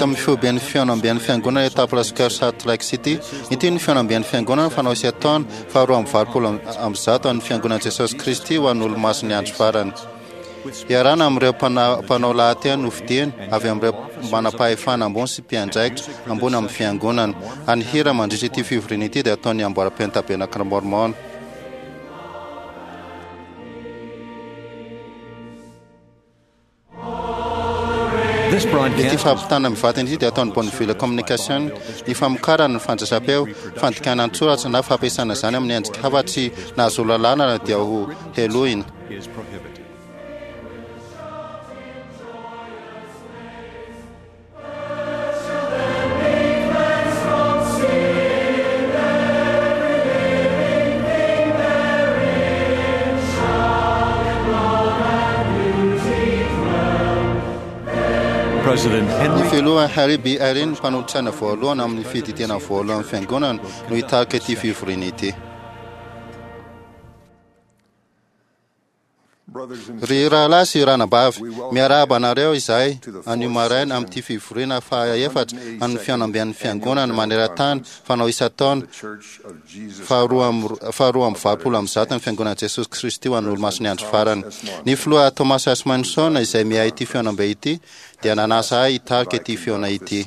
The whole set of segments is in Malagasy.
eto amin'ny foiben'ny fihaonamben'ny Fiangonana eto Temple Square Salt Lake City. Ity no fihaonamben'ny Fiangonana fanao isan-taona faha 182 an'ny Fiangonan'i Jesosy Kristy ho an'ny Olomasin'ny Andro Farany. Iarahana amin'ireo mpanao lahateny nofidiny avy amin'ireo manam-pahefana ambony sy mpiandraikitra ambony amin'ny Fiangonana. Ary ny hira mandritra ity fivoriana ity dia ataon'ny Amboaram-pen'ny Tabernakla Mormon. Ity fampitana mivantana ity dia ataon'ny Bonneville Communication. Ny famokarana, ny fandraisam-peo, fandikana an-tsoratra na fampiasana izany amin'ny endrika hafa tsy nahazoana lalana dia ho helohina. Ny Filoha Harry B. Eyring, mpanolotsaina voalohany amin'ny Fiadidiana Voalohan'ny Fiangonana, no hitarika ity fivoriana ity. Ry rahalahy sy ranabavy, miarahaba anareo izahay anio maraina amin'ity fivoriana faha-efatra an'ny fihaonamben'ny Fiangonana maneran-tany fanao isan-taona faha-182 an'ny Fiangonan'i Jesosy Kristy ho an'ny Olomasin'ny Andro Farany. Ny Filoha Thomas S. Monson izay miahy ity fihaonambe ity dia nanasa ahy hitarika ity fihaona ity.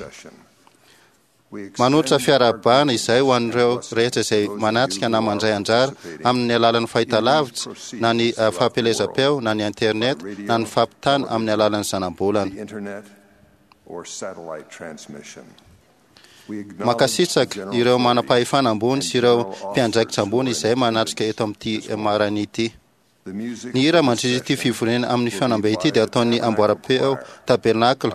Manolotra fiarahabana izay ho an'ireo rehetra izay manatrika na mandray anjara amin'ny alalan'ny fahitalavitra na ny fampielezam-peo na ny internet na ny fampitana amin'ny alalan'ny zanabolana. Mankasitraka ireo manam-pahefana ambony sy ireo mpiandraikitra ambony izay manatrika eto amin'ity maraina ity. Ny hira mandritra ity fivoriana amin'ny fihaonambe ity dia ataon'ny amboaram-peo Tabernacle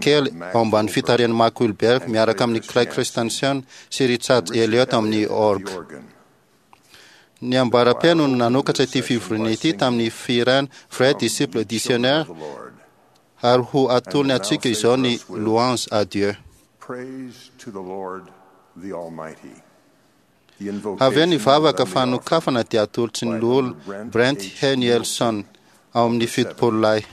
kely ao ambany fitarihan'i Mark Wilberg miaraka amin'i Clay Christensen sy Richard Elliott amin'ny orgue. Ny amboaram-peo no nanokatra ity fivoriana ity tamin'ny fihirana Vrai Disciple du Seigneur ary ho atolony antsika izao ny Louange à Dieu. Praise to the Lord the Almighty. Avy eo ny vavaka fanokafana dia atolotry ny Loholona Brent H. Nielson ao amin'ny Fitopololahy.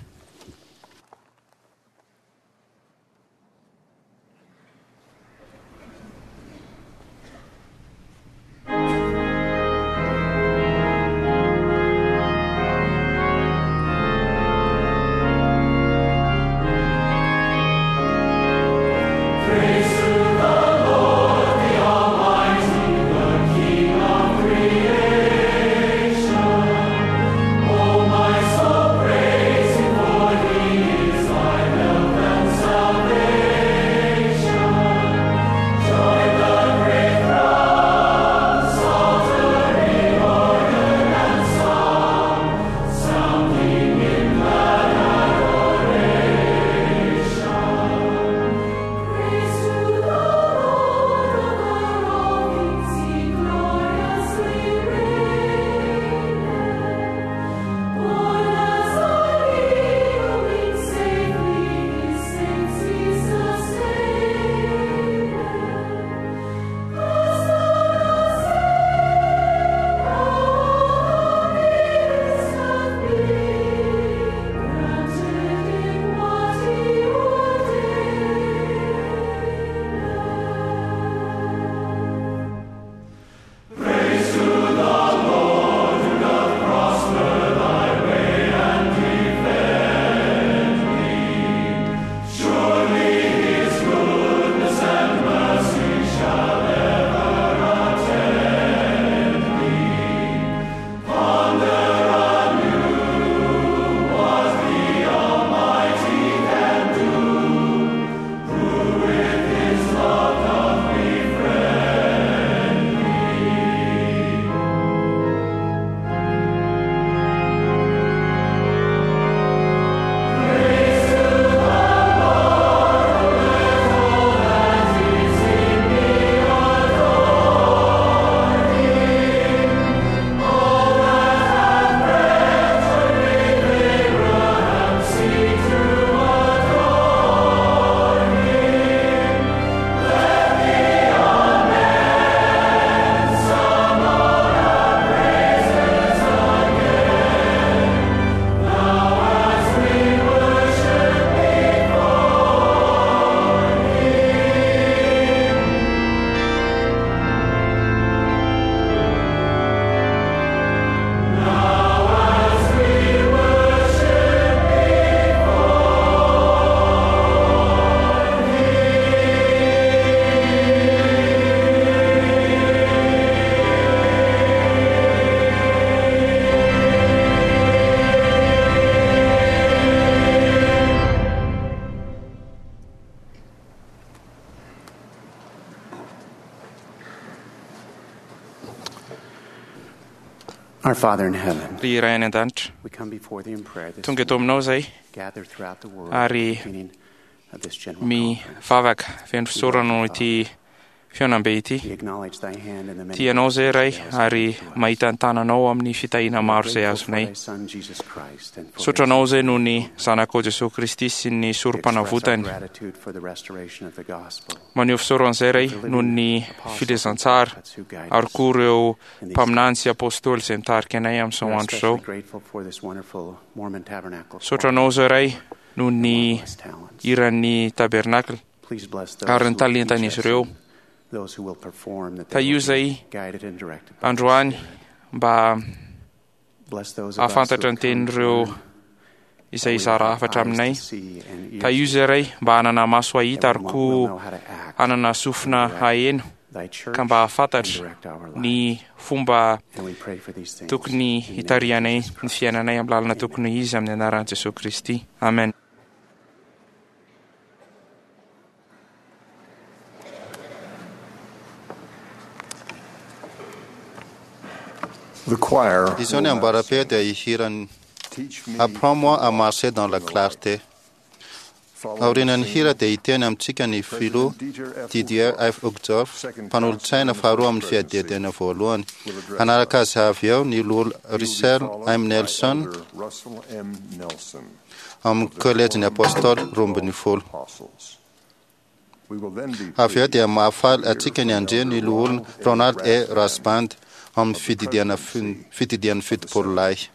Our Father in heaven, Ry Ray any an-danitra, we come before thee in prayer this tonga eto morning, aminao izay gathered throughout the world ary at the beginning of this general conference. mivavaka feno fisaorana noho ity fihaonambe ity. We acknowledge thy hand in the many Tianao izay Ray blessings thou hast ary given to us. mahita ny tananao amin'ny fitahiana We are maro izay grateful for azonay. thy Son, Jesus Christ, and for Misaotra his anao izay noho ny zanakao Jesosy Kristy sy ny We express our sorom-panavotany. gratitude for the restoration of the gospel. Maneho fisaorana izay Ray For the noho living ny apostles and filazantsara prophets who guide ary us koa ireo in these mpaminany sy apôstôly izay mitarika anay We amin'izao are andro izao. especially grateful for this wonderful Mormon Tabernacle Misaotra choir anao izay Ray noho and ny marvelous talents. hiran'ny tabernakla Please bless those ary who ny will teach talentan'izy us ireo. and those who will perform, that they Tahio will be izay guided and directed by the androany Spirit. mba Bless those of us who hahafantatra have ny come to tenin'ireo learn, izay that we will hizara have hafatra eyes aminay. to see and ears Tahio to izay Ray mba hanana maso hear, hahita that ary we will koa know how to act hanana and sofina direct haheno thy church ka mba and hahafantatra direct our ny lives. fomba And we pray for these things tokony in the name of hitarihanay Jesus ny Christ. fiainanay amin'ny lalana Amen. tokony izy amin'ny anaran'i Jesosy Kristy. Amen. The choir Izao ny will now amboaram-peo sing, dia hihiran'ny Teach me Apprends-moi to à walk marcher dans la in the light. clarté. Following Aorian'ny singing, hira dia hiteny amintsika ny filoha President Dieter F. Didier Uchtdorf, F. Uchtdorf, second mpanolotsaina counselor in the faharoa First amin'ny Presidency, fiadidiana voalohany. will address Hanaraka us. azy avy eo ny loholona He will be Russell followed M. by Nelson Elder Russell M. Nelson amin'ny of the kolejin'ny Quorum apôstôly of the 12. Apostles. We will then be Avy eo dia pleased to mahafaly hear antsika ny from handre ny Elder loholona Ronald A. Ronald E. Rasband Rasband amin'ny of the fididiana Presidency fididian'ny of the 70 lahy. Seventy.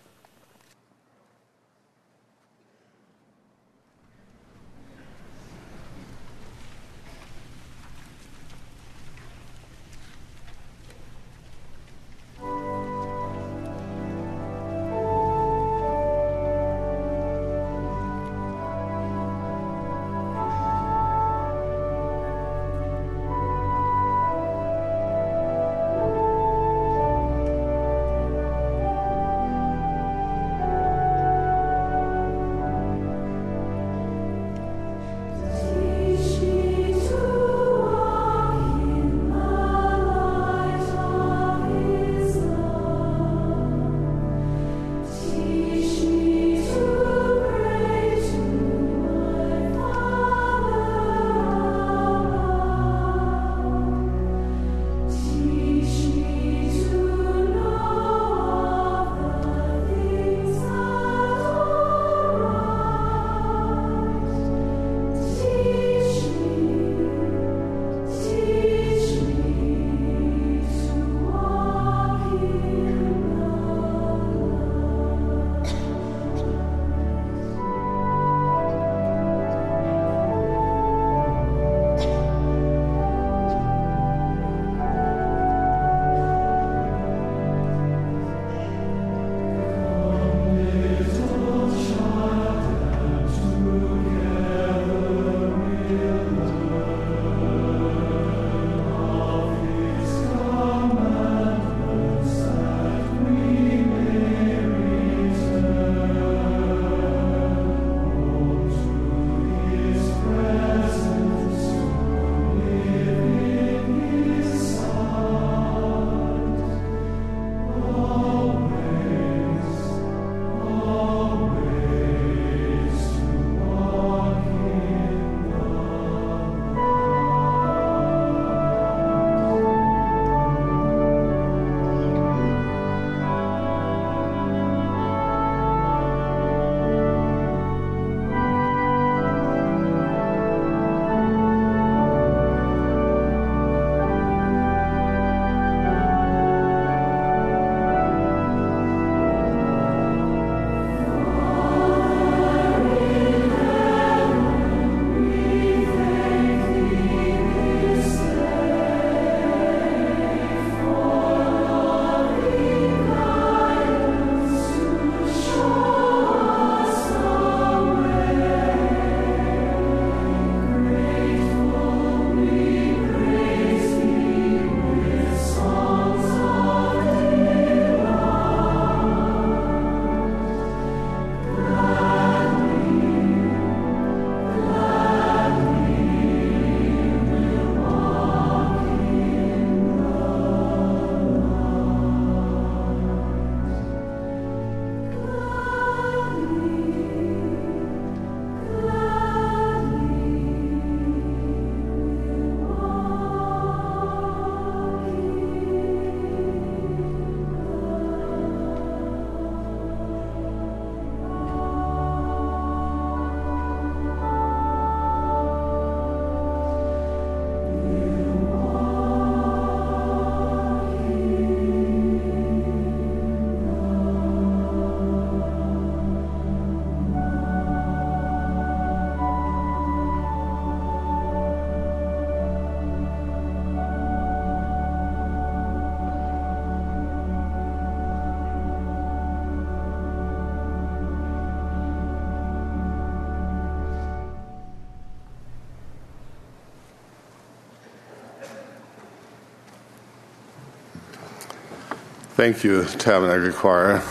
Thank you, Tabernacle Choir.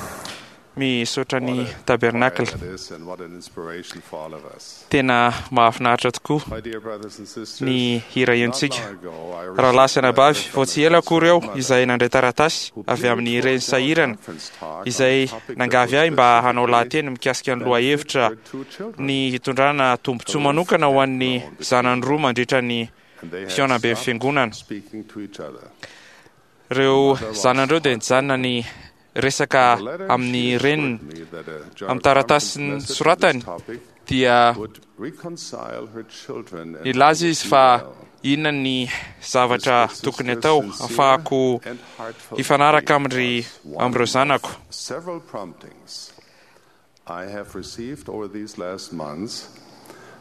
Misaotra ny Tabernacle. That is, and what an inspiration for all of us. Tena mahafinaritra tokoa My dear brothers and sisters, ny hira henontsika. not long ago I Rahalahy sy received a anabavy, letter vao from tsy a ela akory aho mother izay nandray taratasy who avy amin'ny pleaded reny for a sahirana conference talk on izay a topic that nangavy would ahy mba hanao specifically lahateny mikasika ny benefit lohahevitra her two children. ny hitondrana tombontsoa manokana ho an'ny zanany roa mandritra ny And they had fihaonamben'ny stopped fiangonana. speaking to each other. Ireo zanany ireo dia nijanona ny resaka The letter amin'ny she reniny. assured me that a general Amin'ny taratasy conference message on this soratany topic dia would reconcile her children and nilaza all izy would be fa well. inona ny zavatra This tokony sister atao sincere ahafahako and heartfelt hifanaraka plea amin'ry was one amin'ireo of zanako. Several promptings I have received over these last months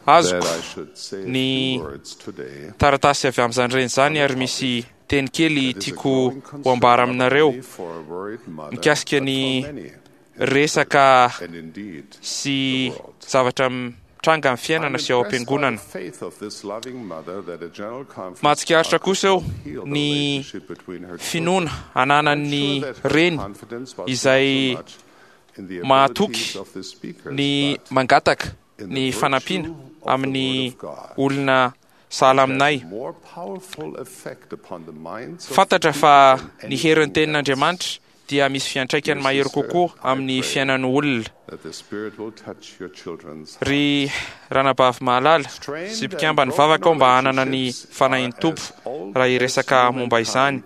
that Azoko I should say a ny few words today. taratasy avy amin'izany reny izany ary misy teny kely That is a tiako growing ho concern ambara not aminareo only for a worried mother, mikasika but ny for many in the resaka church and indeed sy the world. zavatra mitranga amin'ny I'm fiainana sy ao impressed by the am-piangonana. faith of this loving mother that a general conference Mahatsikaritra talk kosa eo would heal the ny relationship between her children. finoana ananan'ny I'm sure that her reny confidence was izay not so much in the mahatoky abilities of the speakers, ny but mangataka in the ny virtue fanampiana of the amin'ny Word of God. olona sahala aminay. Has more powerful effect upon the minds of Fantatra the fa people than ny herin'ny anything else. tenin'Andriamanitra dia misy fiantraikany mahery kokoa amin'ny fiainan'ny olona. That the Spirit will touch your children's Ry ranabavy mahalala sy mpikambany vavaka ao mba hanana ny fanahin'ny Tompo raha hiresaka momba izany.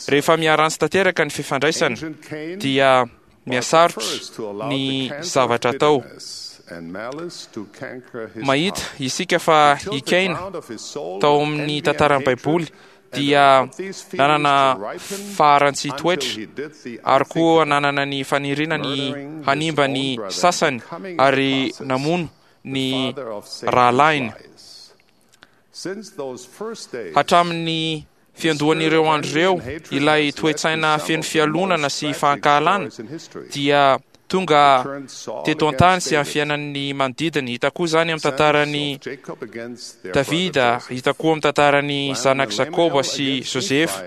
Rehefa miharantsy tanteraka ny fifandraisana Ancient Cain dia was the mihasarotra first to allow ny the cancer of zavatra atao. bitterness and malice to canker his Mahita heart. isika fa He tilled i the Kaina ground of his soul tao with amin'ny envy and tantaran'ny hatred Baiboly and dia allowed these feelings nanana to ripen faharantsy until toetra he did the ary koa unthinkable, nanana ny faniriana ny murdering his hanimba own ny brother, sasany becoming in the ary process namono the ny father of Satan's rahalahiny. lies. Since those first days, Hatramin'ny fiandohan'ireo andro ireo, ilay toe-tsaina feno fialonana sy fankahalana dia tonga teto an-tany sy amin'ny fiainan'ny manodidina. Hita koa izany amin'ny tantaran'i Davida, hita koa amin'ny tantaran'ny zanak'i Jakoba sy Josefa,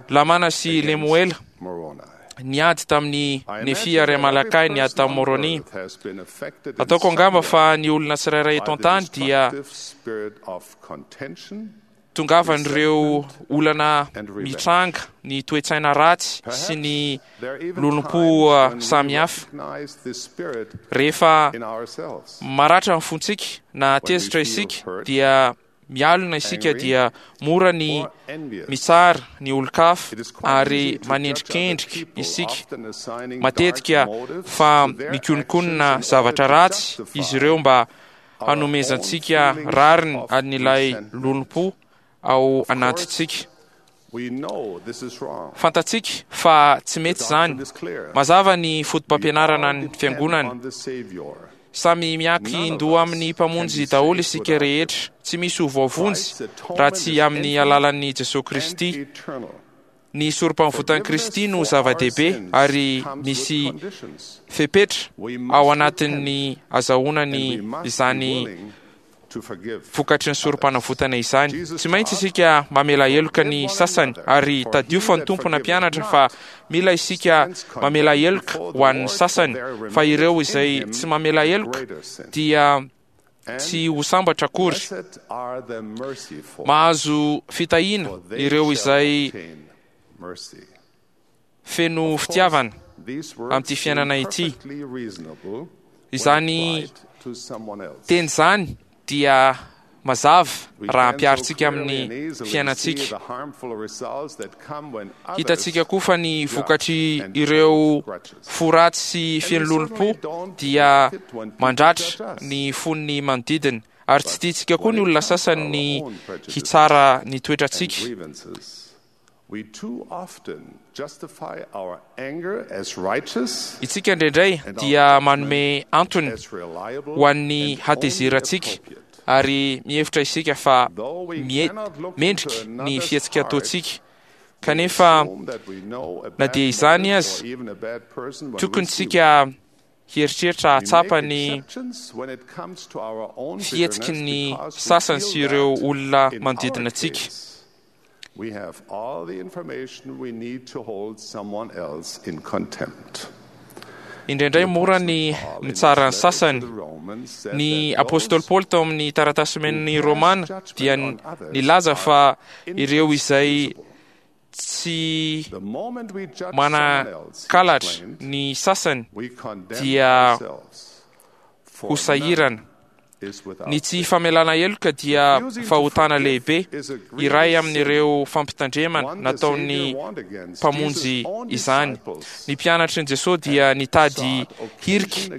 Lamana sy Lemoela, niady tamin'ny Nefia ary Amalakay, niady tamin'i Moroni. Ataoko angamba fa ny olona tsirairay eto an-tany dia tongavan'ireo olana mitranga, ny toe-tsaina ratsy sy ny lolompo samihafa. Rehefa maratra ny fontsika na tezitra isika dia mialona isika dia mora ny mitsara ny olon-kafa ary manendrikendrika isika matetika fa mikononkonona zavatra ratsy izy ireo mba hanomezantsika rariny an'ilay lolompo ao anatintsika. Fantatsika fa tsy mety izany. Mazava ny foto-pampianarana ny fiangonana. Samy miankin-doha amin'ny Mpamonjy daholo isika rehetra. Tsy misy ho voavonjy raha tsy amin'ny alalan'i Jesosy Kristy. Ny sorom-pahavotan'i Kristy no zava-dehibe ary misy fepetra ao anatin'ny azahoana ny izany vokatry ny sorom-panavotana izany. Tsy maintsy isika mamela heloka ny sasany ary tadio fa ny Tompo nampianatra fa mila isika mamela heloka ho an'ny sasany fa ireo izay tsy mamela heloka dia tsy ho sambatra akory. Mahazo fitahiana ireo izay feno fitiavana amin'ity fiainana ity. Izany teny izany dia mazava raha ampiharintsika amin'ny fiainantsika. Hitantsika koa fa ny vokatry ireo fo ratsy sy feno lolompo dia mandratra ny fon'ny manodidina ary tsy tiantsika koa ny olona sasany ny hitsara ny toetrantsika. Isika indraindray dia manome antony ho an'ny hatezerantsika ary mihevitra isika fa mendrika ny fihetsika ataontsika. Kanefa na dia izany aza, tokony tsika hieritreritra hahatsapa ny fihetsiky ny sasany sy ireo olona manodidina antsika. We have all the information we need to hold someone else in contempt. Indraindray mora ny mitsara ny sasany. Ny apostoly Paoly tao amin'ny taratasy omen'ny Romana dia nilaza fa ireo izay tsy manan-kalatra ny sasany dia ho sahirana. Ny tsy famelana heloka dia fahotana lehibe, iray amin'ireo fampitandremana nataon'ny Mpamonjy izany. Ny mpianatry ny Jesosy dia nitady hirika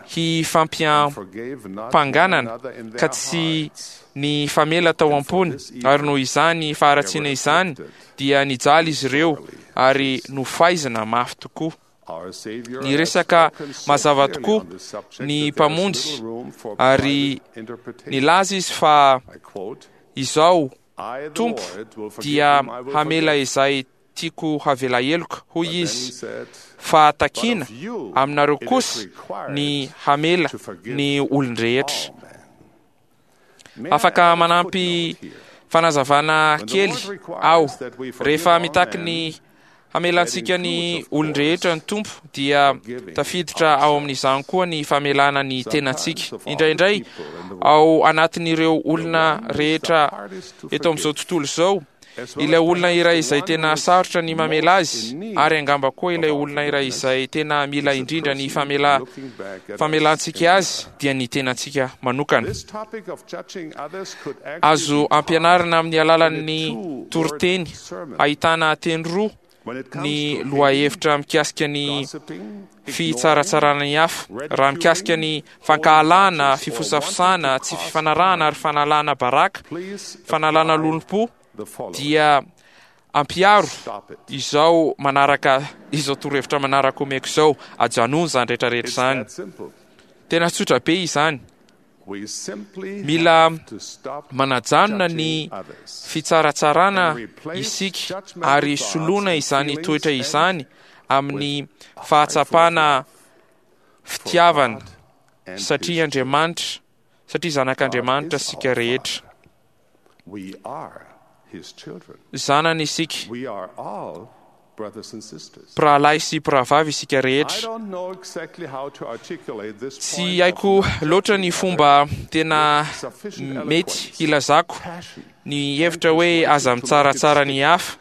hifampiampanganana ka tsy nifamela tao am-pony, ary noho izany faharatsiana izany dia nijaly izy ireo ary nofaizina mafy tokoa. Niresaka mazava tokoa ny Mpamonjy ary nilaza izy fa izao Tompo dia hamela izay tiako havela heloka, hoy izy, fa takiana aminareo kosa ny hamela ny olon-drehetra. Afaka manampy fanazavana kely aho. Rehefa mitaky ny hamelantsika ny olon-drehetra ny Tompo dia tafiditra ao amin'izany koa ny famelana ny tenantsika. Indraindray ao anatin'ireo olona rehetra eto amin'izao tontolo izao, ilay olona iray izay tena sarotra ny mamela azy, ary angamba koa ilay olona iray izay tena mila indrindra ny famela famelantsika azy dia ny tenantsika manokana. Azo ampianarina amin'ny alalan'ny toriteny ahitana teny roa ny lohahevitra mikasika ny fitsaratsarana ny hafa, raha mikasika ny fankahalana, fifosafosana, tsy fifanarahana ary fanalana baraka, fanalana lolompo, dia ampiharo izao manaraka izao torohevitra manaraka omeko izao, ajanony izany rehetrarehetra izany. Tena tsotra be izany. Mila manajanona ny fitsaratsarana isika ary soloina izany toetra izany amin'ny fahatsapana fitiavana satria Andriamanitra, satria zanak'Andriamanitra isika rehetra. Zanany isika. Mpirahalahy sy mpirahavavy isika rehetra. Tsy haiko loatra ny fomba tena mety hilazako ny hevitra hoe aza mitsaratsara ny hafa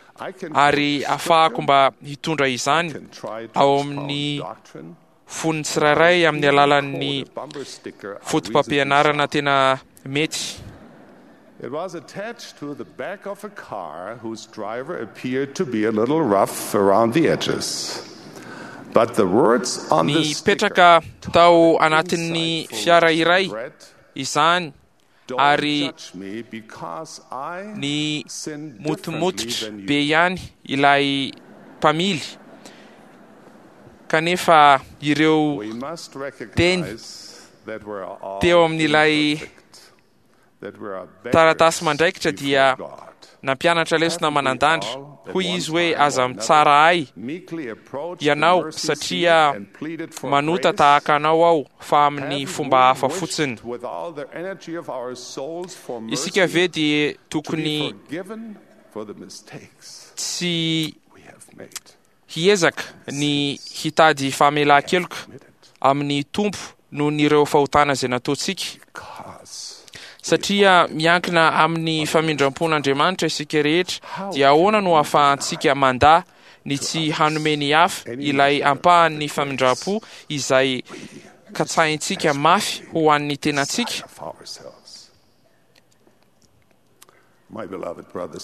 ary afahako mba hitondra izany ao amin'ny fon'ny tsirairay amin'ny alalan'ny fotopampianarana tena mety. It was attached to the back of a car whose driver appeared to be a little rough around the edges. But the words on the Nipetraka tao anatin'ny fiara iray izany ary ny motomototra be ihany ilay mpamily kanefa ireo teny teo amin'ilay taratasy mandraikitra dia nampianatra lesona manan-dandra. Hoy izy hoe, Aza mitsara ahy ianao satria manota tahaka anao aho fa amin'ny fomba hafa fotsiny. Isika ve dia tokony tsy hiezaka ny hitady famelan-keloka amin'ny Tompo noho ny ireo fahotana izay nataontsika? Satria miankina amin'ny famindram-pon'Andriamanitra isika rehetra, dia ahoana no ahafahantsika mandà ny tsy hanome ny hafa ilay ampahan'ny famindram-po izay katsahintsika mafy ho an'ny tenantsika?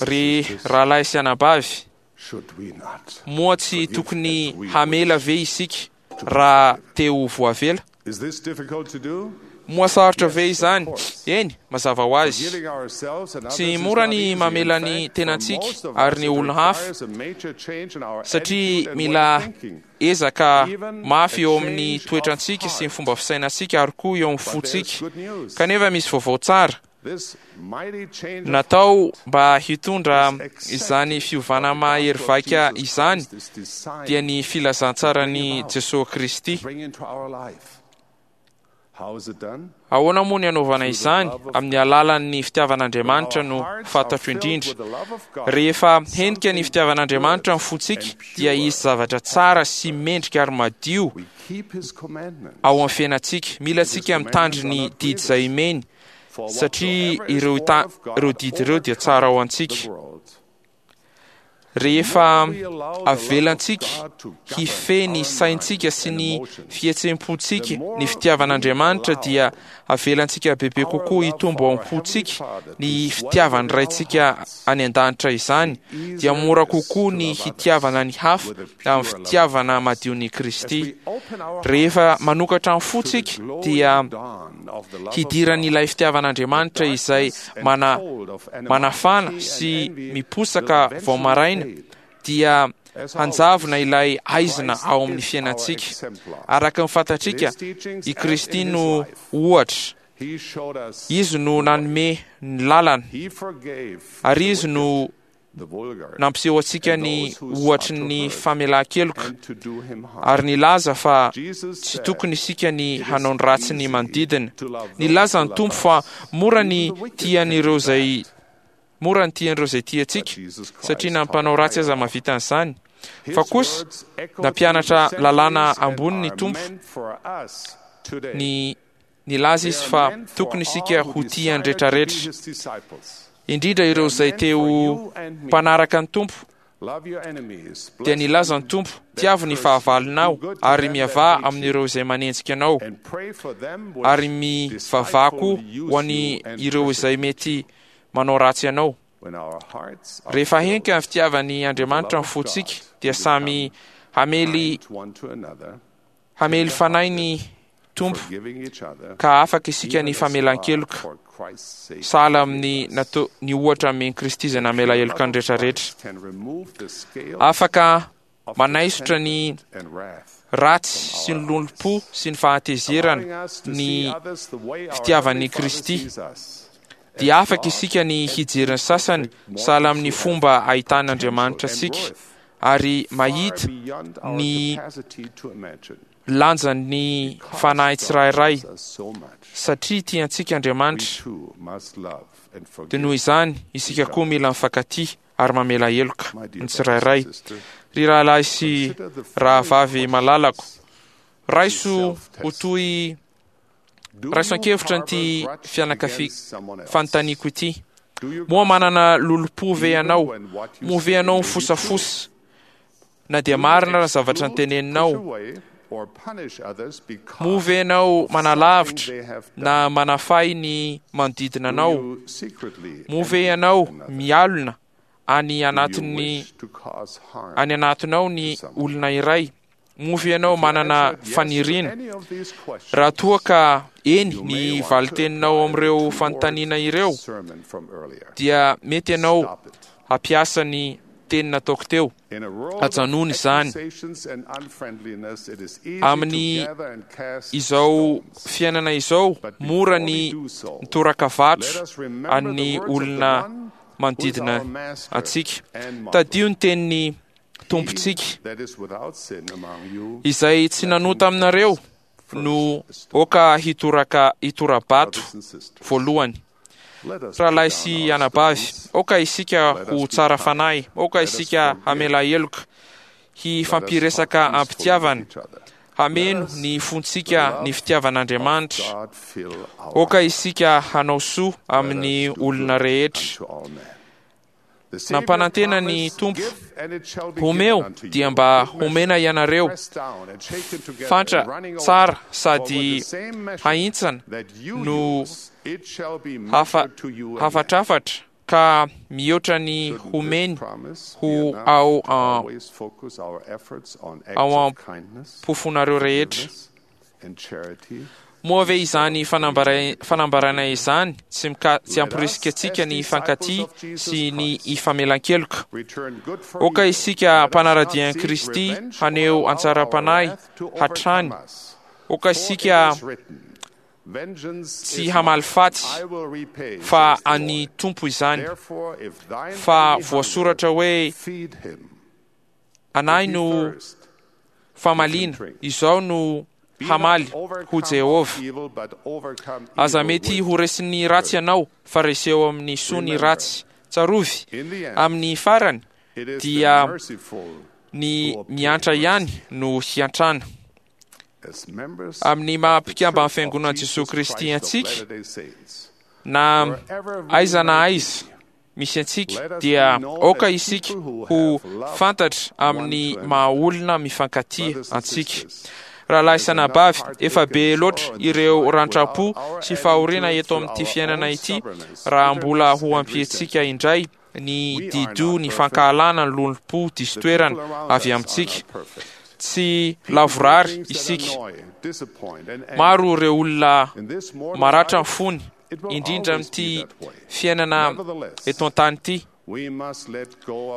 Ry rahalahy sy anabavy, moa tsy tokony hamela ve isika raha te ho voavela? Moa sarotra ve izany? Eny, mazava ho azy. Tsy mora ny mamela ny tenantsika ary ny olona hafa, satria mila ezaka mafy eo amin'ny toetrantsika sy ny fomba fisainantsika ary koa eo amin'ny fontsika. Kanefa misy vaovao tsara. Natao mba hitondra izany fiovana mahery vaika izany dia ny filazantsaran'i Jesoa Kristy. Ahoana moa ny anaovana izany? Amin'ny alalan'ny fitiavan'Andriamanitra no fantatro indrindra. Rehefa henika ny fitiavan'Andriamanitra ny fontsika, dia hisy zavatra tsara sy mendrika ary madio ao amin'ny fiainantsika. Mila antsika mitandry ny didy izay omeny, satria ireo ireo didy ireo dia tsara ho antsika. Rehefa avelantsika hifehy ny saintsika sy ny fihetseham-pontsika ny fitiavan'Andriamanitra dia avelantsika bebe kokoa hitombo ao am-pontsika ny fitiavan'ny Raintsika any an-danitra izany, dia mora kokoa ny hitiavana ny hafa amin'ny fitiavana madion'i Kristy. Rehefa manokatra ny fontsika dia hidiran'ilay fitiavan'Andriamanitra izay mana, manafana sy miposaka vao maraina dia hanjavona ilay aizina ao amin'ny fiainantsika. Araka ny fantatsika, i Kristy no ohatra. Izy no nanome ny lalana, ary Izy no nampiseho antsika ny ohatry ny famelan-keloka ary nilaza fa tsy tokony isika ny hanao ny ratsy ny manodidina. Nilaza ny Tompo fa mora ny tian'ireo izay mora ny tian'ireo izay tia antsika satria na ny mpanao ratsy aza mahavita an'izany. Fa kosa nampianatra lalàna ambony ny Tompo ny Nilaza izy fa tokony isika ho tia ny retraretra, indrindra ireo izay te ho mpanaraka ny Tompo. Dia nilaza ny Tompo, Tiavo ny fahavalonao, ary miavaha amin'ireo izay manenjika anao, ary mivavaha koa ho an'ny ireo izay mety manao ratsy anao. Rehefa henika ny fitiavan'i Andriamanitra ny fontsika, dia samy hamely Hamely fanahy ny Tompo ka afaka isika ny famelan-keloka sahala amin'ny natao ny ohatra amen'i Kristy izay namela heloka ny rehetra rehetra. Afaka manaisotra ny ratsy sy ny lolompo sy ny fahatezerana ny fitiavan'i Kristy. Dia afaka isika ny hijery ny sasany sahala amin'ny fomba ahitan'Andriamanitra antsika ary mahita ny lanjan'ny fanahy tsirairay satria tiantsika Andriamanitra dia noho izany isika koa mila mifankatia ary mamela heloka ny tsirairay. Ry rahalahy sy rahavavy malalako, raiso ho toy Raiso an-kevitra ity fianakavi fanontaniako ity. Moa manana lolompo ve ianao? Moa ve ianao mifosafosa na dia marina aza ny zavatra noteneninao? Moa ve ianao manalavitra na manafay ny manodidina anao? Moa ve ianao mialona any anatin'ny any anatinao ny olona iray? Moa ve ianao manana faniriana? Raha toa ka eny ny valin-teninao amin'ireo fanontaniana ireo, dia mety ianao hampiasa ny teny nataoko teo. Ajanony izany. Amin'ny izao fiainana izao, mora ny mitoraka vato an'ny olona manodidina antsika. Tadidio ny tenin'ny Tompontsika, izay tsy nanota aminareo no oka hitoraka hitora-bato voalohany. Rahalahy sy anabavy, aoka isika ho tsara fanahy, aoka isika hamela heloka, hifampiresaka am-pitiavana, hameno ny fontsika ny fitiavan'Andriamanitra. Aoka isika hanao soa amin'ny olona rehetra. Nampanantena ny Tompo, Omeo dia mba homena ianareo, fantra tsara sady hahintsana no hafa hafatrafatra ka mihoatra ny homeny ho ao ao am-pofonareo rehetra. Moa ve izany fanambarana izany tsy tsy hamporisika antsika ny hifankatia sy ny hifamelan-keloka? Aoka isika mpanara-dia an'i Kristy haneho antsaram-panahy hatrany. Aoka isika tsy hamaly faty fa an'ny Tompo izany. Fa voasoratra hoe, Anahy no famaliana, izao no. hamaly ho Jehovah. Aza mety ho resin'ny ratsy ianao, fa reseo amin'ny soa ny ratsy. Tsarovy, amin'ny farany dia ny miantra ihany no hiantrana. Amin'ny maha mpikamban'ny Fiangonan'i Jesoa Kristy antsika, na aiza na aiza misy antsika, dia aoka isika ho fantatra amin'ny maha olona mifankatia antsika. Rahalahy sy anabavy, efa be loatra ireo rantram-po sy fahoriana eto amin'ity fiainana ity raha mbola ho ampiantsika indray ny dido ny fankahalana ny lolompo diso toerana avy amintsika. Tsy lavorary isika. Maro ireo olona maratra ny fony, indrindra amin'ity fiainana eto an-tany ity.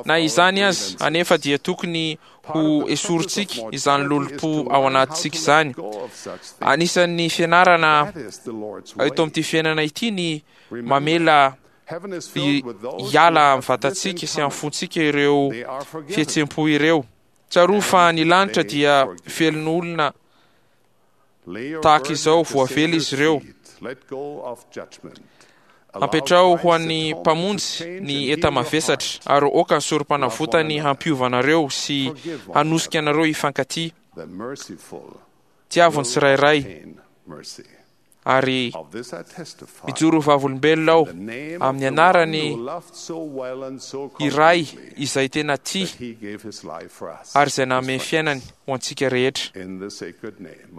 Na izany aza anefa dia tokony ho esorintsika izany lolompo ao anatintsika izany. Anisan'ny fianarana eto amin'ity fiainana ity ny mamela hiala amin'ny vatantsika sy amin'ny fontsika ireo fihetseham-po ireo. Tsarovy fa ny lanitra dia velon'olona tahaka izao, voavela izy ireo. Ampetraho ho an'ny Mpamonjy ny enta-mavesatra, ary aoka ny sorom-panavotany hampiova anareo sy hanosika anareo hifankatia. Tiavo ny tsirairay. Ary mijoro ho vavolombelona aho amin'ny anarany iray izay tena tia ary izay nanome ny fiainany ho antsika rehetra,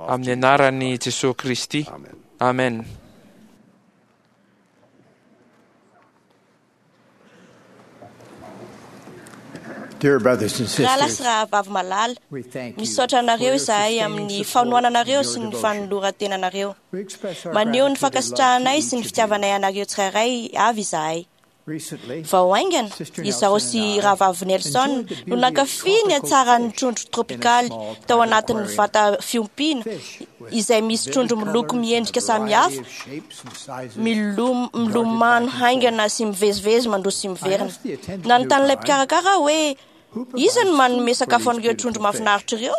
amin'ny anaran'i Jesoa Kristy. Amen. Rahalahy sy rahavavy malala, misaotra anareo izahay amin'ny fanohananareo sy ny fanoloran-tenanareo. Maneho ny fankasitrahanay sy ny fitiavanay anareo tsirairay avy izahay. Vao haingana, izaho sy Rahavavy Nelson no nankafy ny hatsaran'ny trondro tropikaly tao anatin'ny vata fiompiana izay misy trondro miloko miendrika samihafa Milomano haingana sy mivezivezy mandroso sy miverina. Nanontany ilay mpikarakara aho hoe, Iza no manome sakafo an'ireo trondro mahafinaritra ireo?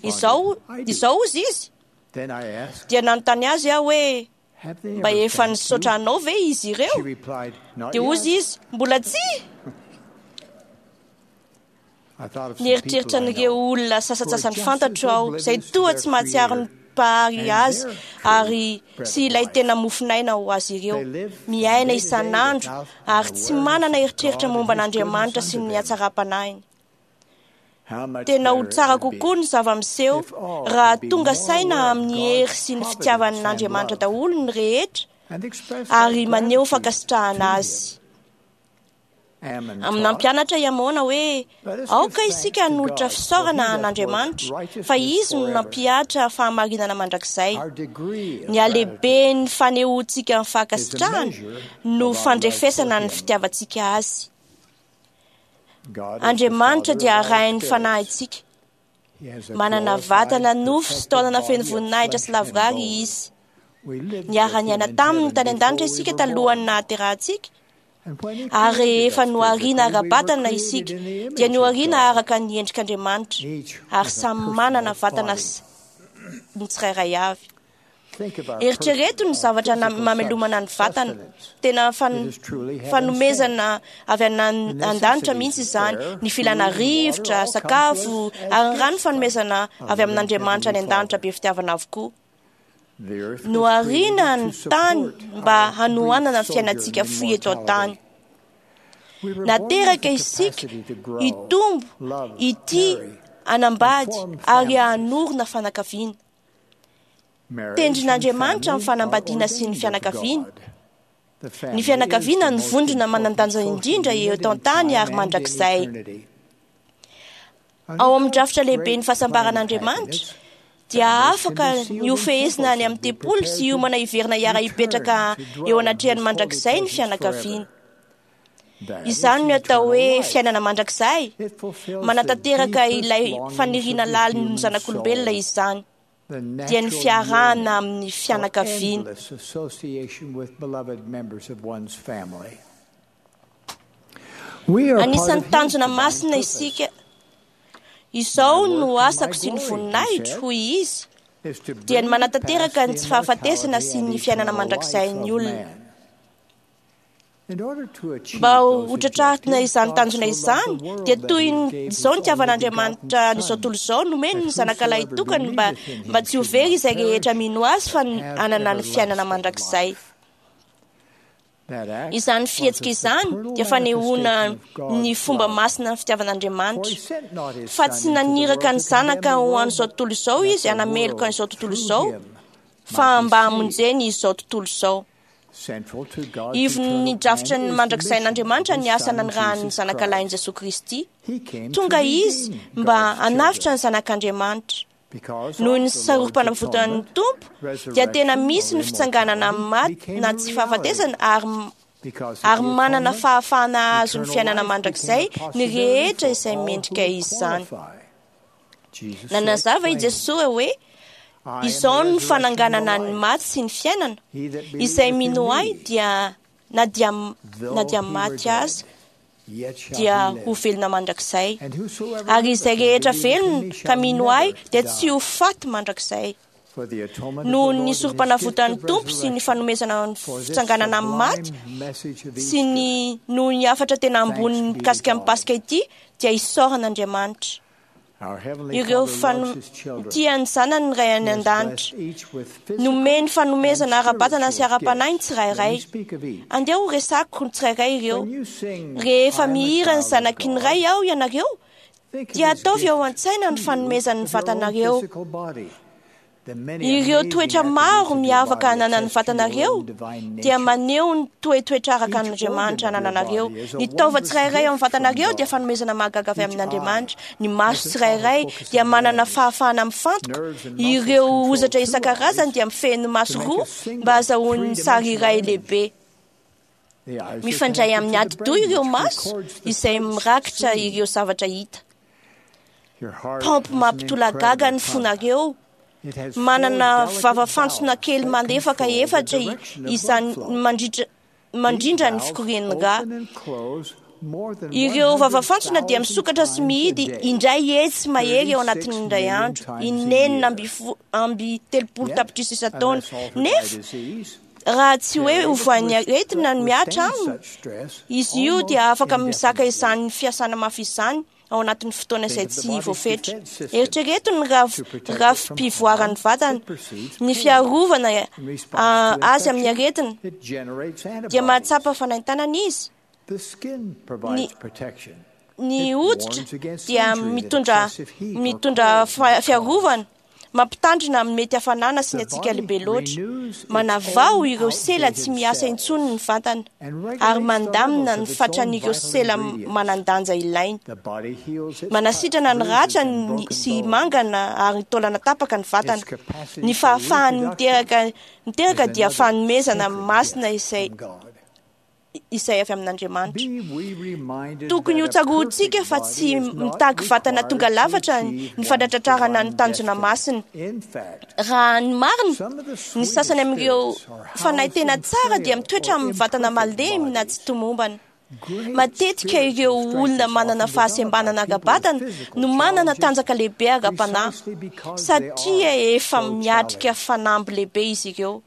Izao, izao hozy izy. Dia nanontany azy aho hoe, Mba efa nisaotra anao ve izy ireo? Dia hozy izy, Mbola tsia! Nieritreritra an'ireo olona sasantsasany fantatro aho izay toa tsy mahatsiaro ny Mpahary azy ary sy ilay tena mofon'aina ho azy ireo. Miaina isan'andro ary tsy manana eritreritra momba an'Andriamanitra sy ny hatsaram-panahiny. Tena ho tsara kokoa ny zava-miseho raha tonga saina amin'ny hery sy ny fitiavan'Andriamanitra daholo ny rehetra ary maneho fankasitrahana azy. Amin'ny nampianatra i Amôna hoe, Aoka isika hanolotra fisaorana an'Andriamanitra, fa Izy no nampihatra fahamarinana mandrakizay. Ny halehiben'ny fanehoantsika ny fankasitrahana no fandrefesana ny fitiavantsika Azy. Andriamanitra dia arahin'ny fanahintsika. Manana vatana nofo sy taolana feno voninahitra sy lavorary Izy. Niara-niaina taminy tany an-danitra isika talohan'ny nahaterahantsika, ary rehefa nohariana ara-batana isika dia nohariana araka ny endrik'Andriamanitra, ary samy manana vatana ny tsirairay avy. Eritrereto ny zavatra mamelomana ny vatana. Tena fanomezana avy any an-danitra mihitsy izany. Ny filana rivotra, sakafo, ary ny rano fanomezana avy amin'Andriamanitra any an-danitra be fitiavana avokoa. Nohariana ny tany mba hanohanana ny fiainantsika fohy eto an-tany. Nateraka isika hitombo, hitia, hanambady ary hanorina fianakaviana. Tendrin'Andriamanitra ny fanambadiana sy ny fianakaviana. Ny fianakaviana no vondrona manan-danja indrindra eto an-tany ary mandrakizay. Ao amin'ny drafitra lehiben'ny fahasambaran'Andriamanitra, dia afaka ny hofehezina any amin'ny tempoly sy hiomana hiverina hiara-hipetraka eo anatrehany mandrakizay ny fianakaviana. Izany no atao hoe fiainana mandrakizay. Manatanteraka ilay faniriana lalin'ny zanak'olombelona izany, dia ny fiarahana amin'ny fianakaviana. Anisan'ny tanjona masina isika. Izao no asako sy ny voninahitro, hoy izy. dia ny manatanteraka ny tsy fahafatesana sy ny fiainana mandrakizay ny olona. Mba ho tratrarina izany tanjona izany, dia toy izao nitiavan'Andriamanitra an'izao tontolo izao, nomeny ny Zanaka Lahitokany mba tsy ho very izay rehetra mino Azy fa hanana ny fiainana mandrakizay. Izany fihetsika izany dia fanehoana ny fomba masina ny fitiavan'Andriamanitra, fa tsy naniraka ny Zanaka ho an'izao tontolo izao Izy hanameloka an'izao tontolo izao, fa mba hamonjeny izao tontolo izao. Ivon'ny drafitra ny mandrakizain'Andriamanitra ny asa nanirahan'ny Zanaka Lahin'i Jesoa Kristy. Tonga Izy mba hanavotra ny Zanak'Andriamanitra. Noho ny sarom-panavotan'ny Tompo dia tena misy ny fitsanganana amin'ny maty na tsy fahafatesana ary manana fahafahana hahazo ny fiainana mandrakizay ny rehetra izay mendrika izany. Nanazava i Jesoa hoe: Izao no fananganana ny maty sy ny fiainana. Izay mino Ahy dia na dia maty aza dia ho velona mandrakizay, ary izay rehetra velona ka mino Ahy dia tsy ho faty mandrakizay. Noho ny sorom-panavotan'ny Tompo sy ny fanomezana ny fitsanganana amin'ny maty sy ny noho ny hafatra tena ambony mikasika ny Paska ity dia isaorana Andriamanitra. Ireo tia ny Zanany ny Ray any an-danitra. Nomeny fanomezana ara-batana sy ara-panahy ny tsirairay. Andeha ho resako ny tsirairay ireo. Rehefa mihira ny Zanaky ny Ray aho ianareo, dia ataovy ao an-tsaina ny fanomezan'ny vatanareo. Ireo toetra maro miavaka ananan'ny vatanareo dia maneho ny toetoetra araka an'Andriamanitra anananareo. Ny taova tsirairay ao amin'ny vatanareo dia fanomezana mahagaga avy amin'Andriamanitra. Ny maso tsirairay dia manana fahafahana mifantoka. Ireo hozatra isan-karazany dia mifehy ny maso roa mba hahazahoany sary iray lehibe. Mifandray amin'ny atidoha ireo maso izay mirakitra ireo zavatra hita. Paompy mampitolagaga ny fonareo. Manana vava-fantsona kely malefaka efatra izany mandrindra ny fikorian'ny rà. Ireo vava-fantsona dia misokatra sy mihidy indray hetsy mahery ao anatin'ny indray andro, inenina amby 30 tapitrisa isan-taona. Nefa raha tsy hoe hovoan'ny aretina ny mihatra aminy, izy io dia afaka mizaka izany fiasana mafy izany ao anatin'ny fotoana izay tsy voafetra. Eritrereto ny rafi-pivoaran'ny vatana, ny fiarovana azy amin'ny aretina, dia mahatsapa fanaintainana izy. Ny hoditra dia mitondra fiarovana, mampitandrina amin'ny mety hafanana sy ny hatsiaka lehibe loatra, manavao ireo sela tsy miasa intsony ny vatana, ary mandamina ny fatran'ireo sela manan-danja ilaina. Manasitrana ny ratra sy mangana ary ny taolana tapaka ny vatana. Ny fahafahany miteraka dia fanomezana masina izay avy amin'Andriamanitra. Tokony ho tsaroantsika fa tsy mitaky vatana tonga lafatra ny fanatratrarana ny tanjona masina. Raha ny marina, ny sasany amin'ireo fanahy tena tsara dia mitoetra amin'ny vatana malemy na tsy tomombana. Matetika ireo olona manana fahasembanana ara-batana no manana tanjaka lehibe ara-panahy, satria efa miatrika fanamby lehibe izy ireo.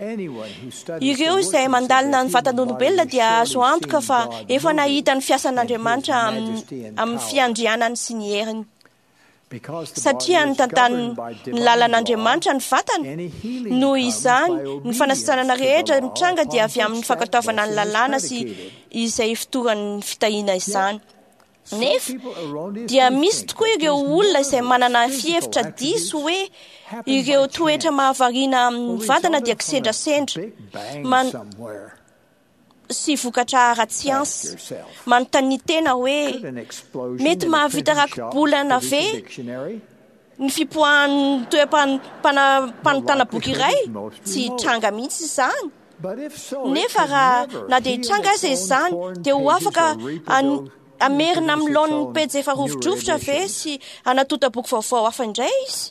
Ireo izay mandalina ny vatan'olombelona dia azo antoka fa efa nahita ny fiasan'Andriamanitra amin'ny fiandrianany sy ny heriny. Satria ny tantanin'ny lalan'Andriamanitra ny vatana, noho izany ny fanasitranana rehetra mitranga dia avy amin'ny fankatoavana ny lalàna sy izay fotoran'ny fitahiana izany. Nefa dia misy tokoa ireo olona izay manana fihevitra diso hoe ireo toetra mahavariana amin'ny vatana dia kisendrasendra sy vokatra ara-tsiansa. Manontania tena hoe mety mahavita rakibolana ve ny fipoahan'ny toeram-panontana boky iray? Tsy hitranga mihitsy izany. Nefa raha na dia hitranga aza izany, dia ho afaka hamerina amin'ny laoniny pejy efa rovidrovitra ve sy hanatonta boky vaovao hafa indray izy?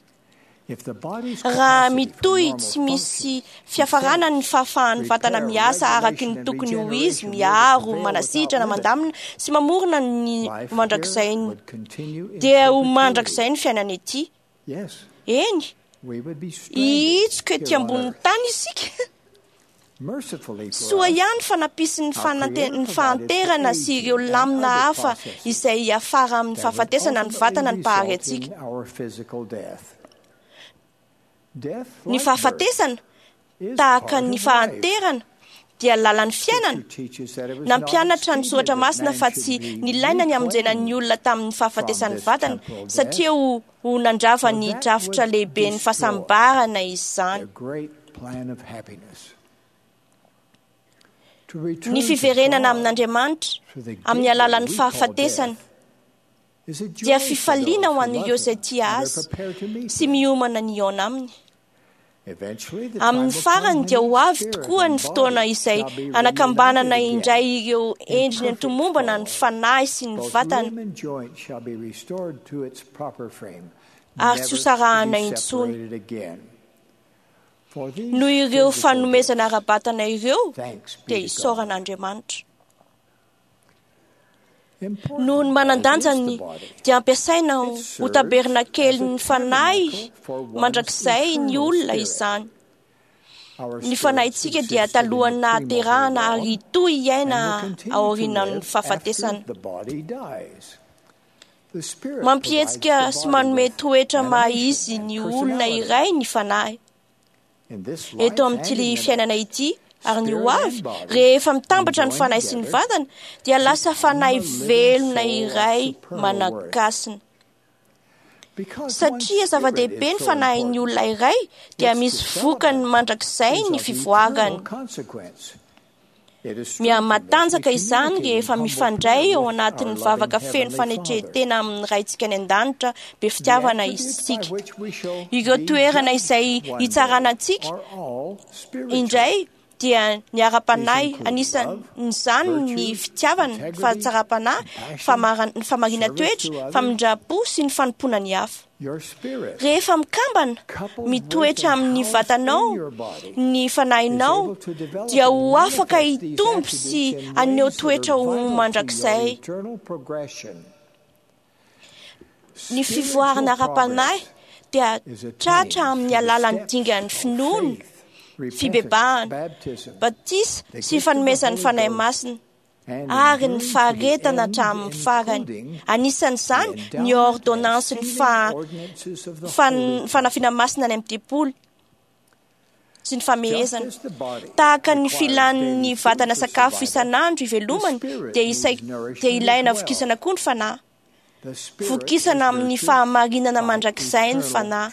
Raha mitohy tsy misy fiafarana ny fahafahan'ny vatana miasa araky ny tokony ho izy, miaro, manasitrana, mandamina sy mamorona ny mandrakizay, dia ho mandrakizay ny fiainana ety. Eny, Hihitsoka ety ambonin'ny tany isika. Soa ihany fa nampisy ny fahanterana sy ireo lamina hafa izay hiafara amin'ny fahafatesana ny vatana ny Mpahary antsika. Ny fahafatesana, tahaka ny fahanterana, dia lalan'ny fiainana. Nampianatra ny Soratra Masina fa tsy nilaina ny hamonjena ny olona tamin'ny fahafatesan'ny vatana, satria ho nandrava ny drafitra lehiben'ny fahasambarana izany. Ny fiverenana amin'Andriamanitra amin'ny alalan'ny fahafatesana dia fifaliana ho an'ireo izay tia azy sy miomana ny hihaona aminy. Amin'ny farany dia ho avy tokoa ny fotoana izay hanakambanana indray ireo endriny antomombana ny fanahy sy ny vatana ary tsy hosarahana intsony. Noho ireo fanomezana ara-batana ireo dia isaorana Andriamanitra. Noho ny manan-danjany dia ampiasaina ho tabernakelin'ny fanahy mandrakizay ny olona izany. Ny fanahintsika dia talohan'ny nahaterahana ary hitohy hiaina aorian'ny fahafatesana. Mampihetsika sy manome toetra maha izy ny olona iray ny fanahy. Eto amin'ity fiainana ity ary ny ho avy, rehefa mitambatra ny fanahy sy ny vatana, dia lasa fanahy velona iray manan-kasina. Satria zava-dehibe ny fanahin'ny olona iray, dia misy vokany mandrakizay ny fivoarany. Mihamatanjaka izany rehefa mifandray ao anatin'ny vavaka feno fanetren-tena amin'ny Raintsika any an-danitra be fitiavana isika. Ireo toerana izay hitsarana antsika indray dia ny ara-panahy, anisan'izany ny fitiavana, ny fahatsaram-panahy, ny fahamarinan-toetra, famindram-po sy ny fanompoana ny hafa. Rehefa mikambana, mitoetra amin'ny vatanao ny fanahinao, dia ho afaka hitombo sy haneho toetra ho mandrakizay. Ny fivoarana ara-panahy dia tratra amin'ny alalan'ny dingan'ny finoana, fibebahana, batisa sy fanomezan'ny Fanahy Masina ary ny faharetana hatramin'ny farany. Anisan'izany ny ordonnansin'ny fanafiana masina any amin'ny tempoly sy ny famehezana. Tahaka ny filan'ny vatana sakafo isan'andro ivelomany dia ilaina vokisana koa ny fanahy. Vokisana amin'ny fahamarinana mandrakizay ny fanahy.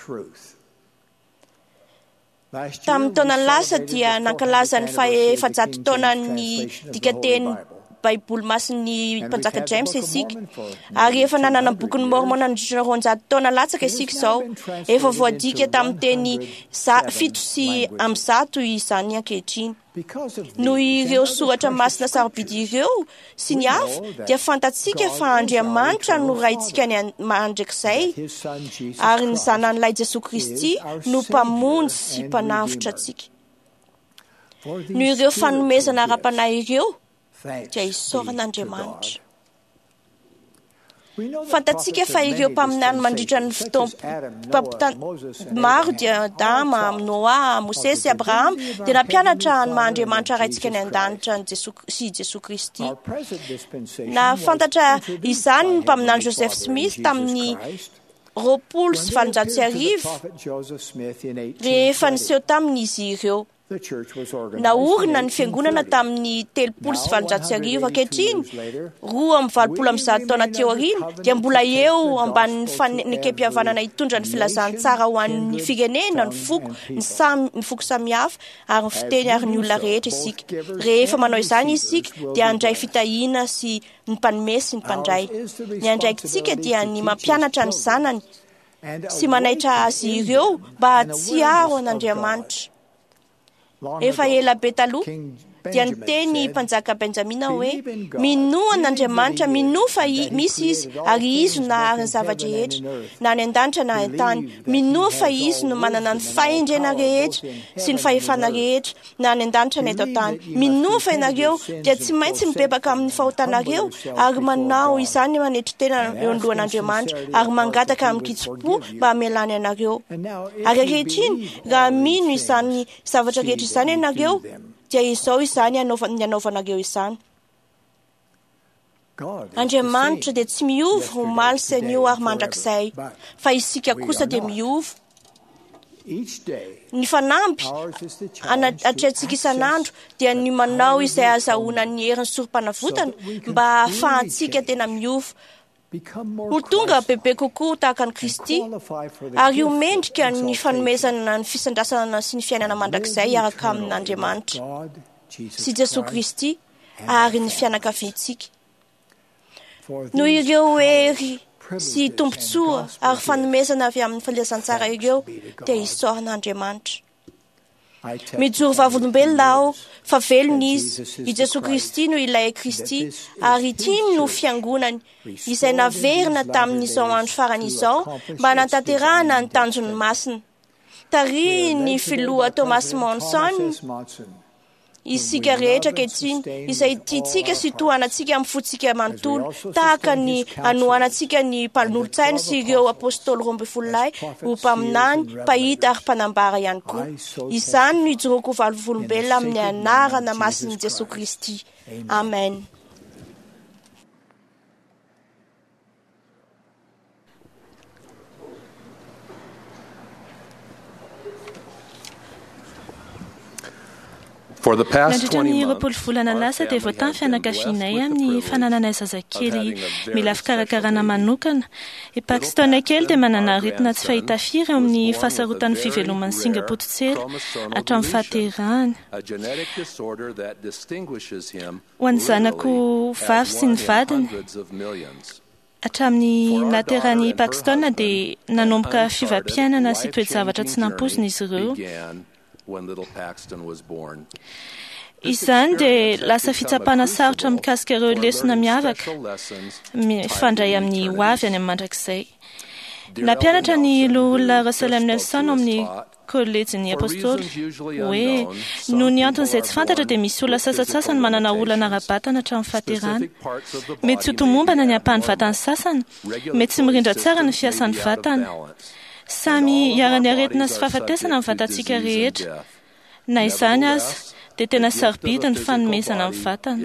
Tamin'ny taona lasa dia nankalaza ny faha-400 taonan'ny dikanteny Baiboly masin'ny mpanjaka James isika, ary efa nanana bokin'ny Mormon nandritra ny 200 taona latsaka isika izao. Efa voadika tamin'ny teny 107 izany ankehitriny. Noho ireo soratra masina sarobidy ireo sy ny hafa dia fantatsika fa Andriamanitra no Raintsika any mandrakizay ary ny Zanan'ilay Jesoa Kristy no Mpamonjy sy Mpanavotra antsika. Noho ireo fanomezana ara-panahy ireo dia isaorana Andriamanitra. Fantatsika fa ireo mpaminany mandritra ny fotoam-pampitana maro dia Adama, Noa, Mosesy, Abrahama dia nampianatra ny maha Andriamanitra Raintsika any an-danitra an'i Jesoa sy Jesoa Kristy. Nahafantatra izany ny mpaminany Joseph Smith tamin'ny 1820 rehefa niseho taminy izy ireo. Naorina ny fiangonana tamin'ny 1830. Ankehitriny, 182 taona teo aoriana, dia mbola eo ambanin'ny fanekempihavanana hitondra ny filazantsara ho an'ny firenena, ny foko, ny samy ny foko samihafa ary ny fiteny ary ny olona rehetra isika. Rehefa manao izany isika dia handray fitahiana sy ny mpanome sy ny mpandray. Ny andraikitsika dia ny mampianatra ny zanany sy manaitra azy ireo mba hahatsiaro an'Andriamanitra. Efa ela be taloha, Dia niteny ny mpanjaka Benjamina hoe: "Minoa an'Andriamanitra, minoa fa misy Izy, ary Izy no nahary ny zava-drehetra, na any an-danitra na an-tany. Minoa fa Izy no manana ny fahendrena rehetra sy ny fahefana rehetra, na any an-danitra na eto an-tany. Minoa fa ianareo dia tsy maintsy mibebaka amin'ny fahotanareo ary manao izany manetry tena eo anoloan'Andriamanitra ary mangataka amin-kitsim-po mba hamelany anareo. Ary ankehitriny, raha mino izany zavatra rehetra izany ianareo, dia izao izany ny anaovanareo izany. Andriamanitra dia tsy miova omaly sy anio ary mandrakizay, fa isika kosa dia miova. Ny fanamby atrehantsika isan'andro dia ny manao izay ahazahoana ny herin'ny sorom-panavotana mba hahafahantsika tena miova, ho tonga bebe kokoa tahaka an'i Kristy, ary ho mendrika ny fanomezana ny fisandrasana sy ny fiainana mandrakizay hiaraka amin'Andriamanitra sy Jesoa Kristy ary ny fianakaviantsika. Noho ireo hery sy tombontsoa ary fanomezana avy amin'ny filazantsara ireo dia isaorana Andriamanitra. Mijoro vavolombelona aho fa velona Izy, i Jesoa Kristy no ilay Kristy, ary ity no fiangonany, izay naverina tamin'izao andro farany izao mba hanatanterahana ny tanjony masina. Tarihin'ny filoha Thomas Monson isika rehetra ankehitriny, izay tiantsika sy tohanantsika amin'ny fontsika manontolo, tahaka ny anohanantsika ny mpanolotsaina sy ireo apôstôly 12 ho mpaminany, mpahita ary mpanambara ihany koa. Izany no ijoroako ho vavolombelona amin'ny anarana masin'i Jesoa Kristy. Amen. Nandritra ny 20 volana lasa dia voatahy ny fianakavianay amin'ny fanananay zazakely mila fikarakarana manokana. I Paxton kely dia manana aretina tsy fahita firy eo amin'ny fahasarotan'ny fiveloman'ny singam-pototsela hatramin'ny fahaterahany. Ho an'ny zanako vavy sy ny vadiny, hatramin'ny nahaterahan'i Paxton dia nanomboka fiovam-piainana sy toe-javatra tsy nampoizina izy ireo. Izany dia lasa fitsapana sarotra mikasika ireo lesona miavaka mifandray amin'ny hoavy any amin'ny mandrakizay. Nampianatra ny loholona Russell M. Nelson ao amin'ny Kolejin'ny Apôstôly hoe noho ny antony izay tsy fantatra dia misy olona sasantsasany manana olana ara-batana hatramin'ny fahaterahana. Mety tsy ho tomombana ny ampahan'ny vatan'ny sasany, mety tsy mirindra tsara ny fiasan'ny vatana. Samy iharan'ny aretina sy fahafatesana ny vatantsika rehetra. Na izany aza, dia tena sarobidy ny fanomezana ny vatana.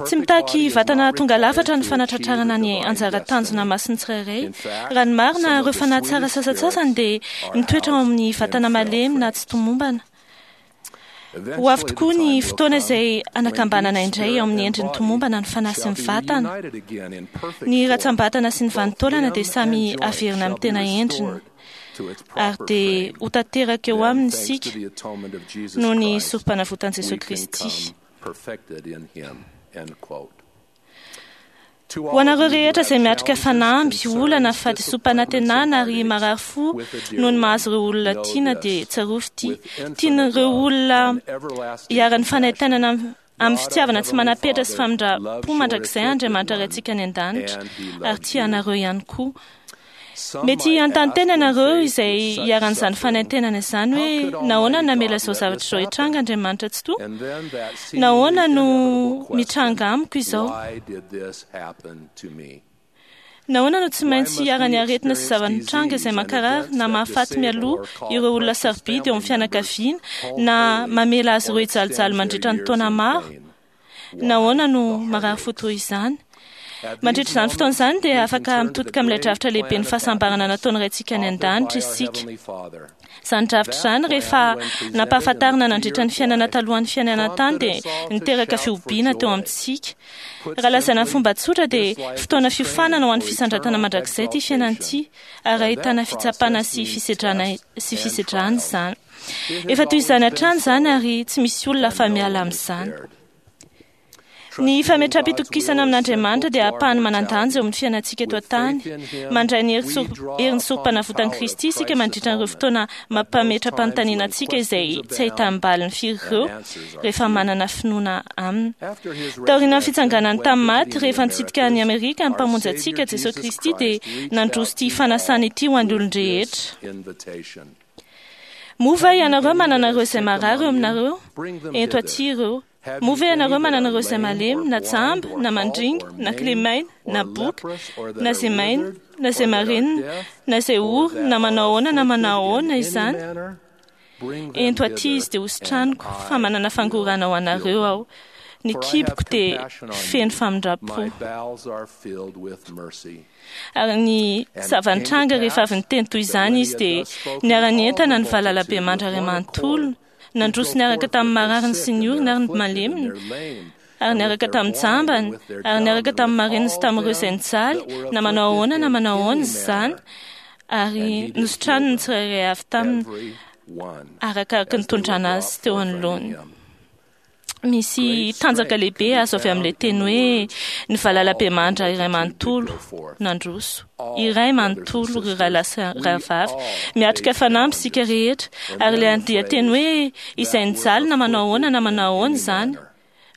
Tsy mitaky vatana tonga lafatra ny fanatratrarana ny anjara tanjona masin'ny tsirairay. Raha ny marina, ireo fanahy tsara sasantsasany dia mitoetra ao amin'ny vatana malemy na tsy tomombana. Ho avy tokoa ny fotoana izay anakambanana indray ao amin'ny endriny tomombana ny fanahy sy ny vatana. Ny ratsam-batana sy ny vanin-taolana dia samy averina amin'ny tena endriny, ary dia ho tanteraka eo aminy isika noho ny sorom-panavotan'i Jesoa Kristy. Ho anareo rehetra izay miatrika fanamby, olana, fahadisoam-panantenana ary marary fo noho ny mahazo ireo olona tiana dia tsarovy ity: tian'ireo olona iharan'ny fanaintainana amin'ny fitiavana tsy manam-petra sy famindram-po mandrakizay Andriamanitra Raintsika any an-danitra, ary tia anareo ihany koa. Mety hanontany tena ianareo izay iharan'izany fanaintainana izany hoe nahoana no namela izao zavatra izao hitranga Andriamanitra Tsitoha? Nahoana no mitranga amiko izao? Nahoana no tsy maintsy iharan'ny aretina sy zava-nitranga izay mankarary na mahafaty mialoha ireo olona sarobidy eo amin'ny fianakaviana na mamela azy ireo hijalijaly mandritra ny taona maro? Nahoana no marary fo toy izany? Mandritra izany fotoana izany dia afaka mitodika amin'ilay drafitra lehibe ny fahasambarana nataon'ny Raintsika any an-danitra isika. Izany drafitra izany rehefa nampahafantarina nandritra ny fiainana talohan'ny fiainana an-tany dia niteraka fihobiana teo amintsika. Raha lazaina amin'ny fomba tsotra dia fotoana fiofanana ho an'ny fisandratana mandrakizay ity fiainana ity, ary ahitana fitsapana sy fisedrana sy fisedrana izany. Efa toy izany hatrany izany ary tsy misy olona afa-miala amin'izany. Ny fametraham-pitokisana amin'Andriamanitra dia ampahany manan-danja eo amin'ny fiainantsika eto an-tany. Mandray ny herin'ny sorompanavotan'i Kristy isika mandritra ireo fotoana mampametra-panontaniana antsika izay tsy ahitam-baliny firy ireo rehefa manana finoana aminy. Taorian'ny fitsanganany tamin'ny maty, rehefa nitsidika an'i Amerika ny Mpamonjy antsika, Jesosy Kristy, dia nandroso ity fanasana ity ho an'ny olon-drehetra. Moa va ianareo manana ireo izay marary eo aminareo? Ento aty ireo. Moa ve ianareo manana ireo izay malemy, na jamba, na mandringa, na kilemaina, na boka, na izay maina, na izay marenina, na izay ory, na manao ahoana na manao ahoana izany? Ento aty izy dia hositraniko, fa manana fangorahana ho anareo aho. Ny kiboko dia feno famindram-po. Ary ny zava-nitranga rehefa avy niteny toy izany izy dia niara-nientana ny valalabemandry iray manontolo, nandroso niaraka tamin'ny marariny sy ny oriny ary ny maleminy, ary niaraka tamin'ny jambany, ary niaraka tamin'ny mareniny sy tamin'ireo izay nijaly, na manao ahoana na manao ahoana izany, ary nositraniny ny tsirairay avy taminy arakaraka ny nitondrana azy teo anoloany. Misy tanjaka lehibe azo avy amin'ilay teny hoe ny valalabemandra iray manontolo nandroso. Iray manontolo ry rahalahy sy rahavavy. Miatrika fanamby isika rehetra. Ary ilay andian-teny hoe izay nijaly na manao ahoana na manao ahoana izany,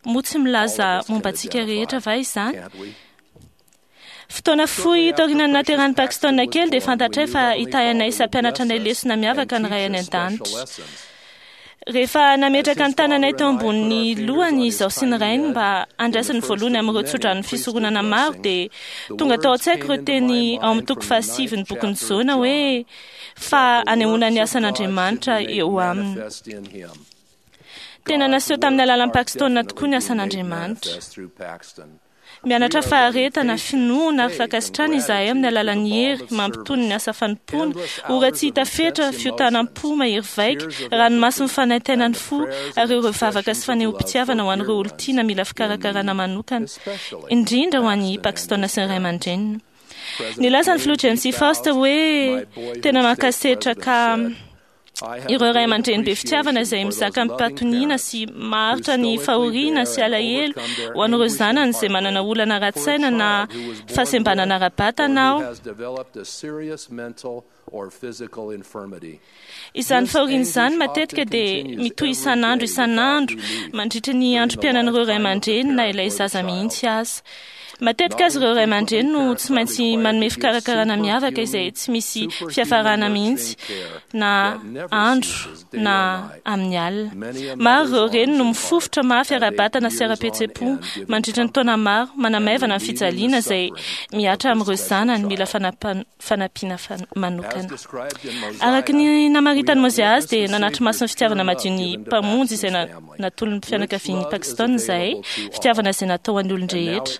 moa tsy milaza momba antsika rehetra va izany? Fotoana fohy taorian'ny nahaterahan'i Paxton kely dia fantatray fa hitahy anay sy hampianatra anay lesona miavaka ny Ray any An-danitra. Rehefa nametraka ny tananay teo ambonin'ny lohany izaho sy ny rainy mba handraisany voalohany amin'ireo tsodranon'ny fisoronana maro dia tonga tao an-tsaiko ireo teny ao amin'ny toko fahasivy ny bokin'i Jona hoe fa hanehoana ny asan'Andriamanitra eo aminy. Tena naseho tamin'ny alalan'i Paxton tokoa ny asan'Andriamanitra. Mianatra faharetana, finoana ary fankasitrahana izahay amin'ny alalan'ny hery mampitony ny asa fanompoana, ora tsy hita fetra, fiotanam-po mahery vaika, ranomaso mifanaintaina ny fo, ary ireo vavaka sy fanehoam-pitiavana ho an'ireo olon-tiana mila fikarakarana manokana, indrindra ho an'i Paxton sy ny ray aman-dreniny. Nilaza ny filoha James E. Faust hoe tena mankasitraka ireo ray aman-dreny be fitiavana izay mizaka amim-pahatoniana sy maharitra ny fahoriana sy alahelo ho an'ireo zanany izay manana olana ara-tsaina na fahasembanana ara-batana aho. Izany fahoriana izany matetika dia mitohy isan'andro isan'andro mandritra ny androm-piainan'ireo ray aman-dreny na ilay zaza mihitsy aza. Matetika aza ireo ray aman-dreny no tsy maintsy manome fikarakarana miavaka izay tsy misy fiafarana mihitsy na andro na amin'ny alina. Maro ireo reny no mifofotra mafy ara-batana sy ara-pihetseham-po mandritra ny taona maro manamaivana ny fijaliana izay mihatra amin'ireo zanany mila fanampiana manokana. Araka ny namaritan'i Mozia azy dia nanatri-maso ny fitiavana madio ny Mpamonjy izay natolon'ny fianakavian'i Paxton izahay, fitiavana izay natao ho an'ny olon-drehetra.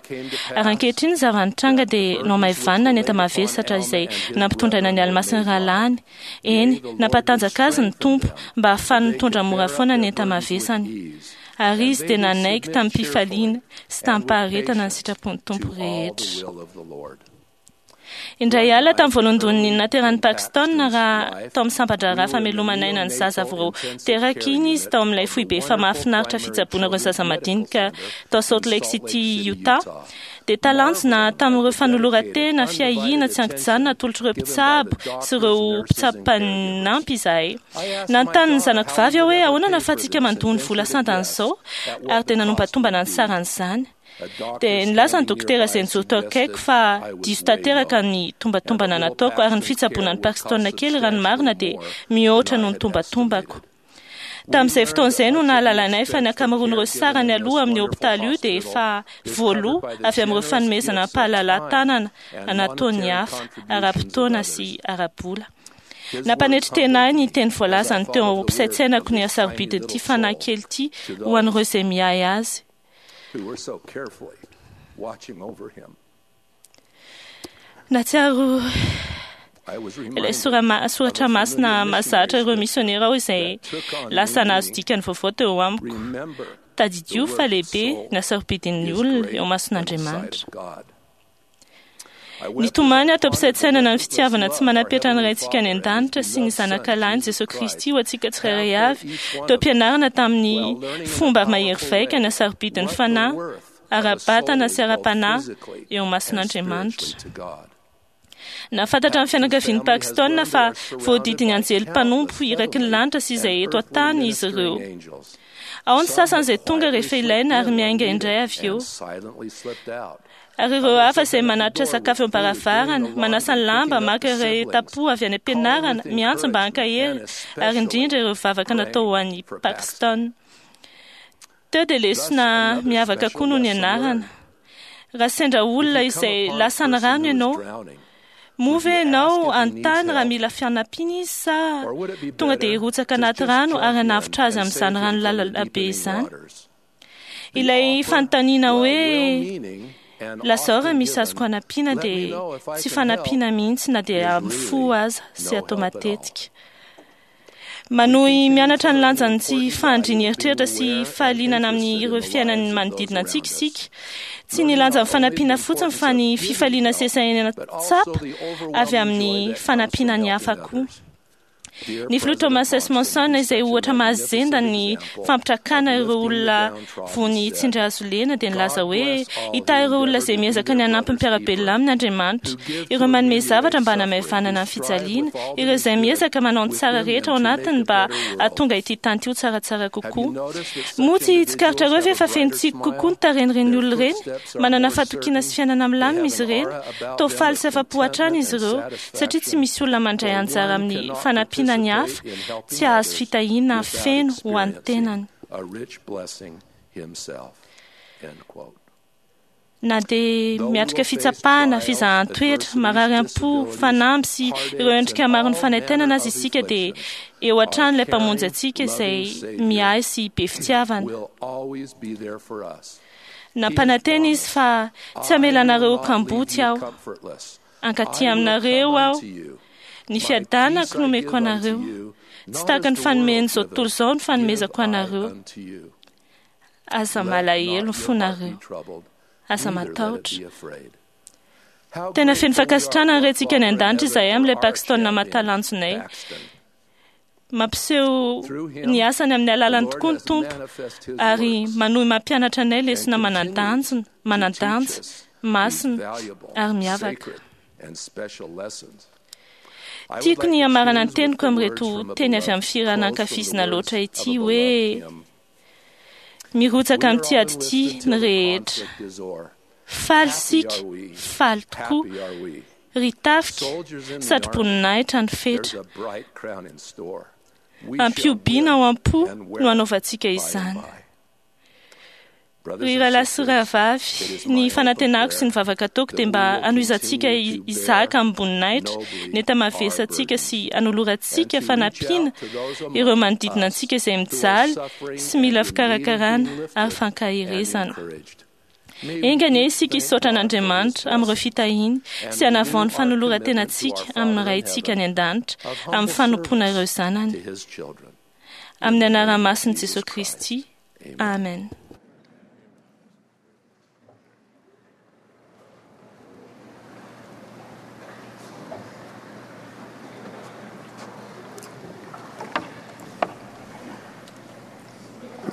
Ary ankehitriny ny zava-nitranga dia nohamaivanina ny enta-mavesatra izay nampitondraina ny alimasin'ny rahalahiny. Eny, nampatanjaka azy ny Tompo mba hahafahany mitondra mora foana ny enta-mavesany. Ary izy dia nanaiky tamim-pifaliana sy tamim-paharetana ny sitrapon'ny Tompo rehetra. Indray alina tamin'ny voalohandohan'ny nateran'i Paxton, raha tao amin'ny sampan-draharaha famelomana aina ny zaza vao teraka iny izy tao amin'ilay foibe efa mahafinaritra fitsaboana ireo zaza madinika tao Salt Lake City, Utah, dia talanjona tamin'ireo fanoloran-tena fiahiana tsy an-kijanona atolotr'ireo mpitsabo sy ireo mpitsabo mpanampy izahay. Nanontany ny zanako vavy aho hoe ahoana no ahafahantsika mandoa ny vola sandan'izao, ary dia nanombatombana ny saran'izany. Dia nilaza ny dokotera izay nijoro teo akaiko fa diso tanteraka ny tombatombana nataoko ary ny fitsaboana an'i Paxton kely raha ny marina dia mihoatra noho ny tombatombako. Tamin'izay fotoana izay no nahalalanay fa ny ankamaroan'ireo sarany aloa amin'ny hopitaly io dia efa voaloa avy amin'ireo fanomezana am-pahalalahan-tanana nataon'ny hafa, ara-potoana sy ara-bola. Nampanetry tena ahy ny teny voalazany teo am-pisaintsainako ny hasarobidin'ity fanahy kely ity ho an'ireo izay miahy azy. Nahatsiaro ilay soratra masina mahazatra ireo misionera aho izay lasa nahazo dikany vaovao teo amiko. Tadidio fa lehibe ny hasarobidin'ny olona eo imason'Andriamanitra. Nitomany aho teo am-pisaintsainana ny fitiavana tsy manam-petra ny Raintsika any an-danitra sy ny Zanakalahiny Jesoa Kristy ho antsika tsirairay avy, teo am-pianarana tamin'ny fomba mahery vaika ny hasarobidin'ny fanahy. ara-batana sy ara-panahy eo imason'Andriamanitra. Nahafantatra ny fianakavian'i Paxton fa voadidin'ny anjely mpanompo iraky ny lanitra sy izay eto an-tany izy ireo. Ao ny sasany izay tonga rehefa ilaina ary miainga indray avy eo. Ary ireo hafa izay manatitra sakafo eo am-baravarana, manasa ny lamba, maka ireo tapo avy any am-pianarana, miantso mba hankahery, ary indrindra ireo vavaka natao ho an'i Paxton. Teo dia lesona miavaka koa no nianarana. Raha sendra olona izay lasan'ny rano ianao, moa ve ianao hanontany raha mila fanampiana izy sa tonga dia hirotsaka anaty rano ary hanavotra azy amin'izany rano lalina be izany? Ilay fanontaniana hoe lazao raha misy azoko hanampiana dia tsy fanampiana mihitsy na dia amin'ny fo aza sy atao matetika. Manohy mianatra ny lanjan'ny tsy fahandrian'ny eritreritra sy fahalinana amin'ireo fiainan'ny manodidina antsika isika. Tsy ny lanjan'ny fanampiana fotsiny fa ny fifaliana sy esainana tsapa avy amin'ny fanampiana ny hafa koa. Ny filoha Thomas S. Monson izay ohatra mahazenda ny fampitrakana ireo olona voan'ny tsindry hazo lena dia nilaza hoe hitahy ireo olona izay miezaka ny hanampy ny mpiara-belona aminy Andriamanitra, ireo manome zavatra mba hanamaivanana ny fijaliana, ireo izay miezaka manao ny tsara rehetra ao anatiny mba hahatonga ity tany ity ho tsaratsara kokoa. Moa tsy tsikaritrareo ve fa feno tsiky kokoa ny tarehin'ireny olona ireny? Manana fahatokiana sy fiainana milamina izy ireny. Toa faly sy afa-po hatrany izy ireo, satria tsy misy olona mandray anjara amin'ny fanampiana ny hafa tsy hahazo fitahiana feno ho an'ny tenany. Na dia miatrika fitsapana, fizahan-toetra, marary am-po, fanamby sy ireo endrika maron'ny fanaintainana aza isika dia eo hatrany ilay Mpamonjy antsika izay miahy sy be fitiavana. Nampanantena izy fa tsy hamela anareo ho kamboty aho. Hankaty aminareo aho. Ny fiadanako no omeko anareo. Tsy tahaka ny fanomen'izao tontolo izao ny fanomezako anareo. Aza malahelo ny fonareo. Aza matahotra. Tena feno fankasitrahana ny Raintsika any an-danitra izahay amin'ilay Paxton mahatalanjonay. Mampiseho ny asany amin'ny alalany tokoa ny Tompo ary manohy mampianatra anay lesona manan-danjona, manan-danja, masina ary miavaka. Tiako ny hamarana ny teniko amin'ireto teny avy amin'ny fihirana ankafizina loatra ity hoe mirotsaka amin'ity ady ity ny rehetra. Faly isika, faly tokoa. Ry tafika, satroboninahitra ny fetra. Ampihobiana ao am-po no hanaovantsika izany. Ry rahalahy sy rahavavy, ny fanantenako sy ny vavaka ataoko dia mba hanohizantsika hizaka amim-boninahitra ny enta-mavesantsika sy hanolorantsika fanampiana ireo manodidina antsika izay mijaly sy mila fikarakarana ary fankaherezana. Enga anie isika hisaotra an'Andriamanitra amin'ireo fitahiany sy hanavao ny fanoloran-tenantsika amin'ny Raintsika any an-danitra amin'ny fanompoana ireo zanany. Amin'ny anaran'ny masin'i Jesoa Kristy. Amen.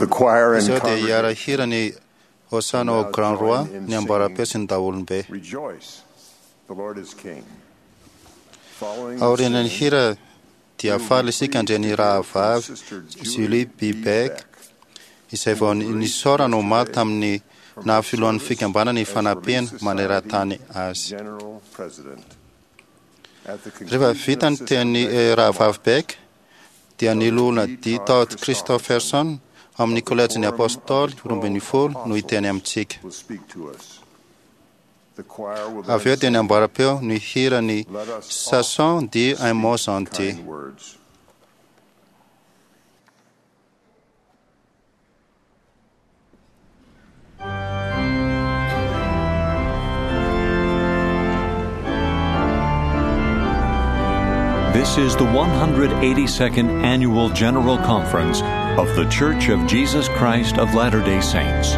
Izao dia hiara-hira ny Hosanna au Grand Roi ny amboaram-peo sy ny daholobe. Aorian'ny hira dia faly isika handre ny rahavavy Julie B. Beck izay vao nisaorana omaly tamin'ny naha filohan'ny fikambanana Ifanampiana maneran-tany azy. Rehefa vita ny tenin'ny rahavavy Beck dia ny loholona D. Todd Christofferson ao amin'ny Kolejin'ny Apôstôly 12 no hiteny amintsika. Avy eo dia ny amboaram-peo no hihira ny Sachant dire un mot gentil. This is the 182nd Annual General Conference of The Church of Jesus Christ of Latter-day Saints.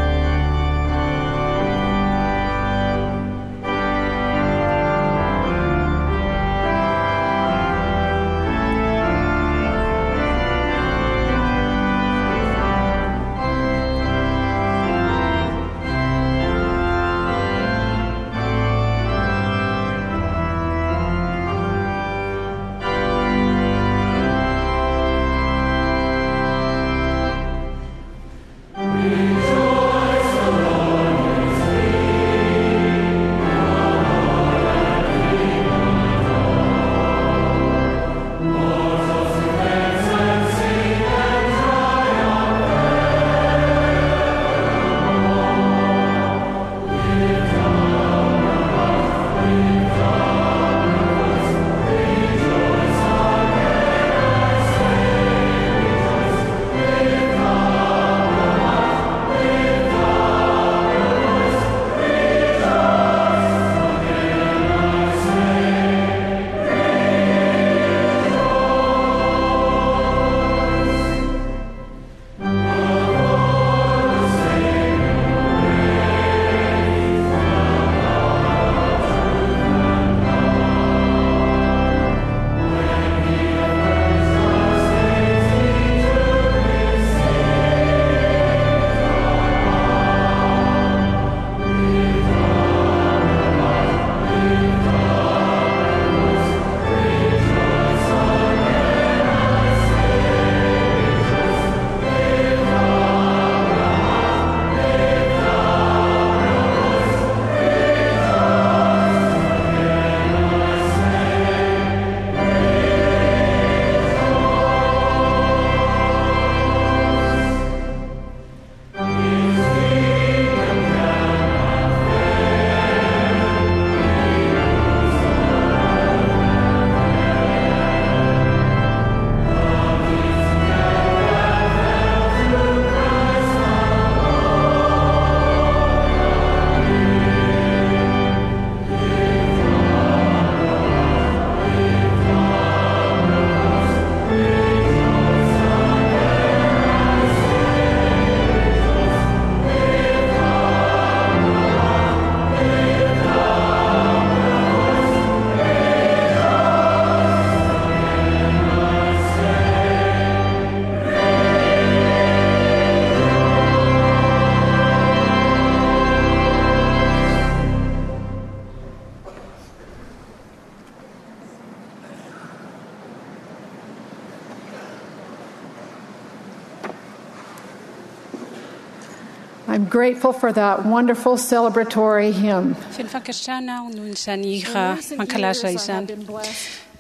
I'm grateful for that wonderful celebratory hymn. Feno fankasitrahana aho noho izany hira mankalaza izany.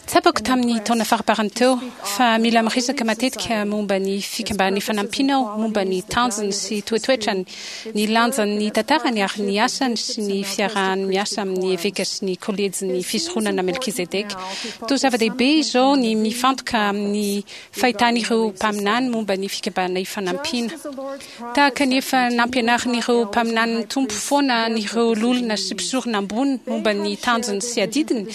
Tsapako tamin'ny taona faraparany teo fa mila miresaka matetika momba ny Fikambanan'ny Fanampiana aho, momba ny tanjony sy toetoetrany, ny lanjan'ny tantarany ary ny asany sy ny fiarahany miasa amin'ny eveka sy ny kolejin'ny Fisoronana Melkizedeka. Toa zava-dehibe izao ny mifantoka amin'ny fahitan'ireo mpaminany momba ny Fikambanana Ifanampiana. Tahaka ny efa nampianarin'ireo mpaminanin'ny Tompo foana an'ireo loholona sy mpisorona ambony momba ny tanjony sy adidiny,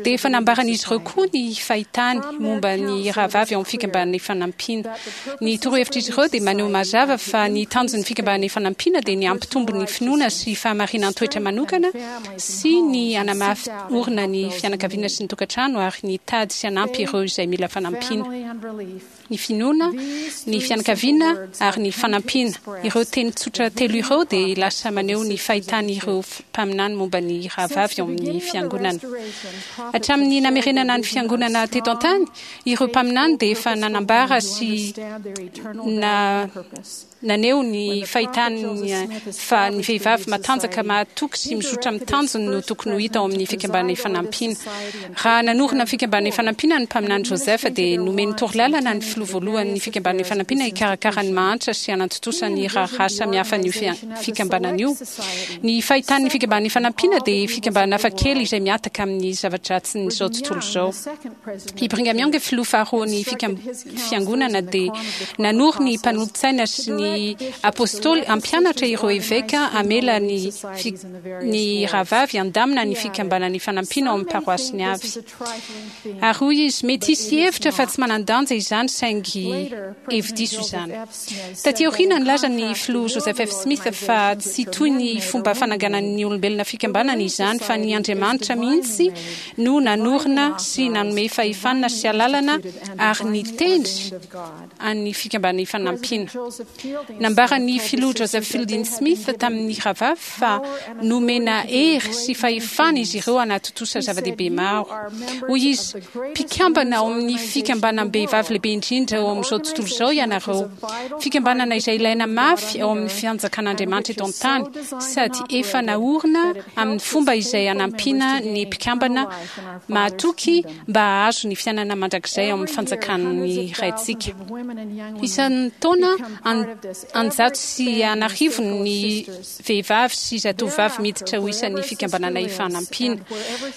dia efa nambaran'izy ireo koa ny fahitany momba ny rahavavy ao amin'ny Fikambanana Ifanampiana. Ny torohevitr'izy ireo dia maneho mazava fa ny tanjon'ny Fikambanana Ifanampiana dia ny hampitombo ny finoana sy fahamarinan-toetra manokana sy ny hanamafy orina ny fianakaviana sy ny tokantrano ary ny hitady sy hanampy ireo izay mila fanampiana. ny finoana, ny fianakaviana ary ny fanampiana. Ireo teny tsotra telo ireo dia lasa maneho ny fahitan'ireo mpaminany momba ny rahavavy ao amin'ny Fiangonana. Hatramin'ny namerenana ny Fiangonana teto an-tany, ireo mpaminany dia efa nanambara sy na Naneho ny fahitany fa ny vehivavy matanjaka mahatoky sy mizotra amin'ny tanjony no tokony ho hita ao amin'ny Fikambanana Ifanampiana. Raha nanorina ny Fikambanana Ifanampiana ny Mpaminany Joseph dia nomeny torolalana ny filoha voalohan'ny Fikambanana Ifanampiana hikarakara ny mahantra sy hanantontosa ny raharaha samihafan'io fikambanana io. Ny fahitan'ny Fikambanana Ifanampiana dia fikambanana hafakely izay mihataka amin'ny zava-dratsin'izao tontolo izao. I Brigham Young, filoha faharoan'ny Fiangonana, dia nanoro ny mpanolotsaina sy ny Apôstôly hampianatra ireo eveka hamela ny ny rahavavy handamina ny Fikambanana Ifanampiana ao amin'ny paroasiny avy. Ary hoy izy, Mety hisy hihevitra fa tsy manan-danja izany, saingy hevi-diso izany. Taty aoriana, nilaza ny Filoha Joseph F. Smith fa tsy toy ny fomba fananganan'ny olombelona fikambanana izany, fa ny Andriamanitra mihitsy no nanorina sy nanome fahefana sy alalana ary nitendry an'ny Fikambanana Ifanampiana. Nambaran'ny Filoha Joseph Fielding Smith tamin'ny rahavavy fa nomena hery sy fahefana izy ireo hanatontosa zava-dehibe maro. Hoy izy, Mpikambana ao amin'ny fikambanam-behivavy lehibe indrindra eo amin'izao tontolo izao ianareo, fikambanana izay ilaina mafy ao amin'ny Fanjakan'Andriamanitra eto an-tany, sady efa naorina amin'ny fomba izay hanampiana ny mpikambana mahatoky mba hahazo ny fiainana mandrakizay ao amin'ny fanjakan'ny Raintsika. Isan-taona, an-jato sy an'arivony ny vehivavy sy zatovovavy miditra ho isan'ny Fikambanana Ifanampiana.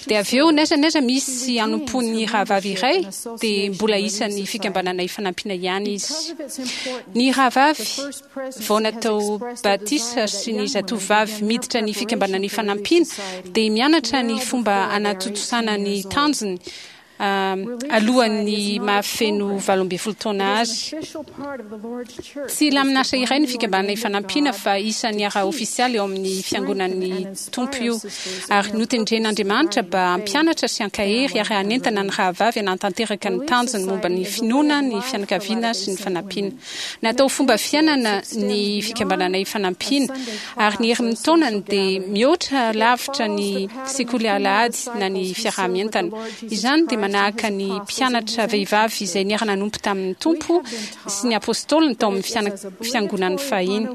Dia avy eo, n'aiza n'aiza misy hanompoan'ny rahavavy iray, dia mbola isan'ny Fikambanana Ifanampiana ihany izy. Ny rahavavy vao natao batisa sy ny zatovovavy miditra ny Fikambanana Ifanampiana dia mianatra ny fomba hanatontosana ny tanjony alohan'ny mahafeno 18 taona azy. Tsy lamin'asa iray ny Fikambanana Ifanampiana fa isan'ny ara-ofisialy ao amin'ny Fiangonan'ny Tompo io, ary notendren'Andriamanitra mba hampianatra sy hankahery ary hanentana ny rahavavy hanatanteraka ny tanjony momba ny finoana, ny fianakaviana sy ny fanampiana. Natao ho fomba fiainana ny Fikambanana Ifanampiana, ary ny herin'ny taonany dia mihoatra lavitra ny sekoly alahady na ny fiaraha-mientana. Izany dia manahaka ny mpianatra vehivavy izay niara-nanompo tamin'ny Tompo sy ny Apôstôliny tao amin'ny Fiangonany fahiny.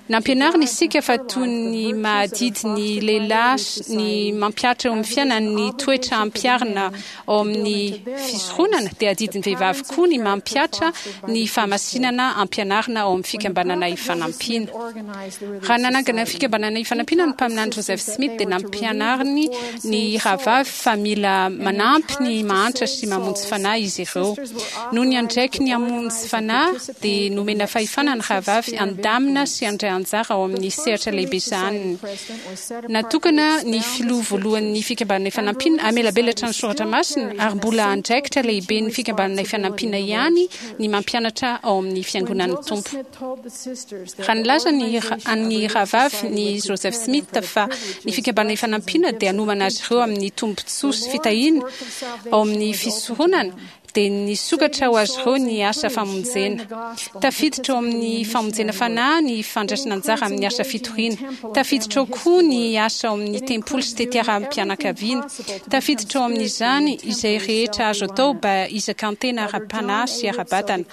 Nampianarina isika fa toy ny mahadidy ny lehilahy ny mampihatra eo amin'ny fiainany ny toetra ampiharina ao amin'ny fisoronana, dia adidin'ny vehivavy koa ny mampihatra ny fahamasinana ampianarina ao amin'ny Fikambanana Ifanampiana. Raha nanangana ny Fikambanana Ifanampiana ny Mpaminany Joseph Smith dia nampianariny ny rahavavy fa mila manampy ny mahantra sy mamonjy fanahy izy ireo. Noho ny andraikiny hamonjy fanahy dia nomena fahefana ny rahavavy handamina sy handray anjara ao amin'ny sehatra lehibe sahaniny. Natokana ny filoha voalohan'ny Fikambanana Ifanampiana hamelabelatra ny soratra masina ary mbola andraikitra lehiben'ny Fikambanana Ifanampiana ihany ny mampianatra ao amin'ny Fiangonan'ny Tompo. Raha nilaza ny an'ny rahavavy ny Joseph Smith fa ny Fikambanana Ifanampiana dia hanomana azy ireo amin'ny tombontsoa sy fitahiana ao amin'ny fisoronana, dia nisokatra ho azy ireo ny asa famonjena. Tafiditra ao amin'ny famonjena fanahy ny fandraisana anjara amin'ny asa fitoriana. Tafiditra ao koa ny asa ao amin'ny tempoly sy tetiaram-pianakaviana. Tafiditra ao amin'izany izay rehetra azo atao mba hizakan-tena ara-panahy sy ara-batana.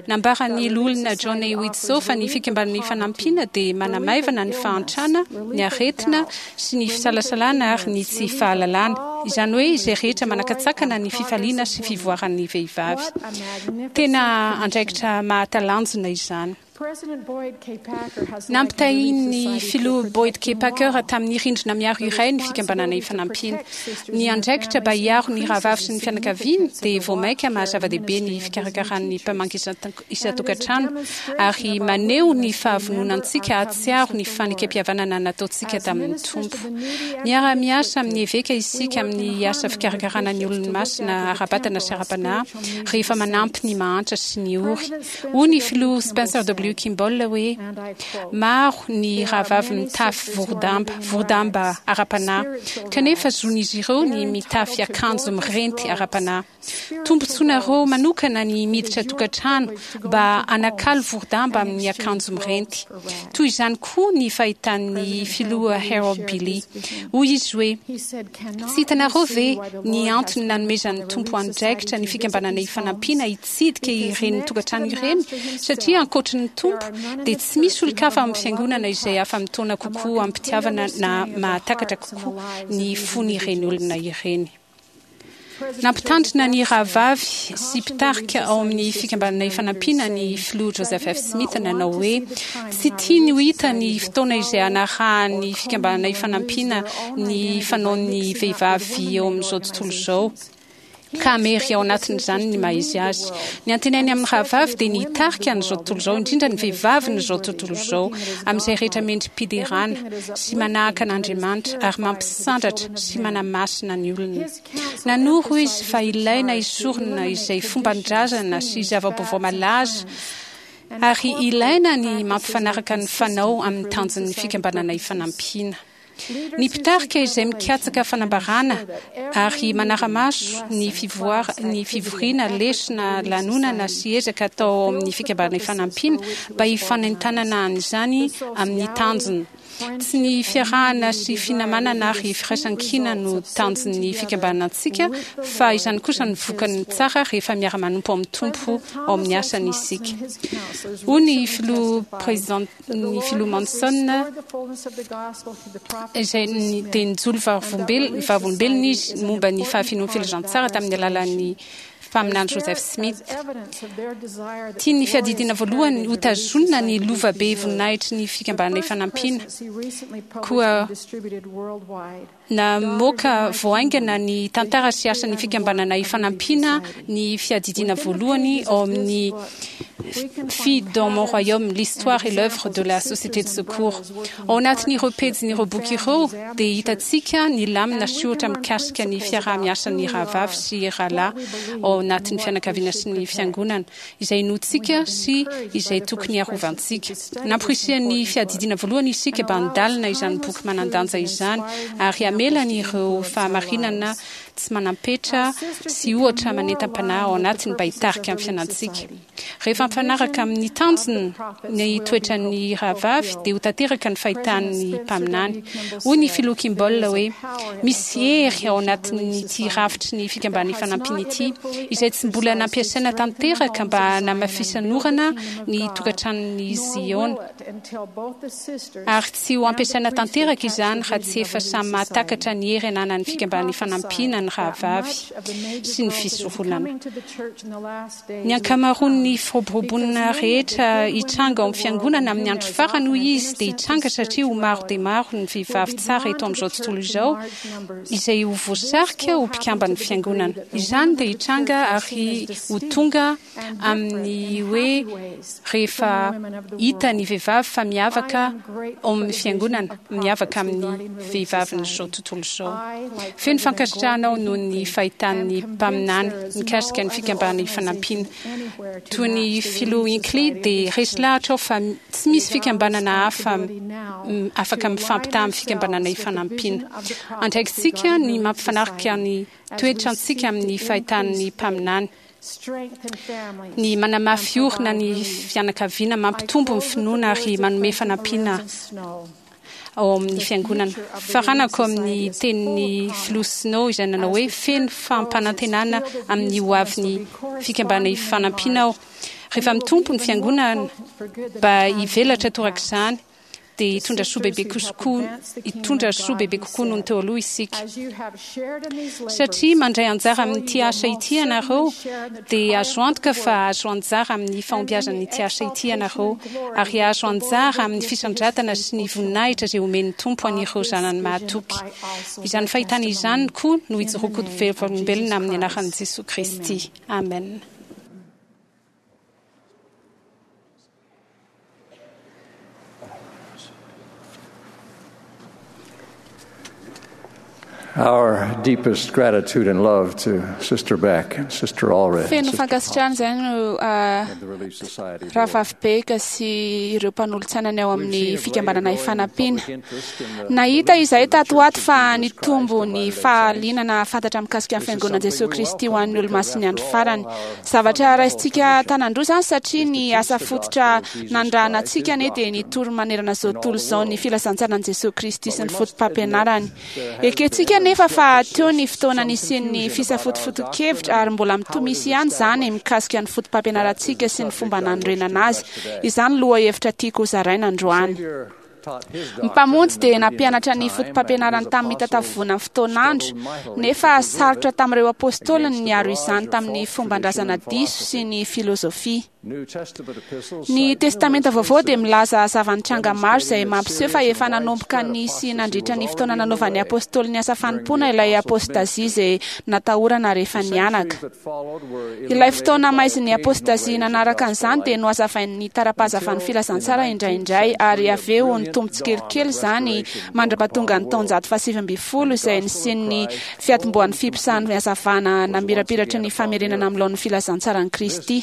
Nambaran'ny Loholona John A. Widtsoe fa ny Fikambanana Ifanampiana dia manamaivana ny fahantrana, ny aretina, sy ny fisalasalana ary ny tsy fahalalana, izany hoe izay rehetra manakatsakana ny fifaliana sy fivoaran'ny vehivavy. Tena andraikitra mahatalanjona izany. Nampitahian'ny Filoha Boyd K. Packer tamin'ny rindrina miaro iray ny Fikambanana Ifanampiana. Ny andraikitra mba hiaro ny rahavavy sy ny fianakaviany dia vao mainka maha zava-dehibe ny fikarakaran'ny mpamangy isan-tokantrano ary maneho ny fahavononantsika hahatsiaro ny fanekempihavanana nataontsika tamin'ny Tompo. Miara-miasa amin'ny eveka isika amin'ny asa fikarakarana ny olony masina ara-batana sy ara-panahy rehefa manampy ny mahantra sy ny ory. Hoy ny Filoha Spencer W. Kimball hoe, Maro ny rahavavy mitafy vorodamba, vorodamba ara-panahy, kanefa zon'izy ireo ny mitafy akanjo mirenty ara-panahy. Tombontsoanareo manokana ny miditra tokantrano mba hanakalo vorodamba amin'ny akanjo mirenty. Toy izany koa ny fahitan'ny Filoha Harold Billy. Hoy izy hoe, Tsy hitanareo ve ny antony nanomezan'ny Tompo andraikitra ny Fikambanana Ifanampiana hitsidika ireny tokantrano ireny? Satria ankoatry ny Tompo, dia tsy misy olon-kafa amin'ny Fiangonana izay afa-mitaona kokoa amim-pitiavana na mahatakatra kokoa ny fon'ireny olona ireny. Nampitandrina ny rahavavy sy mpitarika ao amin'ny Fikambanana Ifanampiana ny Filoha Joseph F. Smith nanao hoe tsy tiany ho hita ny fotoana izay hanarahan'ny Fikambanana Ifanampiana ny fanaon'ny vehivavy eo amin'izao tontolo izao ka hamery ao anatin'izany ny maha izy azy. Ny antenainy amin'ny rahavavy dia ny hitarika an'izao tontolo izao, indrindra ny vehivavin'izao tontolo izao, amin'izay rehetra mendri-piderana sy manahaka an'Andriamanitra ary mampisandratra sy manamasina ny olona. Nanoro izy fa ilaina esorina izay fomban-drazana sy zava-baovao malaza ary ilaina ny mampifanaraka ny fanao amin'ny tanjon'ny Fikambanana Ifanampiana. Ny mpitarika izay mikatsaka fanambarana ary manara-maso ny ny fivoriana, lesona, lanonana sy ezaka atao ao amin'ny Fikambanana Ifanampiana mba hifanentanana an'izany amin'ny tanjona. Tsy ny fiarahana sy finamanana ary firaisankina no tanjon'ny fikambanantsika fa izany kosa no vokany tsara rehefa miara-manompo amin'ny Tompo ao amin'ny asany isika. Hoy ny Filoha President Ny Filoha Monson izay dia nijoro vavolombelona izy momba ny fahafenoan'ny filazantsara tamin'ny alalan'ny mpaminany Joseph Smith. Tian'ny Fiadidiana Voalohany hotazonina ny lova be voninahitry ny Fikambanana Ifanampiana. Koa Namoaka vao haingana ny tantara sy asan'ny Fikambanana Ifanampiana ny Fiadidiana Voalohany ao amin'ny Filles dans mon royaume, l'histoire et l'œuvre de la Société de Secours. Ao anatin'ireo pejin'ireo boky ireo dia hitantsika ny lamina sy ohatra mikasika ny fiaraha-miasan'ny rahavavy sy rahalahy ao anatin'ny fianakaviana sy ny fiangonana. izay inoantsika sy izay tokony harovantsika. Namporisihan'ny Fiadidiana Voalohany isika mba handalina izany boky manan-danja izany ary hamela an'ireo fahamarinana tsy manam-petra sy ohatra manentam-panahy ao anatiny mba hitarika ny fiainantsika. Rehefa mifanaraka amin'ny tanjona ny toetran'ny rahavavy dia ho tanteraka ny fahitan'ny mpaminany. Hoy ny Filoha Kimball hoe, Misy hery ao anatin'ity rafitry ny Fikambanana Ifanampiana ity, izay tsy mbola nampiasaina tanteraka mba hanamafisan'orana ny tokantranon'i Ziona, ary tsy ho ampiasaina tanteraka izany raha tsy efa samy mahatakatra ny hery ananan'ny Fikambanana Ifanampiana ny rahavavy sy ny fisoronana. Ny ankamaroan'ny firoboroboana rehetra hitranga ao amin'ny Fiangonana amin'ny andro farany, hoy izy, dia hitranga satria ho maro dia maro ny vehivavy tsara eto amin'izao tontolo izao izay ho voasarika ho mpikamban'ny Fiangonana. Izany dia hitranga ary ho tonga amin'ny hoe rehefa hita ny vehivavy fa miavaka ao amin'ny Fiangonana, miavaka amin'ny vehivavin'izao tontolo izao. Feno fankasitrahana aho noho ny fahitan'ny mpaminany mikasika ny Fikambanana Ifanampiana. Toy ny Filoha Hinckley dia resy lahatra aho fa tsy misy fikambanana hafa afaka mifampitaha amin'ny Fikambanana Ifanampiana. Andraikitsika ny mampifanaraka ny toetrantsika amin'ny fahitan'ny mpaminany. Ny manamafy orina ny fianakaviana, mampitombo ny finoana ary manome fanampiana ao amin'ny fiangonana. Faranako amin'ny tenin'ny Filoha Snow izay nanao hoe, Feno fampanantenana amin'ny ho avin'ny Fikambanana Ifanampiana aho. Rehefa mitombo ny fiangonana mba hivelatra torak'izany, dia hitondra soa bebe kokoa hitondra soa bebe kokoa noho ny teo aloha isika. Satria mandray anjara amin'ity asa ity ianareo, dia azo antoka fa hahazo anjara amin'ny fahombiazan'ity asa ity ianareo, ary hahazo anjara amin'ny fisandratana sy ny voninahitra izay omen'ny Tompo an'ireo zanany mahatoky. Izany fahitana izany koa no ijoroako ho vavolombelona amin'ny anaran'i Jesoa Kristy. Amen. Our deepest gratitude and love to Sister Beck and Sister Allred. Feno fankasitrahana izay no Rahavavy Beck sy ireo mpanolotsainany ao amin'ny fikambanana Ifanampiana. Nahita izahay tato ho ato fa nitombo ny fahalianana hahafantatra mikasika ny Fiangonan'i Jesoa Kristy ho an'ny Olomasin'ny Andro Farany. Zavatra raisintsika an-tanan-droa izany satria ny asa fototra nanirahana antsika anie dia ny hitory manerana izao tontolo izao ny filazantsaran'i Jesoa Kristy sy ny fotopampianarany. Ekentsika anefa fa teo ny fotoana nisian'ny fisafotofoton-kevitra ary mbola mitohy misy ihany izany mikasika ny fotopampianarantsika sy ny fomba nanorenana azy. Izany lohahevitra tiako hozaraina androany. Ny Mpamonjy dia nampianatra ny fotopampianarany tamin'ny mitataovovonan'ny fotoan'andro, nefa sarotra tamin'ireo apôstôliny ny niaro izany tamin'ny fomban-drazana diso sy ny filôzôfia. Ny Testamenta Vaovao dia milaza zava-nitranga maro izay mampiseho fa efa nanomboka nisy nandritra ny fotoana nanaovan'ny apôstôly ny asa fanompoana ilay apôstazia izay natahorana rehefa nihanaka. Ilay fotoana maizin'ny apôstazia nanaraka an'izany dia nohazavain'ny tara-pahazavan'ny filazantsara indraindray, ary avy eo nitombo tsikelikely izany mandra-pahatonga ny taonjato fahasivy ambin'ny folo izay nisian'ny fiatombohan'ny fiposahan'ny hazavana namirapiratry ny famerenana amin'ny laoniny filazantsaran'i Kristy.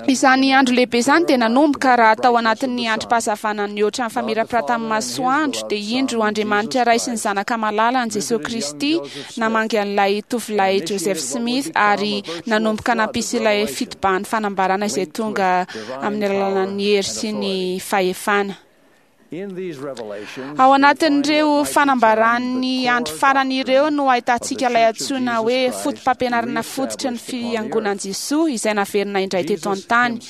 Izany andro lehibe izany dia nanomboka raha tao anatin'ny androm-pahazavana nihoatra ny famirapiratan'ny masoandro, dia indro Andriamanitra Ray sy ny Zanaka malalany Jesoa Kristy namangy an'ilay tovolahy Joseph Smith ary nanomboka nampisy ilay fitobahan'ny fanambarana izay tonga amin'ny alalan'ny hery sy ny fahefana. Ao anatin'ireo fanambaran'ny andro farany ireo no ahitantsika ilay antsoina hoe fotopampianarana fototry ny Fiangonan'i Jesoa izay naverina indray teto an-tany.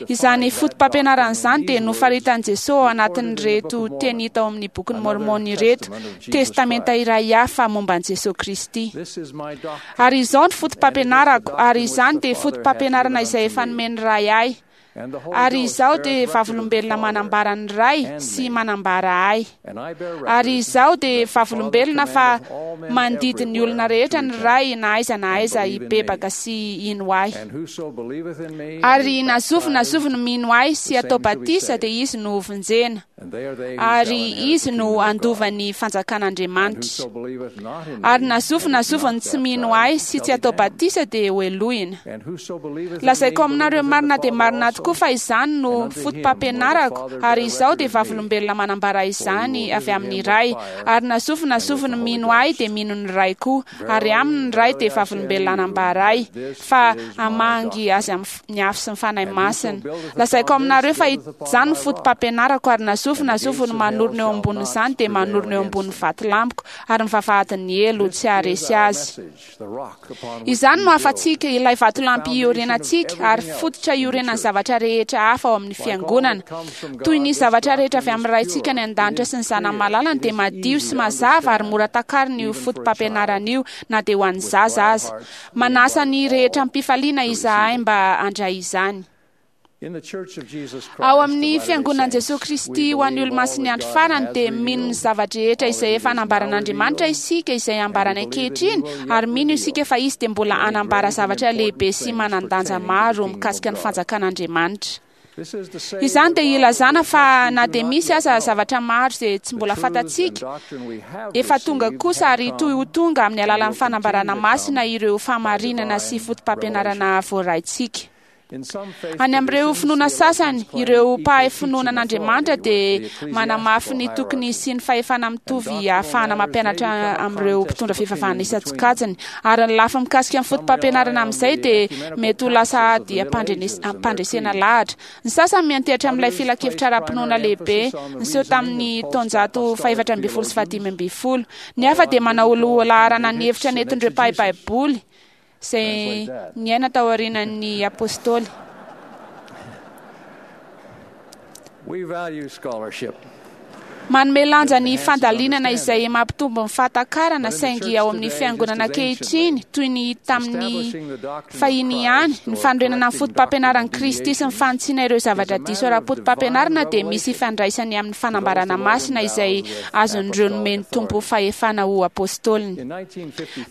Izany fotopampianarana izany dia nofaritan'i Jesoa ao anatin'ireto teny hita ao amin'ny Bokin'i Môrmôna ireto, testamenta iray hafa momba an'i Jesoa Kristy. Ary izao no fotopampianarako, ary izany dia fotopampianarana izay efa nomen'ny Ray ahy. Ary izaho dia vavolombelona manambara ny Ray sy manambara ahy. Ary izaho dia vavolombelona fa mandidy ny olona rehetra ny Ray na aiza na aiza hibebaka sy hino ahy. Ary na zovy na zovy no mino ahy sy atao batisa dia izy no hovonjena, ary izy no handova ny fanjakan'Andriamanitra. Ary na zovy na zovy no tsy mino ahy sy tsy atao batisa dia hohelohina. Lazaiko aminareo marina dia marina tokoa fa izany no fotopampianarako, ary izaho dia vavolombelona manambara izany avy amin'ny Ray. Ary na zovy na zovy no mino ahy dia mino ny Ray koa, ary aminy ny Ray dia vavolombelona hanambara ahy, fa hamangy azy amin'ny afo sy ny Fanahy Masina. Lazaiko aminareo fa izany no fotopampianarako, ary na zovy na zovy no manorina eo ambonin'izany dia manorina eo ambonin'ny vatolampiko, ary ny vavahadin'ny helo tsy haharesy azy. Izany no hafatsika, ilay vatolampy iorenantsika, ary fototra iorenan'ny zavatra rehetra hafa ao amin'ny Fiangonana. Toy ny zavatra rehetra avy amin'ny Raintsika any An-danitra sy ny Zanany malalany dia madio sy mazava ary mora takarina io fotopampianarana io na dia ho an'ny zaza aza. Manasa ny rehetra amim-pifaliana izahay mba handray izany. Ao amin'ny Fiangonan'i Jesoa Kristy ho an'ny Olomasin'ny Andro Farany dia mino ny zava-drehetra izay efa nambaran'Andriamanitra isika izay ambarany ankehitriny, ary mino isika fa Izy dia mbola hanambara zavatra lehibe sy manan-danja maro mikasika ny fanjakan'Andriamanitra. Izany dia ilazana fa na dia misy aza zavatra maro izay tsy mbola fantatsika, efa tonga kosa ary hitohy ho tonga amin'ny alalan'ny fanambarana masina ireo fahamarinana sy fotopampianarana voaraintsika. Any amin'ireo finoana sasany, ireo mpahay finoana an'Andriamanitra dia manamafy ny tokony hisian'ny fahefana mitovy ahafahana mampianatra amin'ireo mpitondra fivavahana isan-tsokajiny. Ary ny lafiny mikasika ny fotopampianarana amin'izay dia mety ho lasa ady ampandresena lahatra. Ny sasany miantehitra amin'ilay filankevitra ara-pinoana lehibe niseho tamin'ny taonjato faha-14 sy faha-15. Ny hafa dia manao lohalaharana ny hevitra nentin'ireo mpahay Baiboly izay niaina taorian'ny Apôstôly. Manome lanja ny fandalinana izay mampitombo ny fahatakarana, saingy ao amin'ny fiangonana ankehitriny, toy ny tamin'ny fahiny ihany, ny fanorenana ny fotopampianaran'i Kristy sy ny fanitsiana ireo zavatra diso ara-potopampianarana dia misy ifandraisany amin'ny fanambarana masina izay azon'ireo nomen'ny Tompo fahefana ho apôstôliny.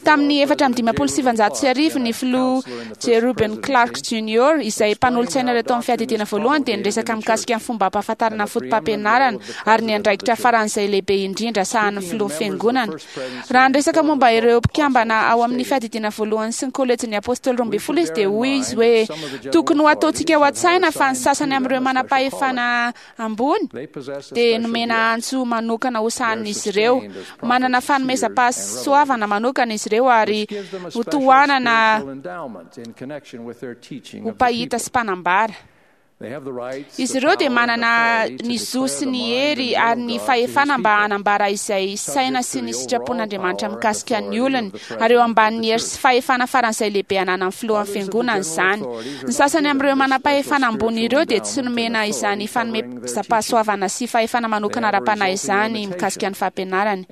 Tamin'ny 1954, ny filoha J. Reuben Clark Jr., izay mpanolotsaina tao amin'ny Fiadidiana Voalohany, dia niresaka mikasika ny fomba hampahafantarana ny fotopampianarana ary ny andraikitra faran'izay lehibe indrindra sahanin'ny filohan'ny Fiangonana. Raha niresaka momba ireo mpikambana ao amin'ny Fiadidiana Voalohany sy ny Kôlejin'ny Apôstôly 12 izy, dia hoy izy hoe, Tokony ho ataontsika ao an-tsaina fa ny sasany amin'ireo manam-pahefana ambony dia nomena antso manokana ho sahanin'izy ireo. Manana fanomezam-pahasoavana manokana izy ireo ary ho tohanana ho mpahita sy mpanambara. Izy ireo dia manana ny zo sy ny hery ary ny fahefana mba hanambara izay saina sy ny sitrapon'Andriamanitra mikasika ny olony, ary eo ambanin'ny hery sy fahefana faran'izay lehibe ananan'ny filohan'ny fiangonana izany. Ny sasany amin'ireo manam-pahefana ambony ireo dia tsy nomena izany fanomezam-pahasoavana sy fahefana manokana ara-panahy izany mikasika ny fampianarany.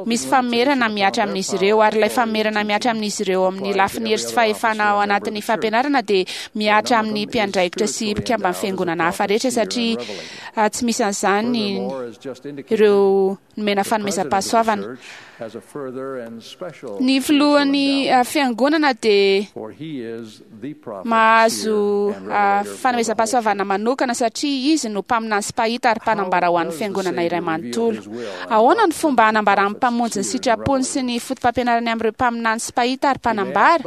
Misy famerana mihatra amin'izy ireo, ary ilay famerana mihatra amin'izy ireo amin'ny lafiny hery sy fahefana ao anatin'ny fampianarana dia mihatra amin'ny mpiandraikitra sy mpikamban'ny fiangonana hafa rehetra, satria tsy misy an'izany ireo nomena fanomezam-pahasoavana. Ny filohan'ny fiangonana dia mahazo fanomezam-pahasoavana manokana satria izy no mpaminany sy mpahita ary mpanambara ho an'ny fiangonana iray manontolo. Ahoana ny fomba hanambaran'ny Mpamonjy ny sitrapony sy ny fotopampianarany amin'ireo mpaminany sy mpahita ary mpanambara?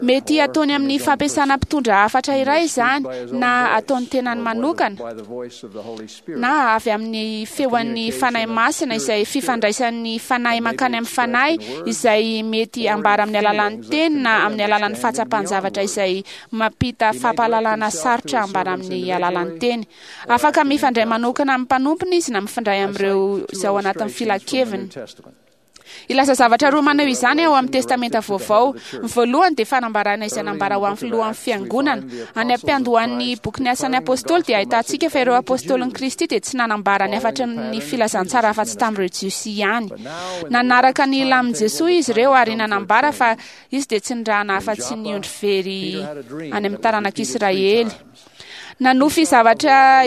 Mety hataony amin'ny fampiasana mpitondra hafatra iray izany, na ataon'ny tenany manokana, na avy amin'ny feon'ny Fanahy Masina, izay fifandraisan'ny fanahy mankany amin'ny fanahy, izay mety ambara amin'ny alalan'ny teny na amin'ny alalan'ny fahatsapan-javatra izay mampita fampahalalana sarotra ambara amin'ny alalan'ny teny. Afaka mifandray manokana amin'ny mpanompony izy na mifandray amin'ireo izay ao anatin'ny filankeviny. Hilaza zavatra roa maneho izany ao amin'ny Testamenta Vaovao. Ny voalohany dia fanambarana izay nambara ho an'ny filohan'ny Fiangonana. Any am-piandohan'ny bokin'ny Asan'ny Apôstôly dia ahitantsika fa ireo Apôstôlin'i Kristy dia tsy nanambara ny hafatry ny filazantsara afa-tsy tamin'ireo Jiosy ihany. Nanaraka ny lamin'i Jesoa izy ireo ary nanambara fa Izy dia tsy nirahana afa-tsy ny ondry very any amin'ny taranak'Israely. Nanofy zavatra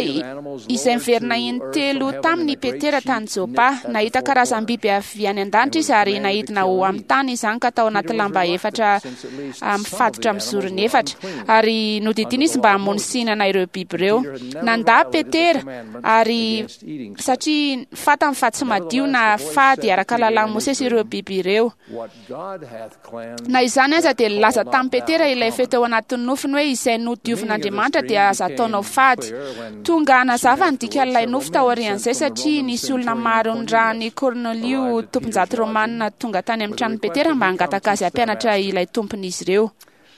izay miverina intelo taminy i Petera tany Jopa. Nahita karazam-biby avy any an-danitra izy ary naidina ho amin'ny tany izany ka tao anaty lamba efatra mifatotra amin'ny zorony efatra. Ary nodidiana izy mba hamono sy hihinana ireo biby ireo. Nandà Petera ary satria fantany fa tsy madio na fady araka lalàn'i Mosesy ireo biby ireo. Na izany aza dia nilaza tamin'i Petera ilay feo teo anatin'ny nofiny hoe izay nodiovin'Andriamanitra dia aza ataonao fady. Tonga hanazava ny dikan'ilay nofy taorian'izay satria nisy olona maro nirahan'i Kornelio tomponjato romanina tonga tany amin'ny tranon'i Petera mba hangataka azy hampianatra ilay tompon'izy ireo.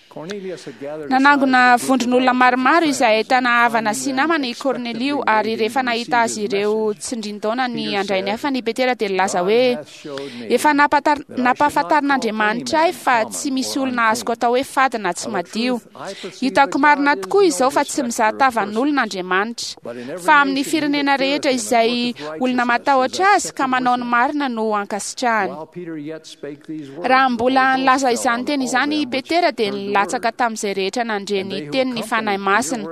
Nanangona vondron'olona maromaro izay ahitana havana sy namana i Kornelio, ary rehefa nahita azy ireo tsindrin-daona ny handray ny hafany i Petera dia nilaza hoe, Efa nampahafantarin'Andriamanitra ahy fa tsy misy olona azoko atao hoe fady na tsy madio. Hitako marina tokoa izao fa tsy mizaha tavan'olona Andriamanitra. Fa amin'ny firenena rehetra izay olona matahotra Azy ka manao ny marina no ankasitrahany. Raha mbola nilaza izany teny izany i Petera dia nilatsaka tamin'izay rehetra nandre ny teny ny Fanahy Masina.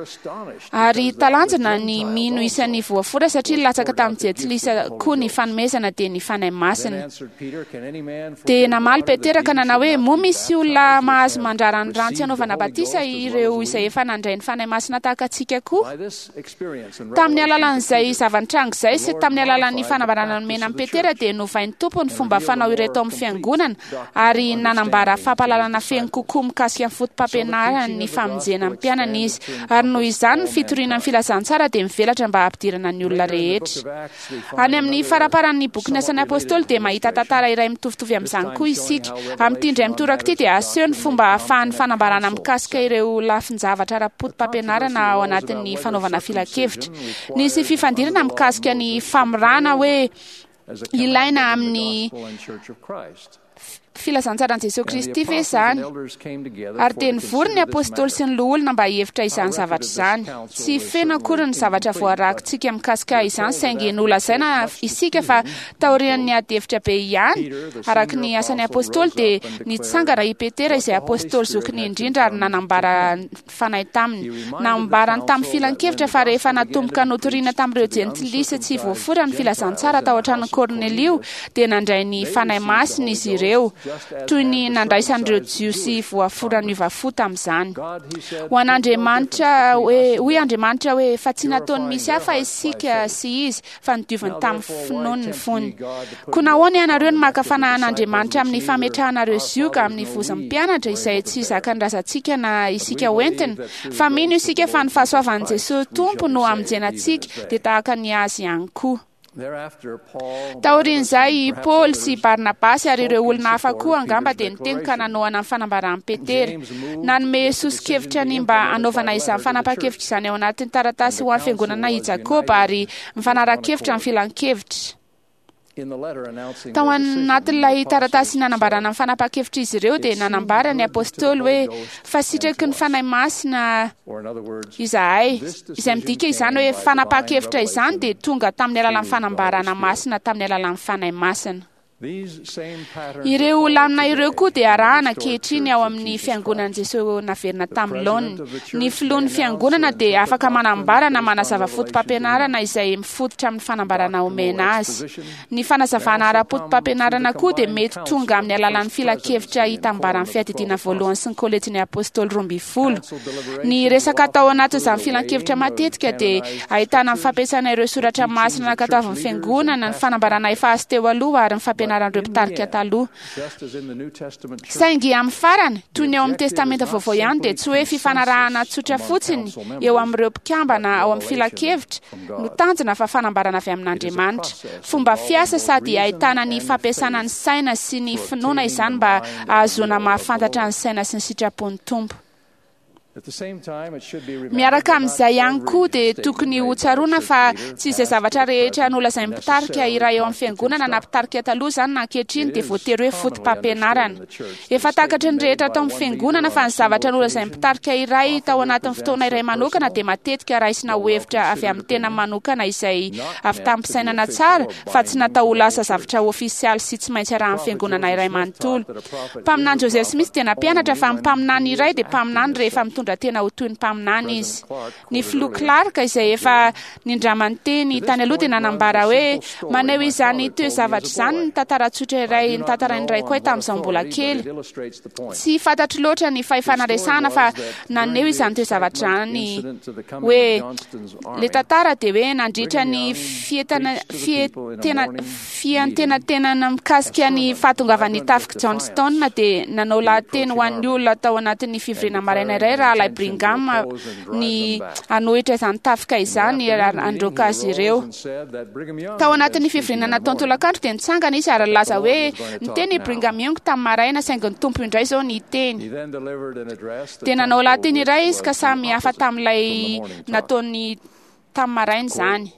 Ary talanjona ny mino isan'ny voafora satria nilatsaka tamin'ny Jentilisa koa ny fanomezana dia ny Fanahy Masina. Dia namaly Petera ka nanao hoe, Moa misy olona mahazo mandrara ny rano tsy hanaovana batisa ireo izay efa nandray ny Fanahy Masina tahaka antsika koa? Tamin'ny alalan'izay zava-nitranga izay sy tamin'ny alalan'ny fanambarana nomena an'i Petera dia novain'ny Tompo ny fomba fanao ireto ao amin'ny Fiangonana ary nanambara fampahalalana feno kokoa mikasika ny foto-pampianarany ny famonjena ny mpianany izy, ary noho izany ny fitoriana ny filazantsara dia mivelatra mba hampidirana ny olona rehetra. Any amin'ny faramparan'ny bokin'ny Asan'ny Apôstôly dia mahita tantara iray mitovitovy amin'izany koa isika. Amin'ity indray mitoraka ity dia aseho ny fomba ahafahan'ny fanambarana mikasika ireo lafin-javatra ara-poto-pampianarana ao anatin'ny fanaovana filankevitra. Nisy fifandirana mikasika ny famorana hoe ilaina amin'ny filazantsaran'i Jesoa Kristy ve izany? Ary dia nivory ny apôstôly sy ny loholona mba hihevitra izany zavatra izany. Tsy feno akory ny zavatra voarakitsika mikasika izany, saingy nolazaina isika fa taorian'ny ady hevitra be ihany, araka ny asan'ny apôstôly, dia nitsangana i Petera izay apôstôly zokiny indrindra ary nanambara ny Fanahy taminy. Nambarany tamin'ny filankevitra fa rehefa natomboka notorina tamin'ireo Jentilisa tsy voafora ny filazantsara tao an-tranon'i Kornelio, dia nandray ny Fanahy Masina izy ireo, toy ny nandraisan'ireo Jiosy voafora niova fo tamin'izany. Ho an'Andriamanitra hoe, hoy Andriamanitra hoe, fa tsy nataony misy hafa isika sy izy, fa nodioviny tamin'ny finoany ny fony. Koa nahoana ianareo no maka fanahy an'Andriamanitra amin'ny fametrahanareo zioga amin'ny vozon'ny mpianatra izay tsy zakan'ny razantsika na isika hoentina? Fa mino isika fa ny fahasoavan'i Jesoa Tompo no hamonjena antsika, dia tahaka ny Azy ihany koa. Taorian'izay, i Paoly sy i Barnabasy ary ireo olona hafa koa angamba dia niteny ka nanohana ny fanambaran'i Petera. Nanome soso-kevitra ny mba hanaovana izany fanapahan-kevitra izany ao anatin'ny taratasy ho an'ny fiangonana i Jakoba ary mifanara-kevitra ny filankevitra. Tao anatin'ilay taratasy nanambarana ny fanapahan-kevitr'izy ireo dia nanambara ny apostoly hoe fa sitraky ny Fanahy Masina izahay, izay midika izany hoe fanapahan-kevitra izany dia tonga tamin'ny alalan'ny fanambarana masina tamin'ny alalan'ny Fanahy Masina. Ireo lamina ireo koa dia arahana ankehitriny ao amin'ny Fiangonan'i Jesoa naverina tamin'ny laoniny. Ny filohan'ny Fiangonana dia afaka manambara na manazava fotopampianarana izay mifototra amin'ny fanambarana omena azy. Ny fanazavana ara-potopampianarana koa dia mety tonga amin'ny alalan'ny filankevitra hitambaran'ny Fiadidiana Voalohany sy ny Kolejin'ny Apôstôly 12. Ny resaka atao anatin'izany filankevitra matetika dia ahitana ny fampiasana ireo soratra masina nankatoavin'ny Fiangonana, ny fanambarana efa azo teo aloha ary ny fampianaran'ireo mpitarika taloha. Saingy amin'ny farany, toy ny ao amin'ny Testamenta Vaovao ihany, dia tsy hoe fifanarahana tsotra fotsiny eo amin'ireo mpikambana ao amin'ny filankevitra no tanjona fa fanambarana avy amin'Andriamanitra. Fomba fiasa sady ahitana ny fampiasana ny saina sy ny finoana izany mba hahazoana mahafantatra ny saina sy ny sitrapon'ny Tompo. Miaraka amin'izay ihany koa dia tokony ho tsaroana fa tsy izay zavatra rehetra nolazain'ny mpitarika iray ao amin'ny fiangonana na mpitarika taloha izany na ankehitriny dia voatery hoe fotopampianarana. Efa takatry ny rehetra tao amin'ny fiangonana fa ny zavatra nolazain'ny mpitarika iray tao anatin'ny fotoana iray manokana dia matetika raisina ho hevitra avy amin'ny tena manokana izay avy tamim-pisainana tsara fa tsy natao ho lasa zavatra ofisialy sy tsy maintsy arahan'ny fiangonana iray manontolo. Mpaminany Joseph Smith dia nampianatra fa ny mpaminany iray dia mpaminany rehefa mitondra tena ho toy ny mpaminany izy. Ny filoha Clark izay efa nindramany teny tany aloha dia nanambara hoe maneho izany toe-zavatra izany ny tantara tsotra iray notantarain'ny raiko ahy tamin'izaho mbola kely. Tsy fantatro loatra ny fahefana resahana fa naneho izany toe-zavatra izany hoe ilay tantara dia hoe nandritra ny fietana fietena fiantenatenana mikasika ny fahatongavan'ny tafik'i Johnston dia nanao lahateny ho an'ny olona tao anatin'ny fivoriana maraina iray Rahalahy Brigham ny hanohitra izany tafika izany ary handroaka azy ireo. Tao anatin'ny fivoriana nataony tolakandro dia nitsangana izy ary nilaza hoe niteny i Brigham Young tamin'ny maraina saingy ny Tompo indray izao niteny. Dia nanao lahateny iray izy ka samy hafa tamin'ilay nataony tamin'ny maraina izany.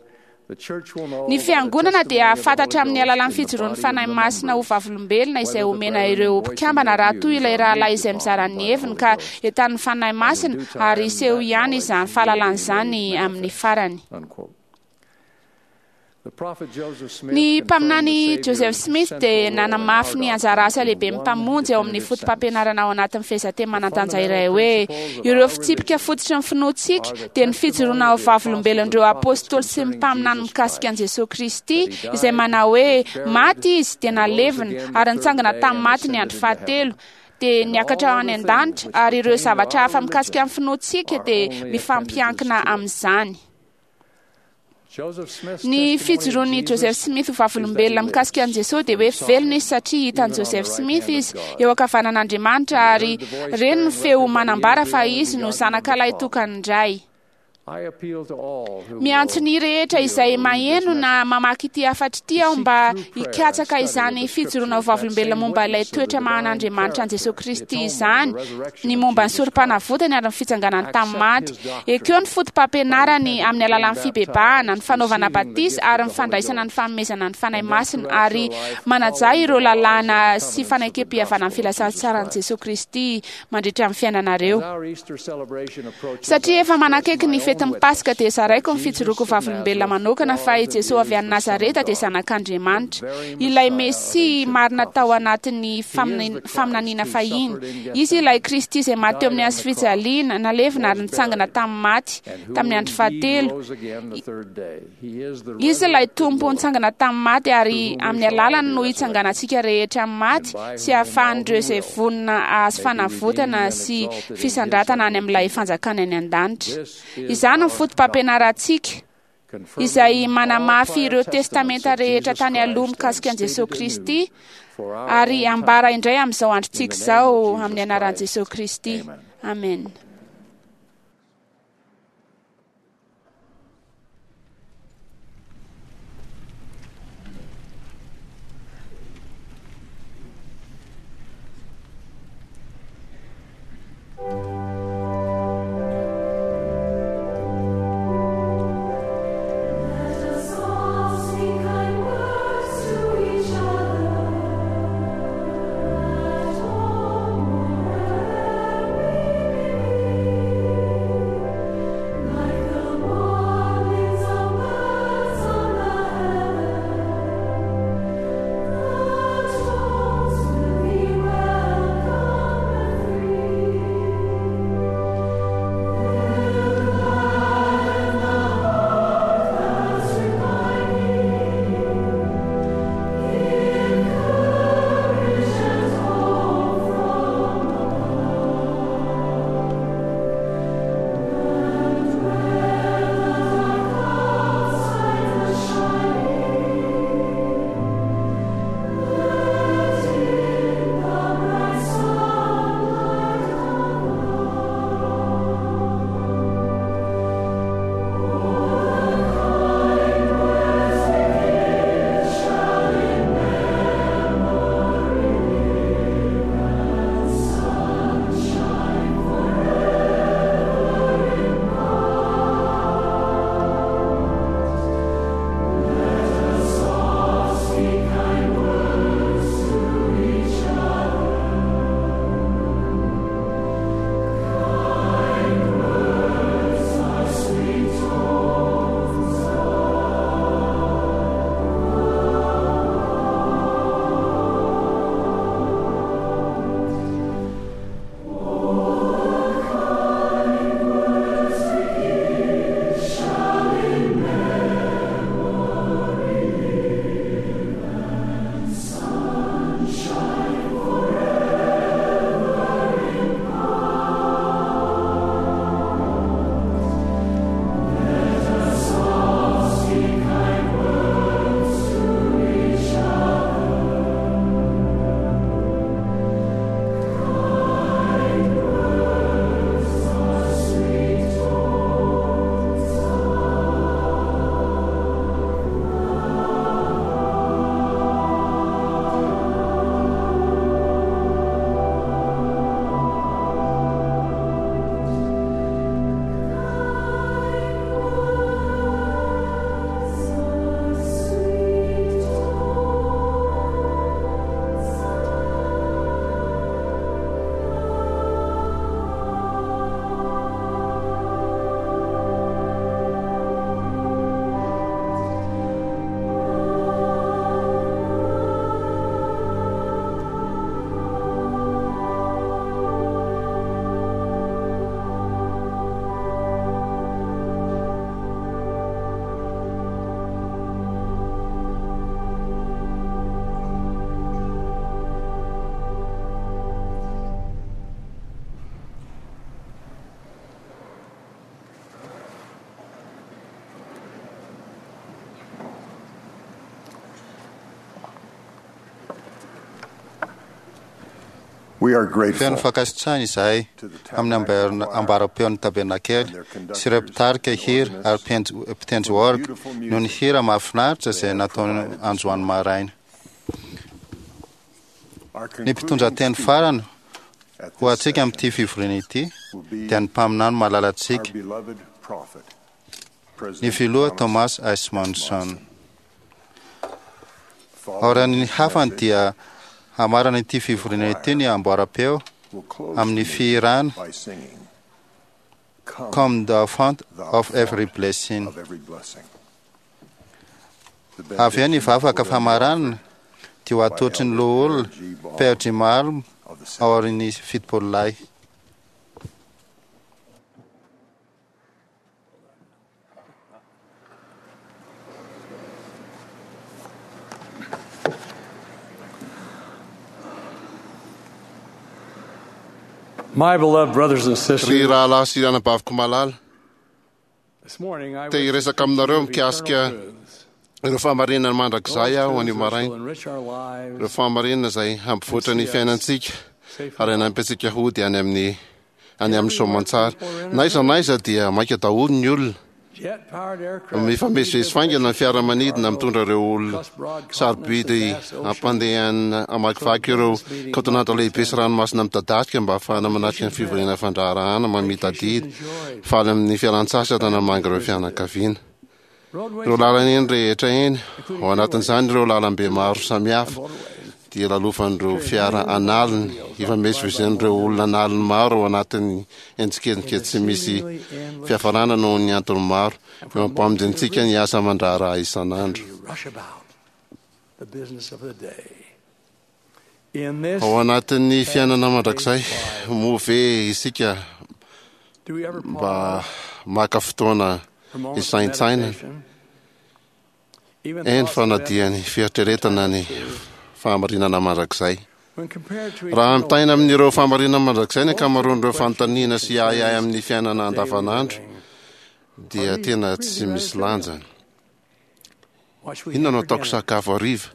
Ny Fiangonana dia hahafantatra amin'ny alalan'ny fijoroan'ny Fanahy Masina ho vavolombelona izay omena ireo mpikambana raha toa ilay rahalahy izay mizara ny heviny ka entanin'ny Fanahy Masina ary hiseho ihany izany fahalalana izany amin'ny farany. Ny mpaminany Joseph Smith dia nanamafy ny anjara asa lehiben'ny Mpamonjy ao amin'ny fotopampianarana ao anatin'ny fehezanteny manan-danja iray hoe, Ireo fitsipika fototry ny finoantsika dia ny fijoroana ho vavolombelon'ireo apôstôly sy ny mpaminany mikasika an'i Jesoa Kristy, izay manao hoe, Maty Izy, dia nalevina, ary nitsangana tamin'ny maty ny andro fahatelo, dia niakatra any an-danitra, ary ireo zavatra hafa mikasika ny finoantsika dia mifampiankina amin'izany. Ny fijoroan'i Joseph Smith ho vavolombelona mikasika an'i Jesosy dia hoe velona izy satria hitan'i Joseph Smith izy eo ankavanan'Andriamanitra ary reny ny feo manambara fa izy no zanaka lahitokan'ny Ray. Miantso ny rehetra izay maheno na mamaky ity hafatra ity aho mba hikatsaka izany fijoroana ho vavolombelona momba ilay toetra maha-an'Andriamanitra an'i Jesosy Kristy izany, ny momba ny sorom-panavotany ary ny fitsanganany tamin'ny maty. Ekeo ny foto-pampianarany amin'ny alalan'ny fibebahana, ny fanaovana batisa ary ny fandraisana ny fanomezana ny Fanahy Masina, ary manajà ireo lalàna sy fanekempihavanan'ny filazantsaran'i Jesosy Kristy mandritra ny fiainanareo. Satria efa manakaiky ny fetin'ny Paska dia zaraiko ny fijoroako vavolombelona manokana fa i Jesosy avy any Nazareta dia zanak'Andriamanitra, ilay Mesia marina tao anatin'ny faminaniana fahiny. Izy ilay Kristy izay maty teo amin'ny hazo fijaliana, nalevina ary nitsangana tamin'ny maty tamin'ny andro fahatelo. Izy ilay Tompo nitsangana tamin'ny maty ary amin'ny alalany no hitsanganantsika rehetra amin'ny maty sy hahafahan'ireo izay vonona hahazo fanavotana sy fisandratana any amin'ilay fanjakana any an-danitra. Izany no foto-pampianarantsika izay manamafy ireo testamenta rehetra tany aloha mikasika an'i Jesosy Kristy ary ambara indray amin'izao androntsika izao amin'ny anaran'i Jesosy Kristy. Amen. Feno fankasitrahana izahay amin'ny ambaram-peon'ny tabernakely sy ireo mpitarika hira ary mpitendry orga noho ny hira mahafinaritra izay nataony androany maraina. Ny mpitondra teny farany ho antsika amin'ity fivoriana ity dia ny mpaminany malalantsika, ny filoha Thomas S. Monson. Aorian'ny hafany dia hamarana ity fivoriana ity ny amboaram-peo amin'ny fihirana Come the fount of every blessing. Avy eo ny vavaka famaranana dia ho atolotry ny loholona Père Jimalm ao aorian'ny 70 lahy. My beloved brothers and sisters, Ry rahalahy sy anabaviko malala, this morning I te wish hiresaka aminareo mikasika ireo fahamarinana mandrakizay aho anio maraina. enrich our lives Ireo fahamarinana izay hampivoatra ny fiainantsika ary hanampy antsika hody any amin'ny any amin'ny soamantsara. Na aiza na aiza dia maika daholo ny olona. jet-powered aircraft Mifamezivezy faingana ny fiaramanidina mitondra ireo olona sarobidy ampandehanina hamakivaky ireo kaontinanta lehibe sy ranomasina midadasika mba hahafahana manatrika ny fivoriana fandraharahana mamita adidy faly amin'ny fialan-tsasatra namangy ireo fianakaviana. Ireo lalana eny rehetra eny, ao anatin'izany ireo lalambe maro samihafa, dia lalovan'ireo fiara an'aliny, ifamezivezen'ireo olona an'aliny maro ao anatin'ny endrikendrika tsy misy fiafarana noho ny antony maro, eo am-pamonjentsika ny asa aman-draharaha isan'andro. rush about the business of the day. In this, Ao anatin'ny fiainana mandrakizay, moa ve isika do we ever mba maka fotoana for moments of hisaintsainana? meditation, even Eny thoughts fa of na death, dia ny fieritreretana ny fahamarinana mandrakizay. when compared to Raha eternal ampitahaina amin'ireo fahamarinana mandrakizay ny ankamaroan'ireo fanontaniana sy ahiahy amin'ny fiainana andavanandro dia tena tsy misy lanjany. what should we Inona have no for ataoko dinner? sakafo hariva?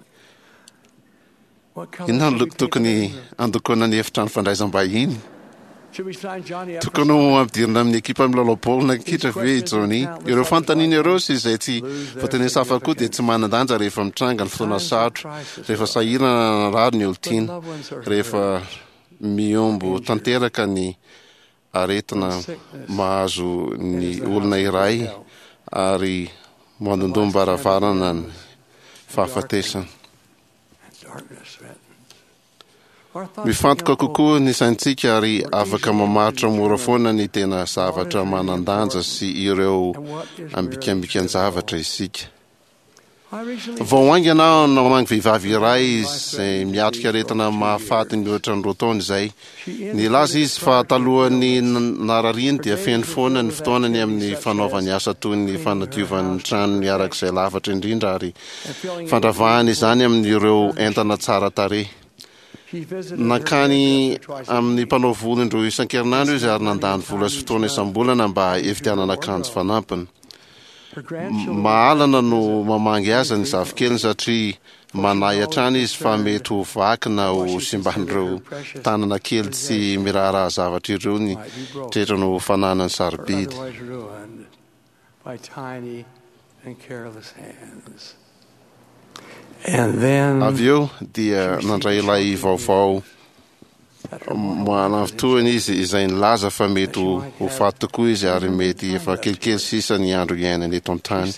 What color Inona no should we loko paint tokony the living room? handokoana ny efitrano fandraisam-bahiny? Should we sign Johnny up for Tokony ho ampidirina amin'ny ekipa milalao baolina kitra ve i Johnny? Ireo fanontaniana ireo sy izay tsy voatenisa hafa koa dia tsy manan-danja rehefa mitranga ny fotoana sarotra, rehefa sahirana na narary ny olon-tiana, rehefa mihombo tanteraka ny aretina mahazo ny olona iray ary mandondom-baravarana ny fahafatesana. darkness threatens? Our thoughts Mifantoka become kokoa ny saintsika ary afaka mamaritra mora foana ny tena zavatra manan-danja sy ireo ambikambikan-javatra isika. I recently Vao haingana aho namangy vehivavy iray izay miatrika aretina mahafaty mihoatra ny roa taona izay. Nilaza izy fa talohan'ny narariany dia feno foana ny fotoanany amin'ny fanaovany asa toy ny fanadiovany ny tranony arak'izay lavatra indrindra ary fandravahany izany amin'ireo entana tsara tarehy. she visited her Nankany hairdresser twice a amin'ny mpanao volo indroa isan-kerinandro izy ary nandany vola sy fotoana isam-bolana mba hividianana akanjo fanampiny. Her grandchildren Mahalana no mamangy azy ny zafikeliny satria manahy hatrany izy fa mety ho vaky na ho simban'ireo tanana kely tsy miraharaha zavatra ireo ny tretrany ho fananany or sarobidy. otherwise ruined by tiny and careless hands. And then Avy eo dia nandray ilay vaovao manavitohana izy izay nilaza fa mety ho faty tokoa izy ary mety efa kelikely sisa ny andro iainany eto an-tany.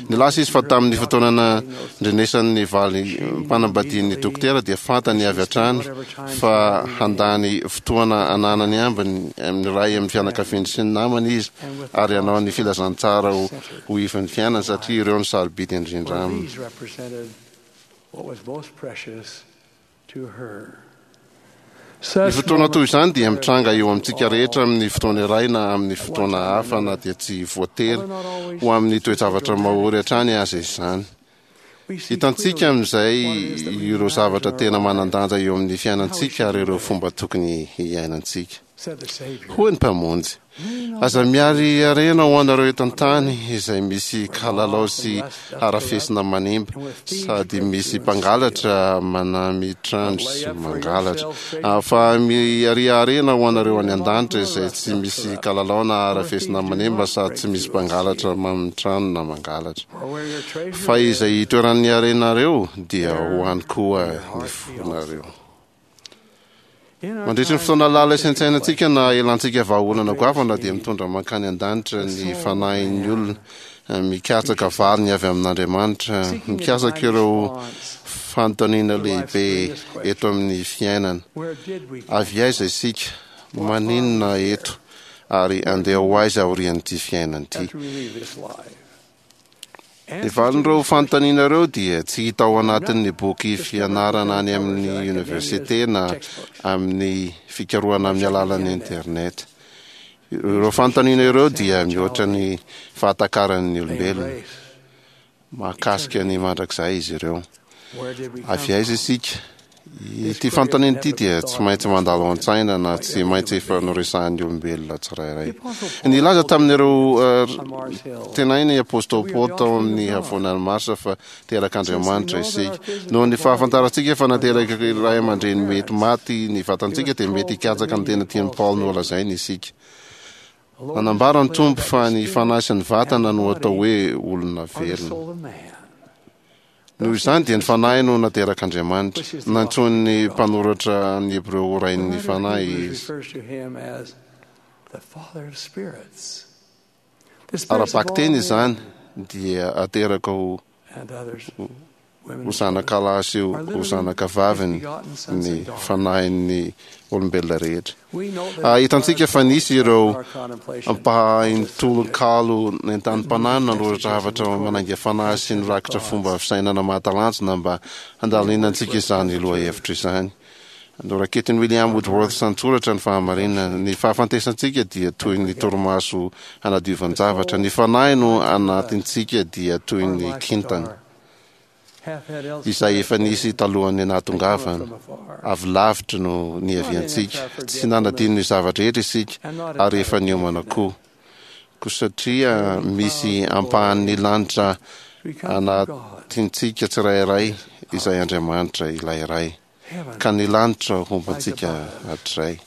Nilaza izy fa tamin'ny fotoana nandrenesany ny valy mpanambadian'ny dokotera dia fantany avy hatrany fa handany fotoana ananany ambiny amin'ny ray amin'ny fianakaviany sy ny namany izy ary hanao ny filazantsara ho ivan'ny fiainany satria ireo no sarobidy indrindra for aminy. these represented what was most precious to her. Ny fotoana toy izany dia mitranga eo amintsika rehetra amin'ny fotoana iray na amin'ny fotoana hafa na dia tsy voatery ho amin'ny toe-javatra mahory hatrany aza izany. Hitantsika amin'izay ireo zavatra tena manan-danja eo amin'ny fiainantsika ary ireo fomba tokony hiainantsika. Hoy ny Mpamonjy, Aza mihary harena ho anareo eto an-tany izay misy kalalao sy harafesina manimba, sady misy mpangalatra manamy trano sy mangalatra. Fa miharia harena ho anareo any an-danitra izay tsy misy kalalao na harafesina manimba sady tsy misy mpangalatra mamy trano na mangalatra. Fa izay itoeran'ny harenareo dia ho any koa ny fonareo. Mandritry ny fotoana lalina isaintsainantsika na elantsika vahaolana goavana dia mitondra mankany an-danitra ny fanahin'ny olona mikatsaka valiny avy amin'Andriamanitra, mikatsaka ireo fanontaniana lehibe eto amin'ny fiainana. Avy aiza isika? Maninona eto? Ary andeha ho aiza aorian'ity fiainana ity? Ny valin'ireo fanontaniana ireo dia tsy hita ao anatin'ny boky fianarana any amin'ny oniversite na amin'ny fikarohana amin'ny alalan'ny Internet. Ireo fanontaniana ireo dia mihoatra ny fahatakaran'ny olombelona. Mahakasika ny mandrakizay izy ireo. Avy aiza isika? Ity fanontaniana ity dia tsy maintsy mandalo ao an-tsaina na tsy maintsy efa noresahan'ny olombelona tsirairay. Nilaza tamin'ireo tenainy i Apostoly Paoly tao amin'ny havoanan'i Marsa fa terak'Andriamanitra isika. Noho ny fahafantarantsika fa nateraka ray aman-dreny mety maty ny vatantsika dia mety hikatsaka ny tena tian'i Paoly nolazaina isika. Nanambara ny Tompo fa ny fanahy sy ny vatana no atao hoe olona velona. Noho izany dia ny Fanahy no naterak'Andriamanitra. Nantsoin'ny mpanoratra ny Hebreo ho Rain'ny Fanahy izy. Ara-bakiteny izany dia ateraka ho ho zanakalahy sy ho zanakavaviny ny fanahin'ny olombelona rehetra. Hitantsika fa nisy ireo mpahain-tononkalo nentanim-panahy nanoratra hafatra manainga fanahy sy nirakitra fomba fisainana mahatalanjona mba handalinantsika izany lohahevitra izany. Noraketin'i William Woodworth an-tsoratra ny fahamarinana. Ny fahafantesantsika dia toy ny torimaso hanadiovan-javatra. Ny fanahy no anatintsika dia toy ny kintana. izay efa nisy talohan'ny nahatongavana. Avy lavitra no niaviantsika. Tsy nanadino ny zava-drehetra isika ary efa niomana koa. Koa satria misy ampahan'ny lanitra anatintsika tsirairay izay Andriamanitra ilay Ray, ka ny lanitra homba antsika hatrizay.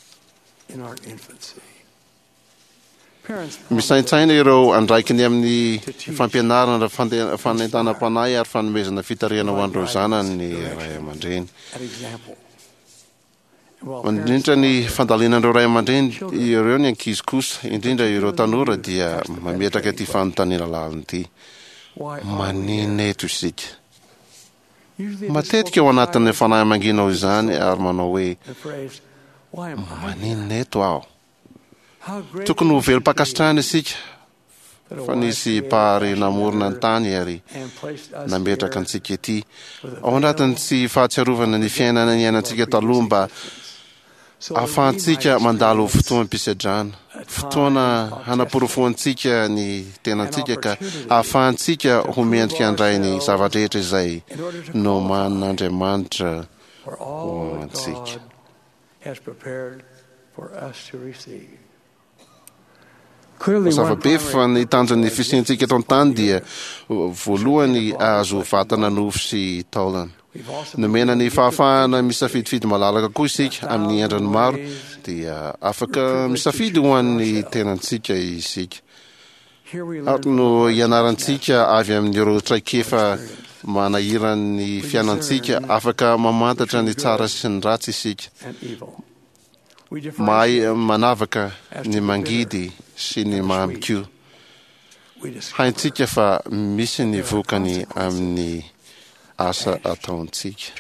Misaintsaina ireo andraikiny amin'ny fampianarana, fanentanam-panahy ary fanomezana fitarihana ho an'ireo zanany ny ray aman-dreny. Mandritra ny fandalinan'ireo ray aman-dreny ireo ny ankizy kosa, indrindra ireo tanora, dia mametraka ity fanontaniana lalina ity, Maninona eto isika? Matetika ao anatin'ny fanahy mangina ao izany ary manao hoe, Maninona eto aho? Tokony ho velom-pankasitrahana isika fa nisy Mpahary namorona ny tany ary nametraka antsika ety. Ao anatin'ny tsy fahatsiarovana ny fiainana niainantsika taloha mba ahafahantsika mandalo fotoam-pisedrana, fotoana hanaporofoantsika ny tenantsika ka ahafahantsika ho mendrika handray ny zava-drehetra izay nomanin'Andriamanitra ho antsika. has prepared for us to receive. Mazava be fa ny tanjon'ny fisiantsika eto an-tany dia voalohany hahazo vatana nofo sy taolana. Nomena ny fahafahana misafidifidy malalaka koa isika amin'ny endriny maro dia afaka misafidy ho an'ny tenantsika isika. Ato no ianarantsika avy amin'ireo traikefa manahiran'ny fiainantsika. Afaka mamantatra ny tsara sy ny ratsy isika. Mahay manavaka ny mangidy sy ny mamy koa. Haintsika fa misy ny vokany amin'ny asa ataontsika.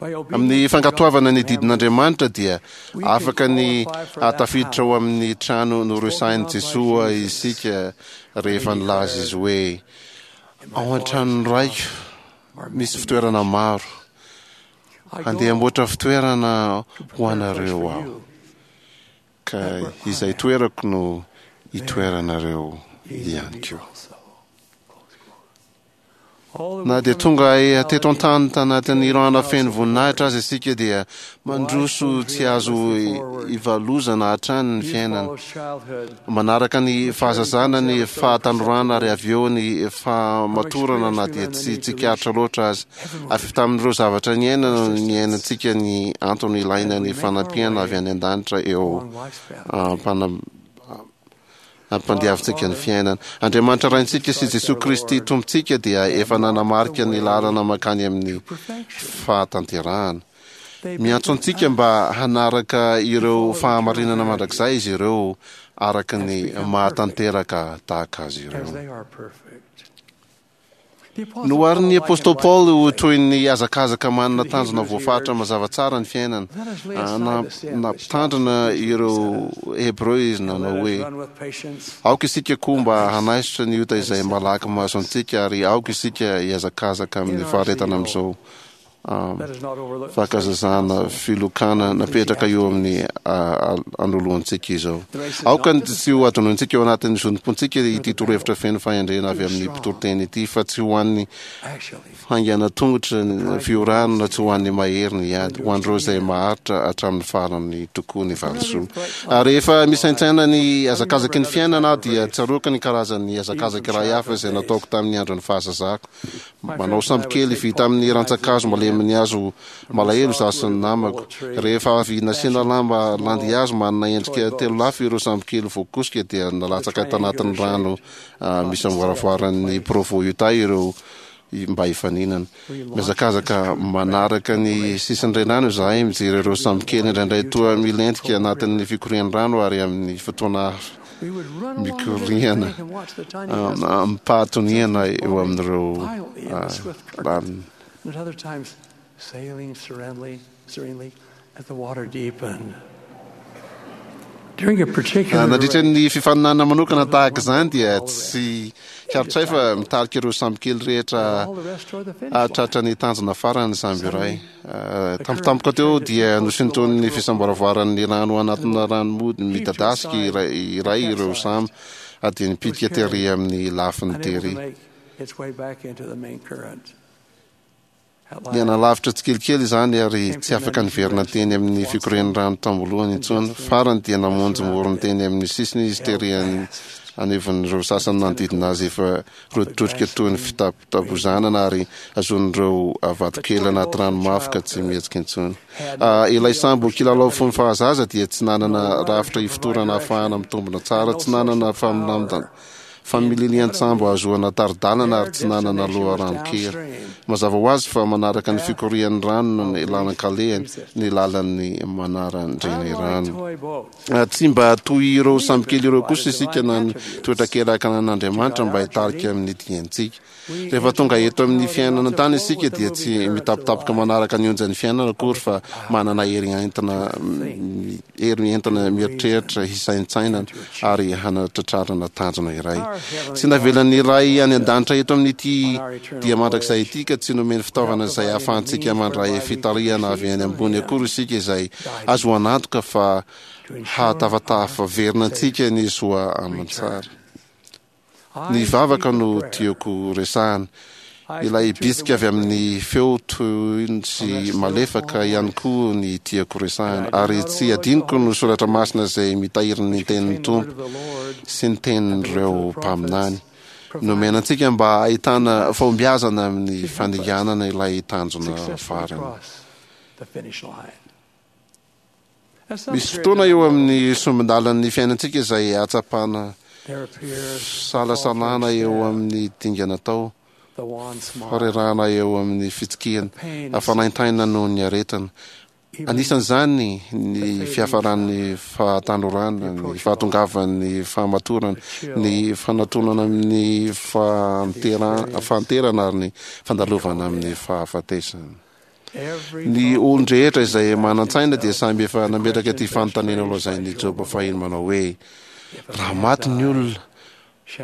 Amin'ny fankatoavana ny didin'Andriamanitra dia afaka ny hahatafiditra ao amin'ny trano noresahin'i Jesoa isika rehefa nilaza izy hoe, Ao an-tranon'ny Raiko misy fitoerana maro. Handeha hamboatra fitoerana ho anareo aho, ka izay toerako no hitoeranareo ihany koa. Na dia tonga teto an-tany tanatin'ny rana feno voninahitra aza isika dia mandroso tsy azo ivalozana hatrany ny fiainana. Manaraka ny fahazazana ny fahatanorana ary avy eo ny fahamatorana na dia tsy tsikaritra loatra aza. Avy tamin'ireo zavatra niainana no niainantsika ny antony ilaina ny fanampiana avy any an-danitra eo ampandiavintsika ny fiainana. Andriamanitra Raintsika sy Jesoa Kristy Tompontsika dia efa nanamarika ny lalana mankany amin'ny fahatanterahana. Miantso antsika mba hanaraka ireo fahamarinana mandrakizay izy ireo araka ny mahatanteraka tahaka azy ireo. Noharin'ny apostoly Paoly ho toy ny hazakazaka manana tanjona voafaritra mazava tsara ny fiainana. Nampitandrina ireo Hebreo izy nanao hoe, Aoka isika koa mba hanaisotra ny ota izay malaky mahazo antsika, ary aoka isika hihazakazaka amin'ny faharetana amin'izao Fankazazana filokana napetraka eo amin'ny anoloantsika izao. Aoka tsy ho adinointsika ao anatin'ny zotom-pontsika ity torohevitra feno fahendrena avy amin'ny mpitoriteny ity, fa tsy ho an'ny haingana tongotra ny fiorahana na tsy ho an'ny mahery ny ady, ho an'ireo izay maharitra hatramin'ny farany tokoa ny valisoa. Ary rehefa misaintsaina ny hazakazaky ny fiainana aho dia tsaroako ny karazan'ny hazakazaka iray hafa izay nataoko tamin'ny andron'ny fahazazako. Manao sambokely vita amin'ny rantsan-kazo malemin'ny hazo malahelo izaho sy ny namako. Rehefa avy nasiana lamba landihazo manana endrika telolafy ireo sambokely voakosika dia nalatsaka tanatin'ny rano misamboaravoaran'ny Provo Utah ireo mba hifaninana. Mihazakazaka manaraka ny sisin'ny renirano izahay mijery ireo sambokely indraindray toa milentika anatin'ny fikorian'ny rano ary amin'ny fotoana hafa mikoriana amim-pahatoniana eo amin'ireo lalina. Nandritra ny fifaninanana manokana tahaka izany dia tsy karitray fa mitarika ireo sambokely rehetra hahatratra ny tanjona farany ny sambo iray. Tampotampoka teo dia nosintonin'ny fisamboaravoaran'ny rano anatina ranomody midadasika iray ireo sambo ary dia nipitika tery amin'ny lafiny tery. Nihanalavitra tsikelikely izany ary tsy afaka niverina teny amin'ny fikorian'ny rano tam-boalohany intsony. Farany dia namonjy morony teny amin'ny sisiny izy tery anivon'ireo sasany nanodidina azy efa rotidrotika toy ny fitapotabozanana ary azon'ireo vatokely anaty rano mafy ka tsy mihetsika intsony. Ilay sambo kilalao fony fahazaza dia tsy nanana rafitra ifotorana ahafahana mitombina tsara, tsy nanana famililian-tsambo ahazoana tari-dalana ary tsy nanana loharanon-kery. Mazava ho azy fa manaraka ny fikorian'ny rano ny lalan-kalehany ny lalan'ny manaran-drenirano. Tsy mba toy ireo sambokely ireo kosa isika na ny toetra keraka anan'Andriamanitra mba hitarika amin'ny diantsika. Rehefa tonga eto amin'ny fiainana an-tany isika dia tsy mitapitapoka manaraka ny onjan'ny fiainana akory fa manana hery entina hery entina mieritreritra, hisaintsainana ary hanatratrarana tanjona iray. Tsy navelan'ny Ray any an-danitra eto amin'ity dia mandrakizay ity ka tsy nomeny fitaovana izay ahafahantsika mandray fitarihana avy any ambony akory isika izay azoana antoka fa hahatafatafaverina antsika ny soa aman-tsara. Ny vavaka no tiako resahana. Ilay bitsika avy amin'ny feo tony sy malefaka ihany koa ny tiako resahana. Ary tsy adinoko no soratra masina izay mitahiry ny tenin'ny Tompo sy ny tenin'ireo mpaminany. Nomena antsika mba hahitana fahombiazana amin'ny fandinganana ilay tanjona farany. Misy fotoana eo amin'ny sombin-dalan'ny fiainantsika izay ahatsapana fisalasalana eo amin'ny dingana atao, farerahana eo amin'ny fitsikiana, fanaintainana noho ny aretina. Anisan'izany ny fiafaran'ny fahatanorana, ny fahatongavan'ny fahamatorana, ny fanatonana amin'ny fahanterana ary ny fandalovana amin'ny fahafatesana. Ny olon-drehetra izay manan-tsaina dia samy efa nametraka ity fanontaniana nolazain'i Joba fahiny manao hoe, Raha maty ny olona,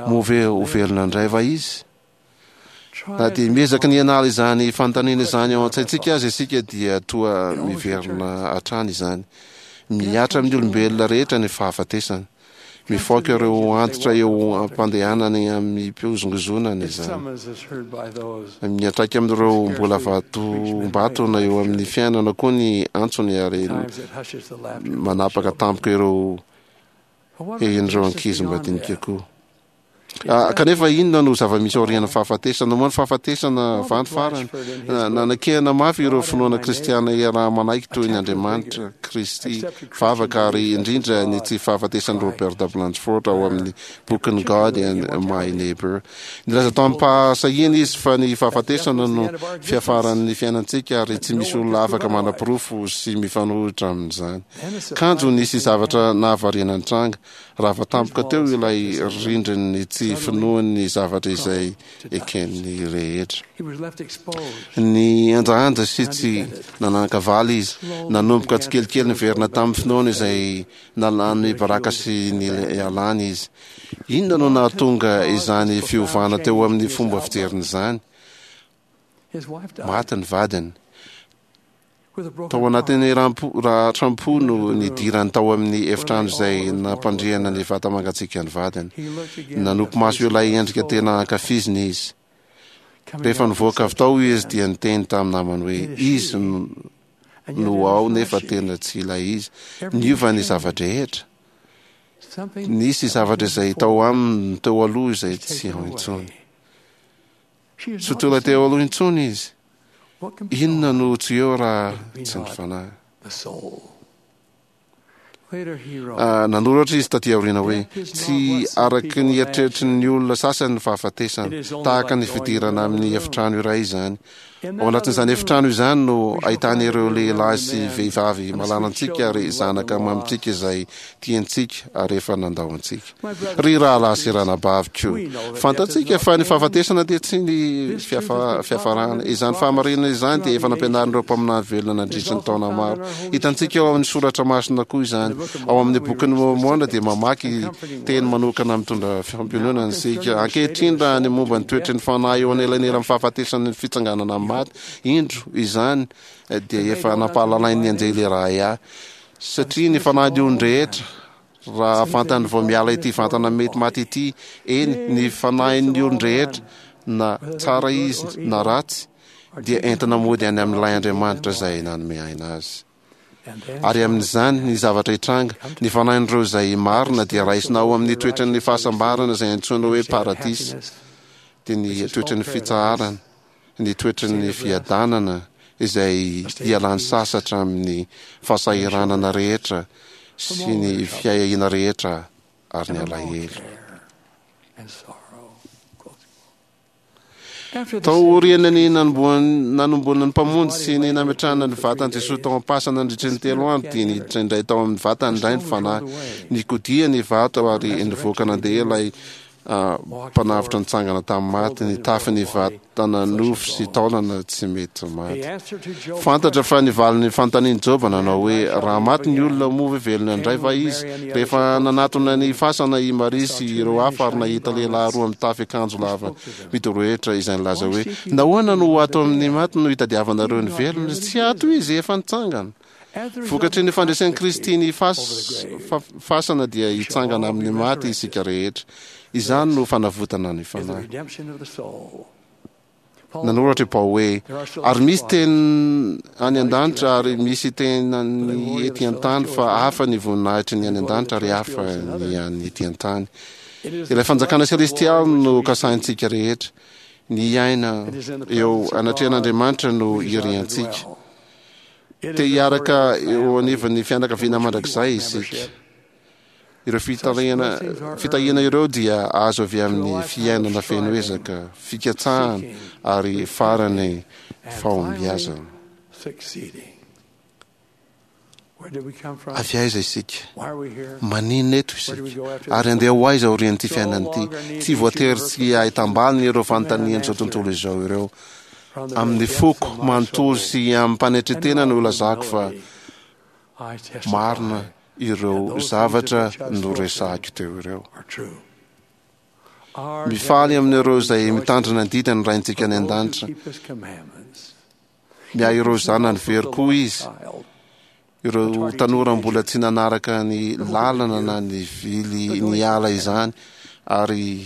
moa ve ho velona indray va izy? Na dia miezaka ny hanala izany fanontaniana izany ao an-tsaintsika aza isika dia toa miverina hatrany izany. Mihatra amin'ny olombelona rehetra ny fahafatesana. Mifaoka ireo antitra eo am-pandehanany amim-pihozongozonana izany. Miantraika amin'ireo mbola vatombatona eo amin'ny fiainana koa ny antsony ary manapaka tampoka ireo hehin'ireo ankizy madinika koa. Kanefa inona no zava-misy aorian'ny fahafatesana? Moa ny fahafatesana va ny farany? Nanakehana mafy ireo finoana kristiana iaraha-manaiky toy ny Andriamanitra, Kristy, vavaka ary indrindra ny tsy fahafatesan'i Robert Blanchford ao amin'ny bokiny God and My Neighbor. Nilaza tamim-pahasahiana izy fa ny fahafatesana no fiafaran'ny fiainantsika ary tsy misy olona afaka manaporofo sy mifanohitra amin'izany. Kanjo nisy zavatra nahavariana nitranga. Rava tampoka teo ilay rindrin'ny tsy finoany ny zavatra izay eken'ny rehetra. Nihanjahanja sy tsy nanan-kavaly izy. Nanomboka tsikelikely niverina tamin'ny finoany izay nalany baraka sy nialany izy. Inona no nahatonga izany fiovana teo amin'ny fomba fijeriny izany? Maty ny vadiny. Tao anatin'ny ratram-po no nidirany tao amin'ny efitrano izay nampandriana ny vata-mangatsiaka ny vadiny. Nanopy maso ilay endrika tena ankafiziny izy. Rehefa nivoaka avy tao izy dia niteny tamin'ny namany hoe izy no ao nefa tena tsy ilay izy. Niova ny zava-drehetra. Nisy zavatra izay tao aminy teo aloha izay tsy ao intsony. Tsy ho tonga teo aloha intsony izy. Inona no tsy eo raha tsy ny fanahy? Nanoratra izy taty aoriana hoe, Tsy araka ny eritreritry ny olona sasany ny fahafatesana. Tahaka ny fidirana amin'ny efitrano iray izany. Ao anatin'izany efitrano izany no ahitana ireo lehilahy sy vehivavy malalantsika ary zanaka mamintsika izay tiantsika ary efa nandao antsika. Ry rahalahy sy ranabaviko, fantatsika fa ny fahafatesana dia tsy ny fiafarana. Izany fahamarinana izany dia efa nampianarin'ireo mpaminany velona nandritry ny taona maro. Hitantsika ao amin'ny soratra masina koa izany. Ao amin'ny bokin'i Môrmôna dia mamaky teny manokana mitondra fampiononana isika. Ankehitriny raha ny momba ny toetry ny fanahy eo anelanelan'ny fahafatesana ny fitsanganana amin'ny maty, indro, izany dia efa nampahalalain'ny anjely iray ahy. Satria ny fanahin'ny olon-drehetra, raha vantany vao miala ity vatana mety maty ity, eny, ny fanahin'ny olon-drehetra, na tsara izy na ratsy, dia entina mody any amin'ilay Andriamanitra izay nanome aina azy. Ary amin'izany, ny zavatra hitranga, ny fanahin'ireo izay marina dia raisina ao amin'ny toetran'ny fahasambarana izay antsoina hoe paradisa, dia ny toetran'ny fitsaharana, ny toetry ny fiadanana izay hialany sasatra amin'ny fahasahiranana rehetra sy ny fiahiahiana rehetra ary ny alahelo. Taorian'ny nanomboana ny Mpamonjy sy ny nametrahana ny vatan'i Jesoa tao am-pasana nandritry ny telo andro dia niditra indray tao amin'ny vatany indray ny Fanahy. Nikodia ny vato ary nivoaka nandeha ilay Mpanavotra nitsangana tamin'ny maty, nitafy ny vatana nofo sy taolana tsy mety maty. Fantatra fa ny valin'ny fanontanian'i Joba nanao hoe, Raha maty ny olona, moa ve velona indray va izy? Rehefa nanatona ny fasana i Maria sy ireo hafa ary nahita lehilahy roa mitafy akanjo lava midorohitra izay nilaza hoe, Nahoana no ato amin'ny maty no itadiavanareo ny velona? Tsy ato izy, efa nitsangana. Vokatry ny fandresen'i Kristy ny fasana dia hitsangana amin'ny maty isika rehetra. Izany no fanavotana ny fanahy. Nanoratra i Paoly hoe, Ary misy teny any an-danitra ary misy teny ety an-tany, fa hafa ny voninahitry ny any an-danitra ary hafa ny an'ny ety an-tany. Ilay fanjakana selestialy no kasahintsika rehetra. Ny hiaina eo anatrehan'Andriamanitra no iriantsika. Te hiaraka eo anivon'ny fianakaviana mandrakizay isika. Ireo fitarihana, fitahiana ireo dia azo avy amin'ny fiainana feno ezaka, fikatsahana ary farany fahombiazana. Avy aiza isika? Maninona eto isika? Ary handeha ho aiza aorian'ity fiainana ity? Tsy voatery tsy ahitam-baliny ireo fanontanian'izao tontolo izao ireo. Amin'ny foko manontolo sy amim-panetren-tena no ilazako fa marina ireo zavatra noresahiko teo ireo. Mifaly amin'ireo izay mitandrina ny didiny ny Raintsika any An-danitra. Miahy ireo zanany very koa Izy. Ireo tanora mbola tsy nanaraka ny lalana na nivily niala izany ary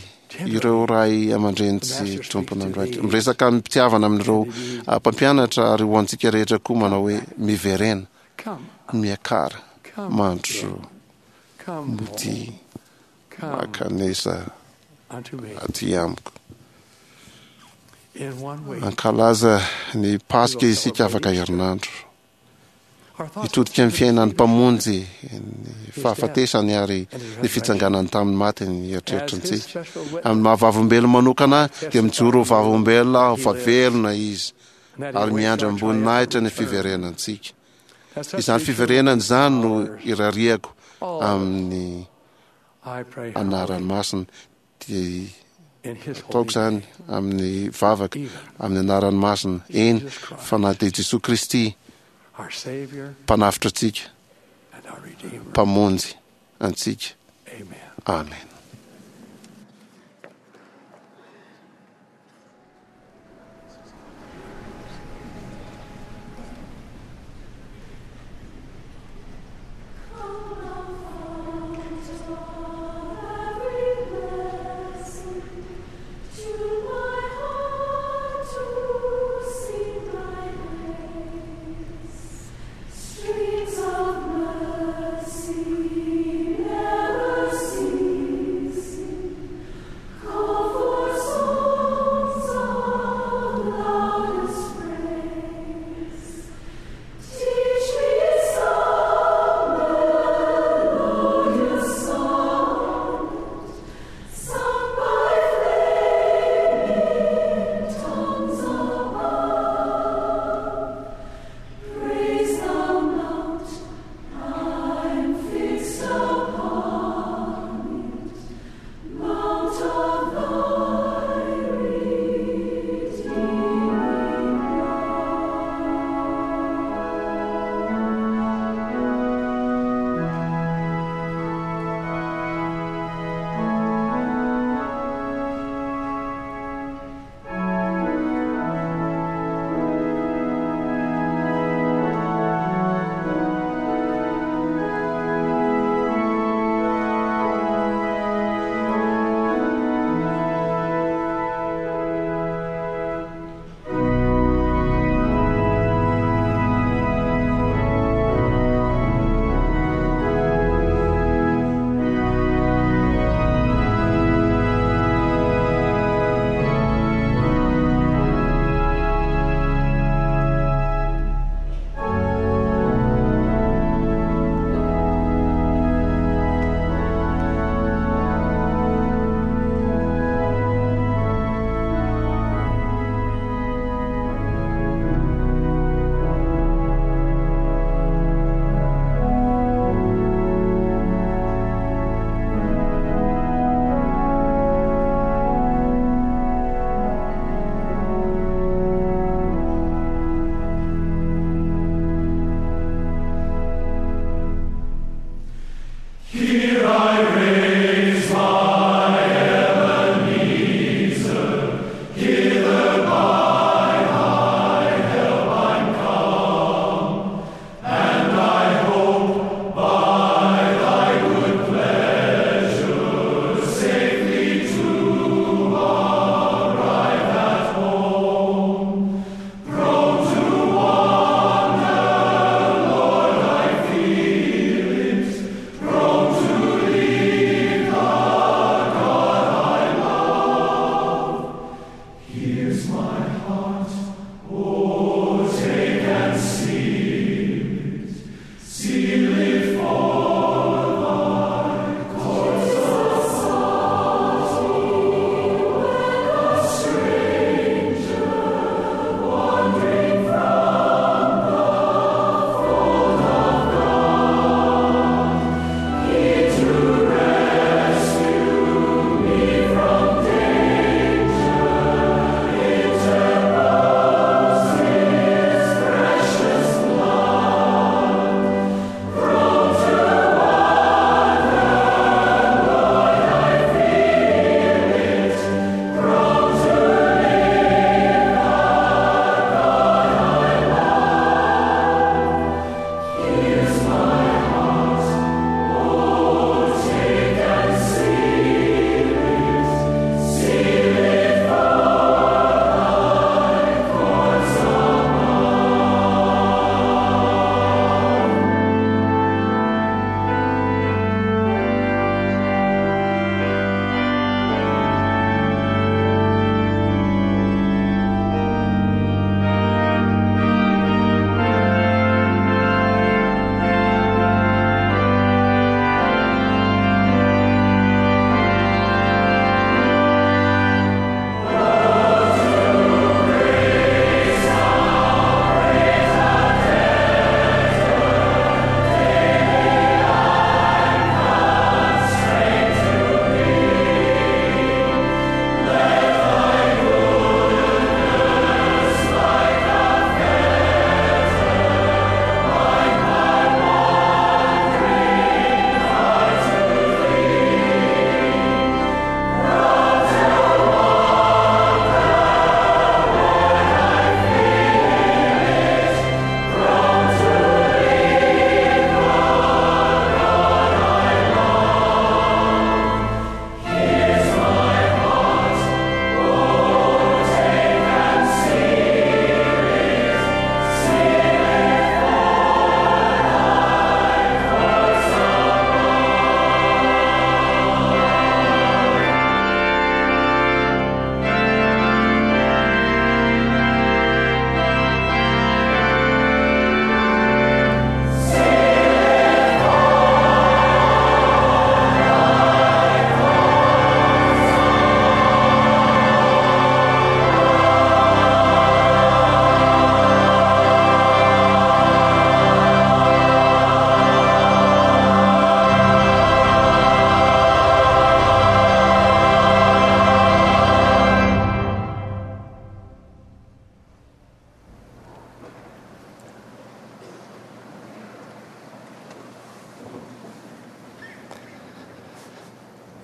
ireo ray aman-dreny tsy tompon'andraikitra. Miresaka amim-pitiavana amin'ireo mpampianatra ary ho antsika rehetra koa manao hoe miverena, miakara, mandrosoa, modia, mankanesa aty amiko. Hankalaza ny Paska isika afaka herinandro. Hitodika amin'ny fiainan'ny Mpamonjy, ny fahafatesany ary ny fitsanganany tamin'ny maty ny eritreritrintsika. Amin'ny maha vavolombelona manokana ahy, dia mijoro ho vavolombelona aho fa velona Izy ary miandry amim-boninahitra ny fiverenantsika. Izany fiverenana izany no irariako amin'ny anarany masina. Dia ataoko izany amin'ny vavaka, amin'ny anarany masina, eny, fa na dia Jesoa Kristy, Mpanavotra antsika, Mpamonjy antsika. Amena.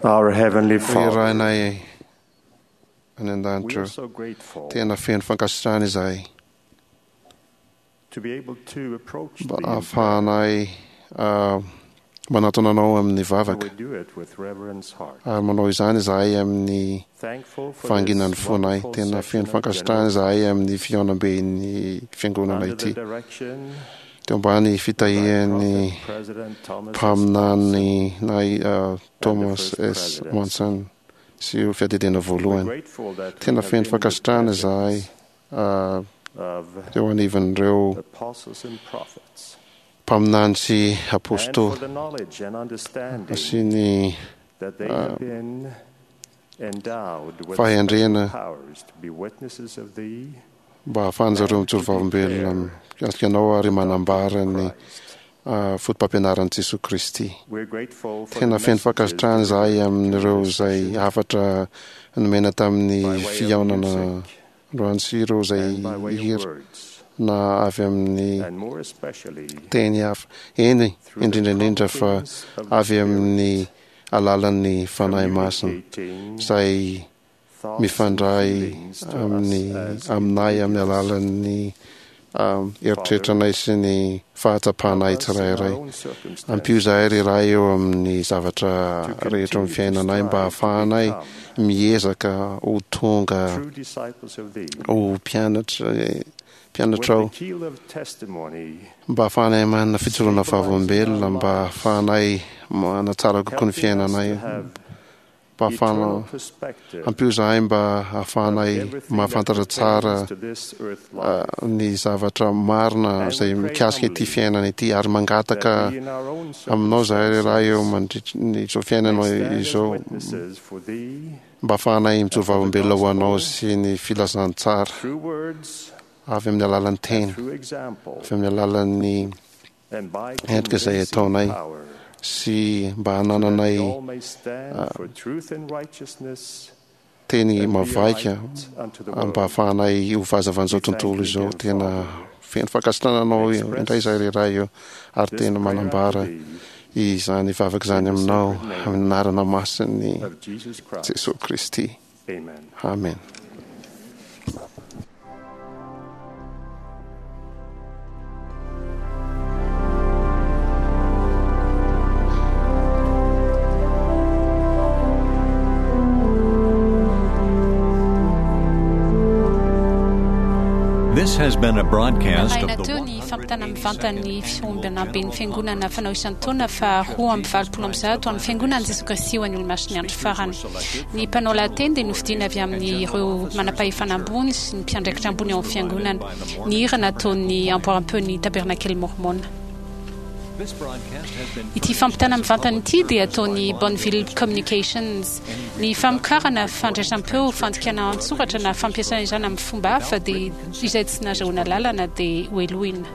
Our Heavenly Ry Father, Rainay any we an-danitra are so grateful tena feno fankasitrahana izahay to be able to approach mba thee. ahafahanay manatona anao amin'ny And vavaka we do it with reverence heart. ary manao izany izahay amin'ny Thankful for fahanginan'ny this fonay wonderful tena session feno of fankasitrahana general izahay amin'ny fihaonamben'ny fiangonana under the ity direction teo ambany fitahian'ny President Thomas S. mpaminany nay Thomas first S. president. Monson sy io fiadidiana voalohany grateful that we tena have feno been in the fankasitrahana izahay of teo anivon'ireo apostles and prophets mpaminany sy and for apôstôly the knowledge and understanding sy ny that they have been endowed with fahendrena special powers to be witnesses of thee mba ahafahan'zareo mijoro vavolombelona mikasika anao ary manambara ny foto-pampianaran'i Jesoa Kristy. We're grateful for Tena the feno messages fankasitrahana izahay amin'ireo izay hafatra nomena tamin'ny by way of fihaonana music androany sy ireo izay and by way of hira words, na avy amin'ny and more especially teny hafa eny indrindra indrindra fa avy amin'ny alalan'ny Fanahy Masina izay thoughts mifandray and feelings to amin'ny us as aminay amin'ny alalan'ny eritreritranay sy ny fahatsapanay us in our tsirairay own circumstances ampio izahay ry Ray eo amin'ny zavatra rehetra amin'ny fiainanay mba hahafahanay miezaka ho tonga true disciples of thee ho mpianatra with mpianatrao the keel of testimony mba hahafahanay manana fijoroana vavolombelona mba hahafahanay manatsara kokoa ny helping us fiainanay to have mba hahafahana eternal perspective ampio izahay mba hahafahanay everything that mahafantatra tsara pertains to this earth life ny zavatra marina And izay we pray mikasika ity humbly fiainana ity ary mangataka that we in our own aminao zahay ry Ray eo circumstances mandritry ny izao fiainana may stand as izao witnesses for thee mba hahafahanay mijoro and for the vavolombelona ho anao gospel sy ny filazantsara through words avy amin'ny alalan'ny and teny through example avy amin'ny alalan'ny and by endrika izay convincing ataonay power sy mba so that hanananay we all may stand for truth and righteousness teny and be a mavaika light unto the mba world. hahafahanay ho fahazavan'izao We thank tontolo you izao again, tena Father. feno fankasitrahana anao Express indray izahay ry Ray eo ary This tena prayer unto manambara thee izany vavaka izany in the aminao sacred name amin'ny anarana masin'ny of Jesus Christ. Jesoa Kristy. Amen. Amen. This has been a broadcast Narahina of the teo ny fampitana mivantan'ny fiombanamben'ny fiangonana fanao isan-taona fa 182 amin'ny fiangonan'i Jesoa Kristy ho an'ny Olomasin'ny andro farany. Ny mpanao lahateny dia nofidiana avy amin'ireo manam-pahefana ambony sy ny mpiandraikitra ambony ao amin'ny fiangonana. Ny hira nataon'ny amboaram-peon'ny Tabernakely Mormona. Ity fampitana mivantana ity dia ataon'ny Bonneville Communications. Ny famokarana fandraisam-peo, fandikana an-tsoratra na fampiasana izany amin'ny fomba hafa dia izay tsy nahazoana lalana dia hohelohina.